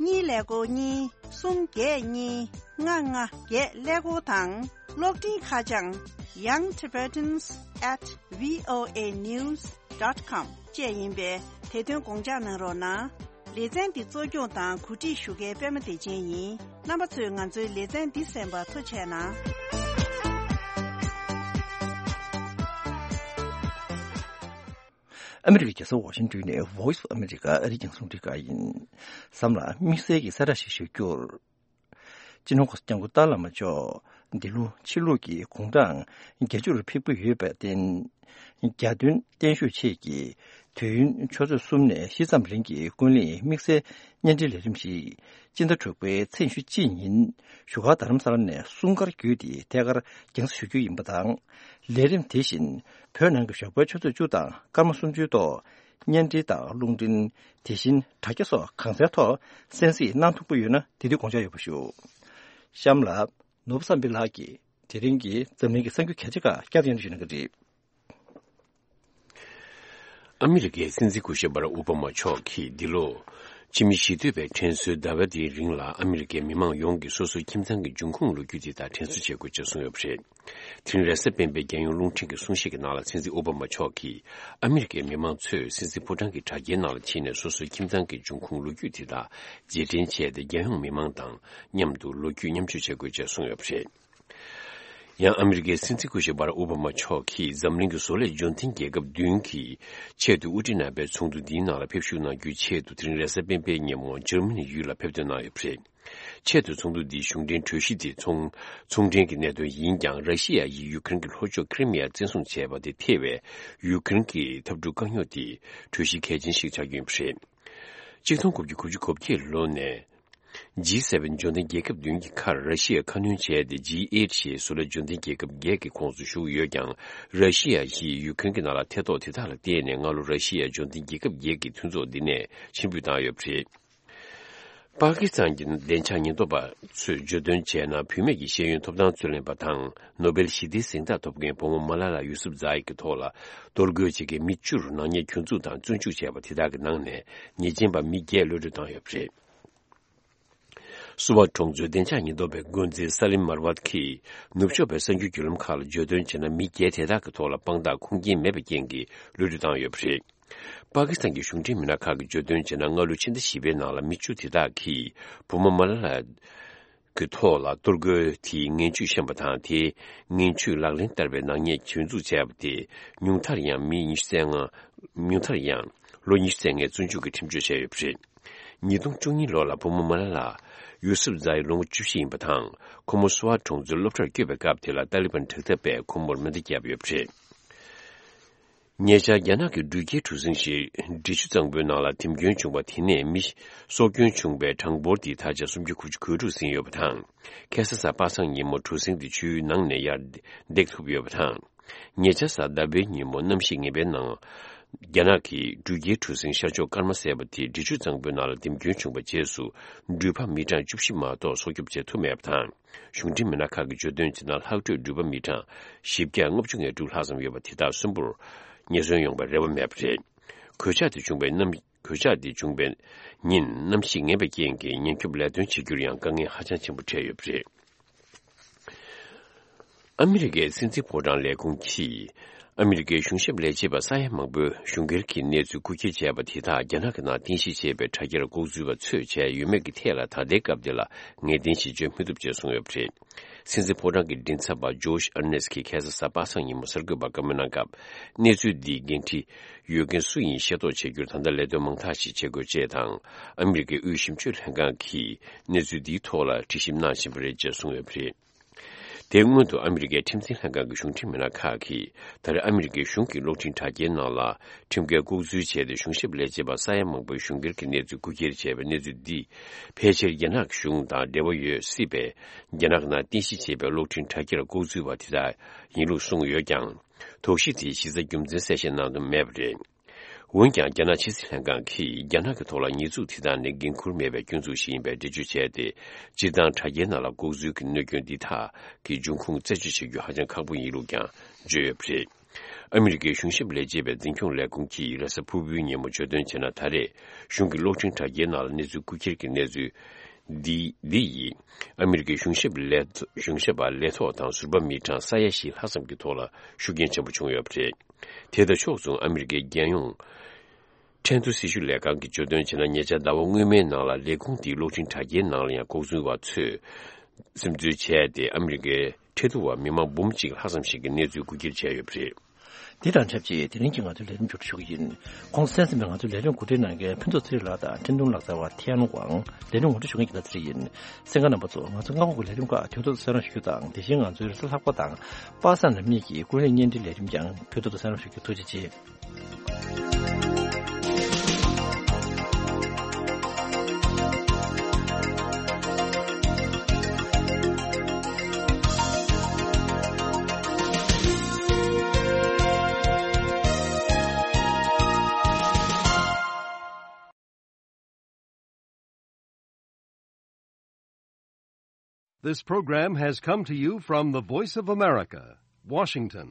གཉིས་ཀླད་ཀོར་གཉིས། གསུམ་བརྒྱད་གཉིས། ལྔ་ལྔ་བརྒྱད་ཀླད་ཀོར་དང་། གློག་འཕྲིན་ཁ་བྱང་young tibetans at voa news dot com བཅས་ཡིན་པས་དེ་དོན་དགོངས་འཇགས་གནང་རོགས་གནང་། ལེ་ཚན་འདི་གཙོ་སྐྱོང་དང་གོ་སྒྲིག་ཞུ་མཁན་པད་མ་བདེ་ཆེན་ཡིན། རྣམ་པ་ཚོས་ང་ཚོའི་ལེ་ཚན་འདི་གསན་པར་ཐུགས་རྗེ་གནང་། ཨ་མི་རི་ཀའི་རྒྱལ་ས་ཝ་ཤིང་ཏོན་ནས་Voice of America ཨ་རིའི་རྒྱང་སྲིང་རླུང་འཕྲིན་ཁང་ཡིན། མཚམས་ལ་དམིགས་བསལ་གྱི་གསལ་བསྒྲགས་ཤིག་ཞུ་རྒྱུར། སྤྱི་ནོར་༧གོང་ས་༧སྐྱབས་མགོན་ཏཱ་བླ་མ་མཆོག་འདི་ལོ་ཕྱི་ལུགས་ཀྱི་དགུང་གྲངས་བརྒྱད་ཅུ་རུ་ཕེབས་ཀྱི་ཡོད་པར་བརྟེན། རྒྱ་སྟོན་བརྟན་བཞུགས་ཆེད་ཀྱི་དུས་ཡུན་ཆུ་ཚོད་གསུམ་ནས་བཞི་ཙམ་རིང་གི་ཀུན་གླེང་དམིགས་བསལ་བརྙན་འཕྲིན་ལས་རིམ་ཞིག་སྤྱི་ཟླ་དྲུག་པའི་ཚེས་ཉི་ཤུ་གཅིག་ཉིན་བཞུགས་སྒར་རྡ་རམ་ས་ལ་ནས་སྲུང་སྐར་བརྒྱུད་དེ་ཐད་ཀར་རྒྱང་སྲིང་ཞུ་རྒྱུ་ཡིན་པ་དང་། ལས་རིམ་དེ་བཞིན་བོད་ནང་གི་ཞོགས་པའི་ཆུ་ཚོད་བཅུ་དང་སྐར་མ་སུམ་ཅུའི་ཐོག་བརྙན་འཕྲིན་དང་རླུང་འཕྲིན། དེ་བཞིན་དྲ་རྒྱ་སོགས་གང་སའི་ཐོག་གསན་གཟིགས་གནང་ཐུབ་ཀྱི་ཡོད་ན་དེ་དུས་དགོངས་འཇགས་ཡོད་པ་ཞུ། གཤམ་ལ་ནོར་བུ་བསམ་འཕེལ་ལགས་ཀྱིས་དེ་རིང་གི་འཛམ་གླིང་གི་གསར་འགྱུར་གལ་ཆེ་ཁག་བསྐྱར་དུ་སྙན་སྒྲོན་ཞུ་གནང་གི་རེད། ཨ་མི་རི་ཀའི་སྲིད་འཛིན་སྐུ་ཞབས་བྷ་རག་ཨོ་བྷ་མ་མཆོག་གིས་འདི་ལོ་ ཕྱི་མི་ཞི་གཏོད་པའི་དྲན་གསོའི་ཟླ་བ་འདིའི་རིང་ལ་ཨ་མི་རི་ཀའི་མི་མང་ཡོངས་ཀྱིས་སོ་སོའི་ཁྱིམ་ཚང་གི་འབྱུང་ཁུངས་ལོ་རྒྱུས་དེ་དག་དྲན་གསོ་བྱེད་དགོས་ཅེས་གསུངས་ཡོད་པ་རེད། དེ་རིང་རེས་གཟའ་སྤེན་པའི་རྒྱལ་ཡོངས་རླུང་འཕྲིན་གྱི་གསུང་བཤད་ཀྱི་ནང་ལ་སྲིད་འཛིན་ཨོ་བྷ་མ་མཆོག་གིས་ཨ་མི་རི་ཀའི་མི་མང་ཚོས་སྲིད་འཛིན་ཕོ་བྲང་གི་དྲ་རྒྱའི་ནང་ལ་ཕྱིན་ནས་སོ་སོའི་ཁྱིམ་ཚང་གི་འབྱུང་ཁུངས་ལོ་རྒྱུས་དེ་དག་རྗེས་དྲན་བྱས་ཏེ། རྒྱལ་ཡོངས་མི་མང་དང་མཉམ་དུ་ལོ་རྒྱུས་མཉམ་སྤྱོད་བྱེད་དགོས་ཅེས་གསུངས་ཡོད་པ་རེད། ཡང་ཨ་མི་རི་ཀའི་སྲིད་འཛིན་སྐུ་ཞབས་བྷ་རག་ཨོ་བྷ་མ་མཆོག་གིས་འཛམ་གླིང་གི་བཟོ་ལས་འབྱོར་ལྡན་རྒྱལ་ཁབ་བདུན་གྱི་ཆེད་དུ་དབུ་ཁྲིད་རྣམ་པའི་ཚོགས་འདུ་འདིའི་ནང་ལ་ཕེབས་བཞུགས་གནང་རྒྱུའི་ཆེད་དུ། དེ་རིང་རེས་གཟའ་སྤེན་པའི་ཉིན་མོ་འཇར་མ་ནི་ཡུལ་ལ་ཕེབས་ཐོན་གནང་ཡོད་པ་རེད། ཆེད་དུ་ཚོགས་འདུ་འདིའི་གཞུང་འབྲེལ་གྲོས་གཞི་དེ་ཚོང་ཚོང་འབྲེལ་གྱི་གནད་དོན་ཡིན་ཀྱང་། ར་ཤི་ཡ་ཡིས་ཡུ་ཁུ་རེན་གྱི་ལྷོ་ཕྱོགས་ཁི་རི་མི་ཡ་བཙན་བཟུང་བྱས་པ་དེ་ཐེ་བའི་ཡུ་ཁུ་རེན་གྱི་འཐབ་འཁྲུག་དཀའ་རྙོག་དེ་གྲོས་གཞི་གལ་ཆེན་ཞིག་ཆགས་ཀྱི་ཡོད་པ་རེད། ཆིག་སྟོང་དགུ་བརྒྱ་དགུ་བཅུ་གོ་བརྒྱད་ལོ་ནས། ཇི་སེ་བེན་འབྱོར་ལྡན་རྒྱལ་ཁབ་བདུན་གྱི་ཁར་ར་ཤི་ཡས་ཁ་སྣོན་བྱས་ཏེ། ཇི་ཨེཊ་ཞེས་བཟོ་ལས་འབྱོར་ལྡན་རྒྱལ་ཁབ་བརྒྱད་ཀྱི་ཁོངས་སུ་ཞུགས་ཡོད་ཀྱང་། ར་ཤི་ཡ་ཡིས་ཡུ་ཁུ་རེན་གྱི་ནང་ལ་ཐེ་གཏོགས་དེ་དག་ལ་བརྟེན་ནས། སྔ་ལོ་ར་ཤི་ཡས་འབྱོར་ལྡན་རྒྱལ་ཁབ་བརྒྱད་ཀྱི་མཐུན་ཚོགས་འདི་ནས་ཕྱིར་འབུད་བཏང་ཡོད་པ་རེད། པ་ཀི་སི་ཐན་གྱི་བདེ་འཇགས་ཉེན་རྟོག་པ་ཚོས་བརྗོད་དོན་བྱས་ན། བུད་མེད་ཀྱི་ཤེས་ཡོན་ཐོབ་ཐང་རྩོད་ལེན་པ་དང་ནོ་སྦེལ་ཞི་བདེའི་གཟེངས་རྟགས་ཐོབ་མཁན་བུ་མོ་མ་ལ་ལ་ཡུ་སུབ་ཛ་ཡི་གི་ཐོག་ལ་གཏོར་རྒོལ་བྱེད་མཁན་མི་བཅུར་ནག་ཉེས་གྱོང་འཛུགས་དང་བཙོན་འཇུག་བྱས་པ་དེ་དག་གི་ནང་ནས་ཉེས་ཅན་པ་མི་བརྒྱད་གློད་གྲོལ་བཏང་ཡོད་པ་རེད། སུ་བ་གྲོང་ཚོའི་བདེ་འཇགས་ཉེན་རྟོག་པའི་འགོ་འཛིན་ས་ལིམ་མར་ཝད་ཀྱིས་ནུབ་ཕྱོགས་པའི་གསར་འགྱུར་བརྒྱུད་ལམ་ཁག་ལ་བརྗོད་དོན་བྱས་ན། མི་བརྒྱད་དེ་དག་གི་ཐོག་ལ་དཔང་རྟགས་ཁུངས་སྐྱེལ་མེད་པའི་རྐྱེན་གྱིས་གློད་གྲོལ་བཏང་ཡོད་པ་རེད། པ་ཀི་སི་ཐན་གྱི་གཞུང་འབྲེལ་མི་སྣ་ཁག་གིས་བརྗོད་དོན་བྱས་ན། སྔ་ལོ་ཕྱི་ཟླ་བཞི་པའི་ནང་ལ་མི་བཅུ་དེ་དག་གིས་བུ་མོ་མ་ལ་ལ་གི་ཐོག་ལ་གཏོར་རྒོལ་དེའི་ངན་ཇུས་བཤམས་པ་དང་། དེའི་ངན་ཇུས་ལག་ལེན་བསྟར་བའི་ནག་ཉེས་གྱོང་འཛུགས་བྱས་པ་དེ་ཉུང་མཐར་ཡང་མི་ཉི་ཤུ་རྩ་ལྔ། ཉུང་མཐར་ཡང་ལོ་ཉི་ཤུ་རྩ་ལྔའི་བཙོན་འཇུག་གི་ཁྲིམས་གཅོད་བྱས་ཡོད་པ་རེད། ཉིས་སྟོང་བཅུ་གཉིས་ལོ་ལ་བུ་མོ་མ་ལ་ལ་ཡུ་སུབ་ཛ་ཡི་ལོ་ངོ་བཅུ་བཞི་ཡིན་པ་དང་། ཁོ་མོ་སུ་ཝ་གྲོང་ཚོའི་སློབ་གྲྭར་བསྐྱོད་པའི་སྐབས་དེ་ལ་ཏཱ་ལི་བན་དྲག་འཐབ་པས་ཁོ་མོར་མེ་མདའ་བརྒྱབ་ཡོད་པ་རེད། ཉེ་ཆར་རྒྱ་ནག་གི་འགྲུལ་སྐྱེལ་གྲུ་གཟིངས་ཤིག་འབྲི་ཆུ་གཙང་པོའི་ནང་ལ་འཐེམ་སྐྱོན་བྱུང་བ་དེ་ནས་མི་སྲོག་སྐྱོན་བྱུང་བའི་གྲངས་འབོར་དེ་ད་ཆ་སུམ་བརྒྱ་དགུ་བཅུ་གོ་དྲུག་ཟིན་ཡོད་པ་དང་། ཁ་སང་གཟའ་པ་སངས་ཉིན་མོ་གྲུ་གཟིངས་དེ་ཆུའི་ནང་ནས་ཡར་འདེགས་ཐུབ་ཡོད་པ་དང་། ཉེ་ཆར་གཟའ་ཟླ་བའི་ཉིན་མོ་གནམ་གཤིས་ངན་པའི་ནང་། རྒྱ་ནག་གི་འགྲུལ་སྐྱེལ་གྲུ་གཟིངས་ཤར་ཕྱོགས་ཀརྨ་ཟེར་བ་དེ་འབྲི་ཆུ་གཙང་པོའི་ནང་ལ་འཐེམ་སྐྱོན་བྱུང་བའི་རྗེས་སུ། འགྲུལ་པ་མི་གྲངས་བཅུ་བཞི་མ་གཏོགས་སྲོག་སྐྱོབ་བྱེད་ཐུབ་མེད་པ་དང་། གཞུང་འབྲེལ་མི་སྣ་ཁག་གིས་བརྗོད་དོན་བྱས་ན། ལྷག་འཕྲོས་འགྲུལ་པ་མི་གྲངས་བཞི་བརྒྱ་ལྔ་བཅུ་ང་དྲུག་ལྷག་ཙམ་ཡོད་པ་དེ་དག་གསོན་པོར་ཉེན་ཟོན་ཡོང་བའི་རེ་བ་མེད་པ་རེད། གོད་ཆག་དེ་བྱུང་བའི་གནམ། གོད་ཆག་དེ་བྱུང་བའི་ཉིན་གནམ་གཤིས་ངན་པའི་རྐྱེན་གྱིས་ཉེན་སྐྱོབ་ལས་དོན་བྱེད་རྒྱུར་ཡང་དཀའ་ངལ་ཧ་ཅང་ཆེན་པོ་འཕྲད་ཡོད་པ་རེད། ཨ་མི་རི་ཀའི་སྲིད་འཛིན་ཕོ་བྲང་ལས་ཁུངས་ཀྱིས། ཨ་མི་རི་ཀའི་གཞུང་ཞབས་ལས་བྱེད་པ་ས་ཡ་མང་པོས་གཞུང་སྒེར་གྱི་གནས་ཚུལ་རྐུ་འཁྱེར་བྱས་པ་དེ་དག་རྒྱ་ནག་གི་ནང་རྟེན་གཞི་བྱས་པའི་དྲ་རྒྱར་ལྐོག་འཛུལ་བ་ཚོས་བྱས་ཡོད་མེད་ཀྱི་ཐད་ལ་ད་ལྟའི་སྐབས་འདི་ལ་ངེས་གཏན་ཞིབ་དཔྱོད་མི་ཐུབ་ཅེས་གསུངས་ཡོད་པ་རེད། སྲིད་འཛིན་ཕོ་བྲང་གི་མགྲིན་ཚབ་པ་ཇོ་ཤི་ཨར་ནེས་ཀྱིས་ཁ་སང་གཟའ་པ་སངས་ཉིན་མོ་གསར་འགོད་པར་བཀའ་མོལ་གནང་སྐབས། གནས་ཚུལ་འདིའི་འགན་འཁྲི་ཡོད་མཁན་སུ་ཡིན་ཤེས་རྟོགས་བྱེད་རྒྱུར་ད་ལྟ་ལས་དོན་མང་དག་ཞིག་བྱེད་དགོས་ཅེས་དང་། ཨ་མི་རི་ཀའི་དབུས་ཞིབ་དཔྱོད་ལྷན་ཁང་གིས་གནས་ཚུལ་འདིའི་ཐོག་ལ་དྲི་ཞིབ་གནང་བཞིན་པ་རེད་ཅེས་གསུངས་ཡོད་པ་རེད། དེའི་སྔོན་དུ་ཨ་མི་རི་ཀའི་ཁྲིམས་འཛིན་ལྷན་ཁང་གི་གཞུང་འབྲེལ་མི་སྣ་ཁག་གིས། ད་རེས་ཨ་མི་རི་ཀའི་གཞུང་གི་གློག་འཕྲིན་དྲ་རྒྱའི་ནང་ལ་ཁྲིམས་འགལ་ལྐོག་འཛུལ་བྱས་ཏེ། གཞུང་ཞབས་ལས་བྱེད་པ་ས་ཡ་མང་པོའི་གཞུང་སྒེར་གྱི་གནས་ཚུལ་རྐུ་འཁྱེར་བྱས་པའི་གནས་ཚུལ་འདི། ཕལ་ཆེར་རྒྱ་ནག་གཞུང་དང་འབྲེལ་བ་ཡོད་སྲིད་པས། རྒྱ་ནག་ནང་རྟེན་གཞི་བྱས་པའི་གློག་འཕྲིན་དྲ་རྒྱར་ལྐོག་འཛུལ་བ་དེ་དག་ཡིན་ལུགས་གསུངས་ཡོད་ཀྱང་། དོགས་གཞི་དེའི་གཞི་རྩ་རྒྱུ་མཚན་གསལ་བཤད་གནང་དོན་མེད་པ་རེད། འོན་ཀྱང་། རྒྱ་ནག་ཕྱི་སྲིད་ལྷན་ཁང་གིས་རྒྱ་ནག་གི་ཐོག་ལ་ཉེས་འཛུགས་དེ་དག་ནི་འགན་འཁུར་མེད་པའི་སྐྱོན་འཛུགས་ཤིག་ཡིན་པའི་འགྲེལ་བརྗོད་བྱས་ཏེ། སྤྱིར་བཏང་དྲ་རྒྱའི་ནང་ལ་ལྐོག་འཛུལ་གྱི་གནོད་སྐྱོན་འདི་དག་གི་འབྱུང་ཁུངས་རྩད་གཅོད་བྱེད་རྒྱུ་ཧ་ཅང་ཁག་པོ་ཡིན་ལུགས་ཀྱང་བརྗོད་ཡོད་པ་རེད། ཨ་མི་རི་ཀའི་གཞུང་ཞབས་ལས་བྱེད་པའི་འཛིན་སྐྱོང་ལས་ཁུངས་ཀྱིས་རེས་གཟའ་ཕུར་བུའི་ཉིན་མོ་བརྗོད་དོན་བྱས་ན། ད་རེས་གཞུང་གི་གློག་འཕྲིན་དྲ་རྒྱའི་ནང་ལ་གནས་ཚུལ་རྐུ་འཁྱེར་གྱི་གནས་ཚུལ་འདི་འདི་ཡིས། ཨ་མི་རི་ཀའི་གཞུང་ཞབས་ལས་གཞུང་ཞབས་པ་ལས་ཐོག་དང་ཟུར་པ་མི་གྲངས་ས་ཡ་བཞི་ལྷག་ཙམ་གྱི་ཐོག་ལ་ཤུགས་རྐྱེན་ཆེན་པོ་བྱུང་ཡོད་པ་རེད། དེ་དང་ཕྱོགས་མཚུངས། ཨ་མི་རི་ཀའི་རྒྱལ་ཡོངས་ཁྲེན་ཏུའུ་སྲི་ཞུ་ལས་ཁང་གིས་བརྗོད་དོན་བྱས་ན། ཉེ་ཆར་ཟླ་བ་སྔོན་མའི་ནང་ལ་ལས་ཁུངས་དེའི་གློག་འཕྲིན་དྲ་རྒྱའི་ནང་ལ་ཡང་ལྐོག་འཛུལ་བ་ཚོས་སིམ་འཛུལ་བྱས་ཏེ། ཨ་མི་རི་ཀའི་ཁྲེན་ཏུའུ་བ་མི་མང་འབུམ་གཅིག་ལྷག་ཙམ་ཞིག་གི་གནས་ཚུལ་རྐུ་འཁྱེར་བྱས་ཡོད་པ་རེད། འདི་དང་ཆབས་ཅིག་དེ་རིང་གི་ང་ཚོའི་ལས་རིམ་མཇུག་སྒྲིལ་ཞུ་གི་ཡིན། གོང་གསལ་ཟིན་པའི་ང་ཚོའི་ལས་རིམ་གོ་སྒྲིག་གནང་མཁན་ཕུན་ཚོགས་ཚེ་རིང་ལགས་དང་འཕྲིན་གཏོང་ལག་རྩལ་བ་ཐེ་ཡན་ཝང་། ལས་རིམ་ངོ་སྤྲོད་ཞུ་མཁན་གྱི་ད་ཚེ་རིང་ཡིན། གསན་མཁན་རྣམ་པ་ཚོ། ང་ཚོའི་སྔ་དགོང་གི་ལས་རིམ་ཁག་དུས་ཐོག་ཏུ་གསན་རོགས་ཞུ་རྒྱུ་དང་། དེ་བཞིན་ང་ཚོའི་རེས་གཟའ་ལྷག་པ་དང་པ་སངས་ནམ་གཉིས་ཀྱི་ཀུན་གླེང་བརྙན་འཕྲིན་ལས་རིམ་ཀྱང་དུས་ཐོག་ཏུ་གསན་རོགས་ཞུ་རྒྱུ། ཐུགས་རྗེ་ཆེ། This program has come to you from the Voice of America, Washington.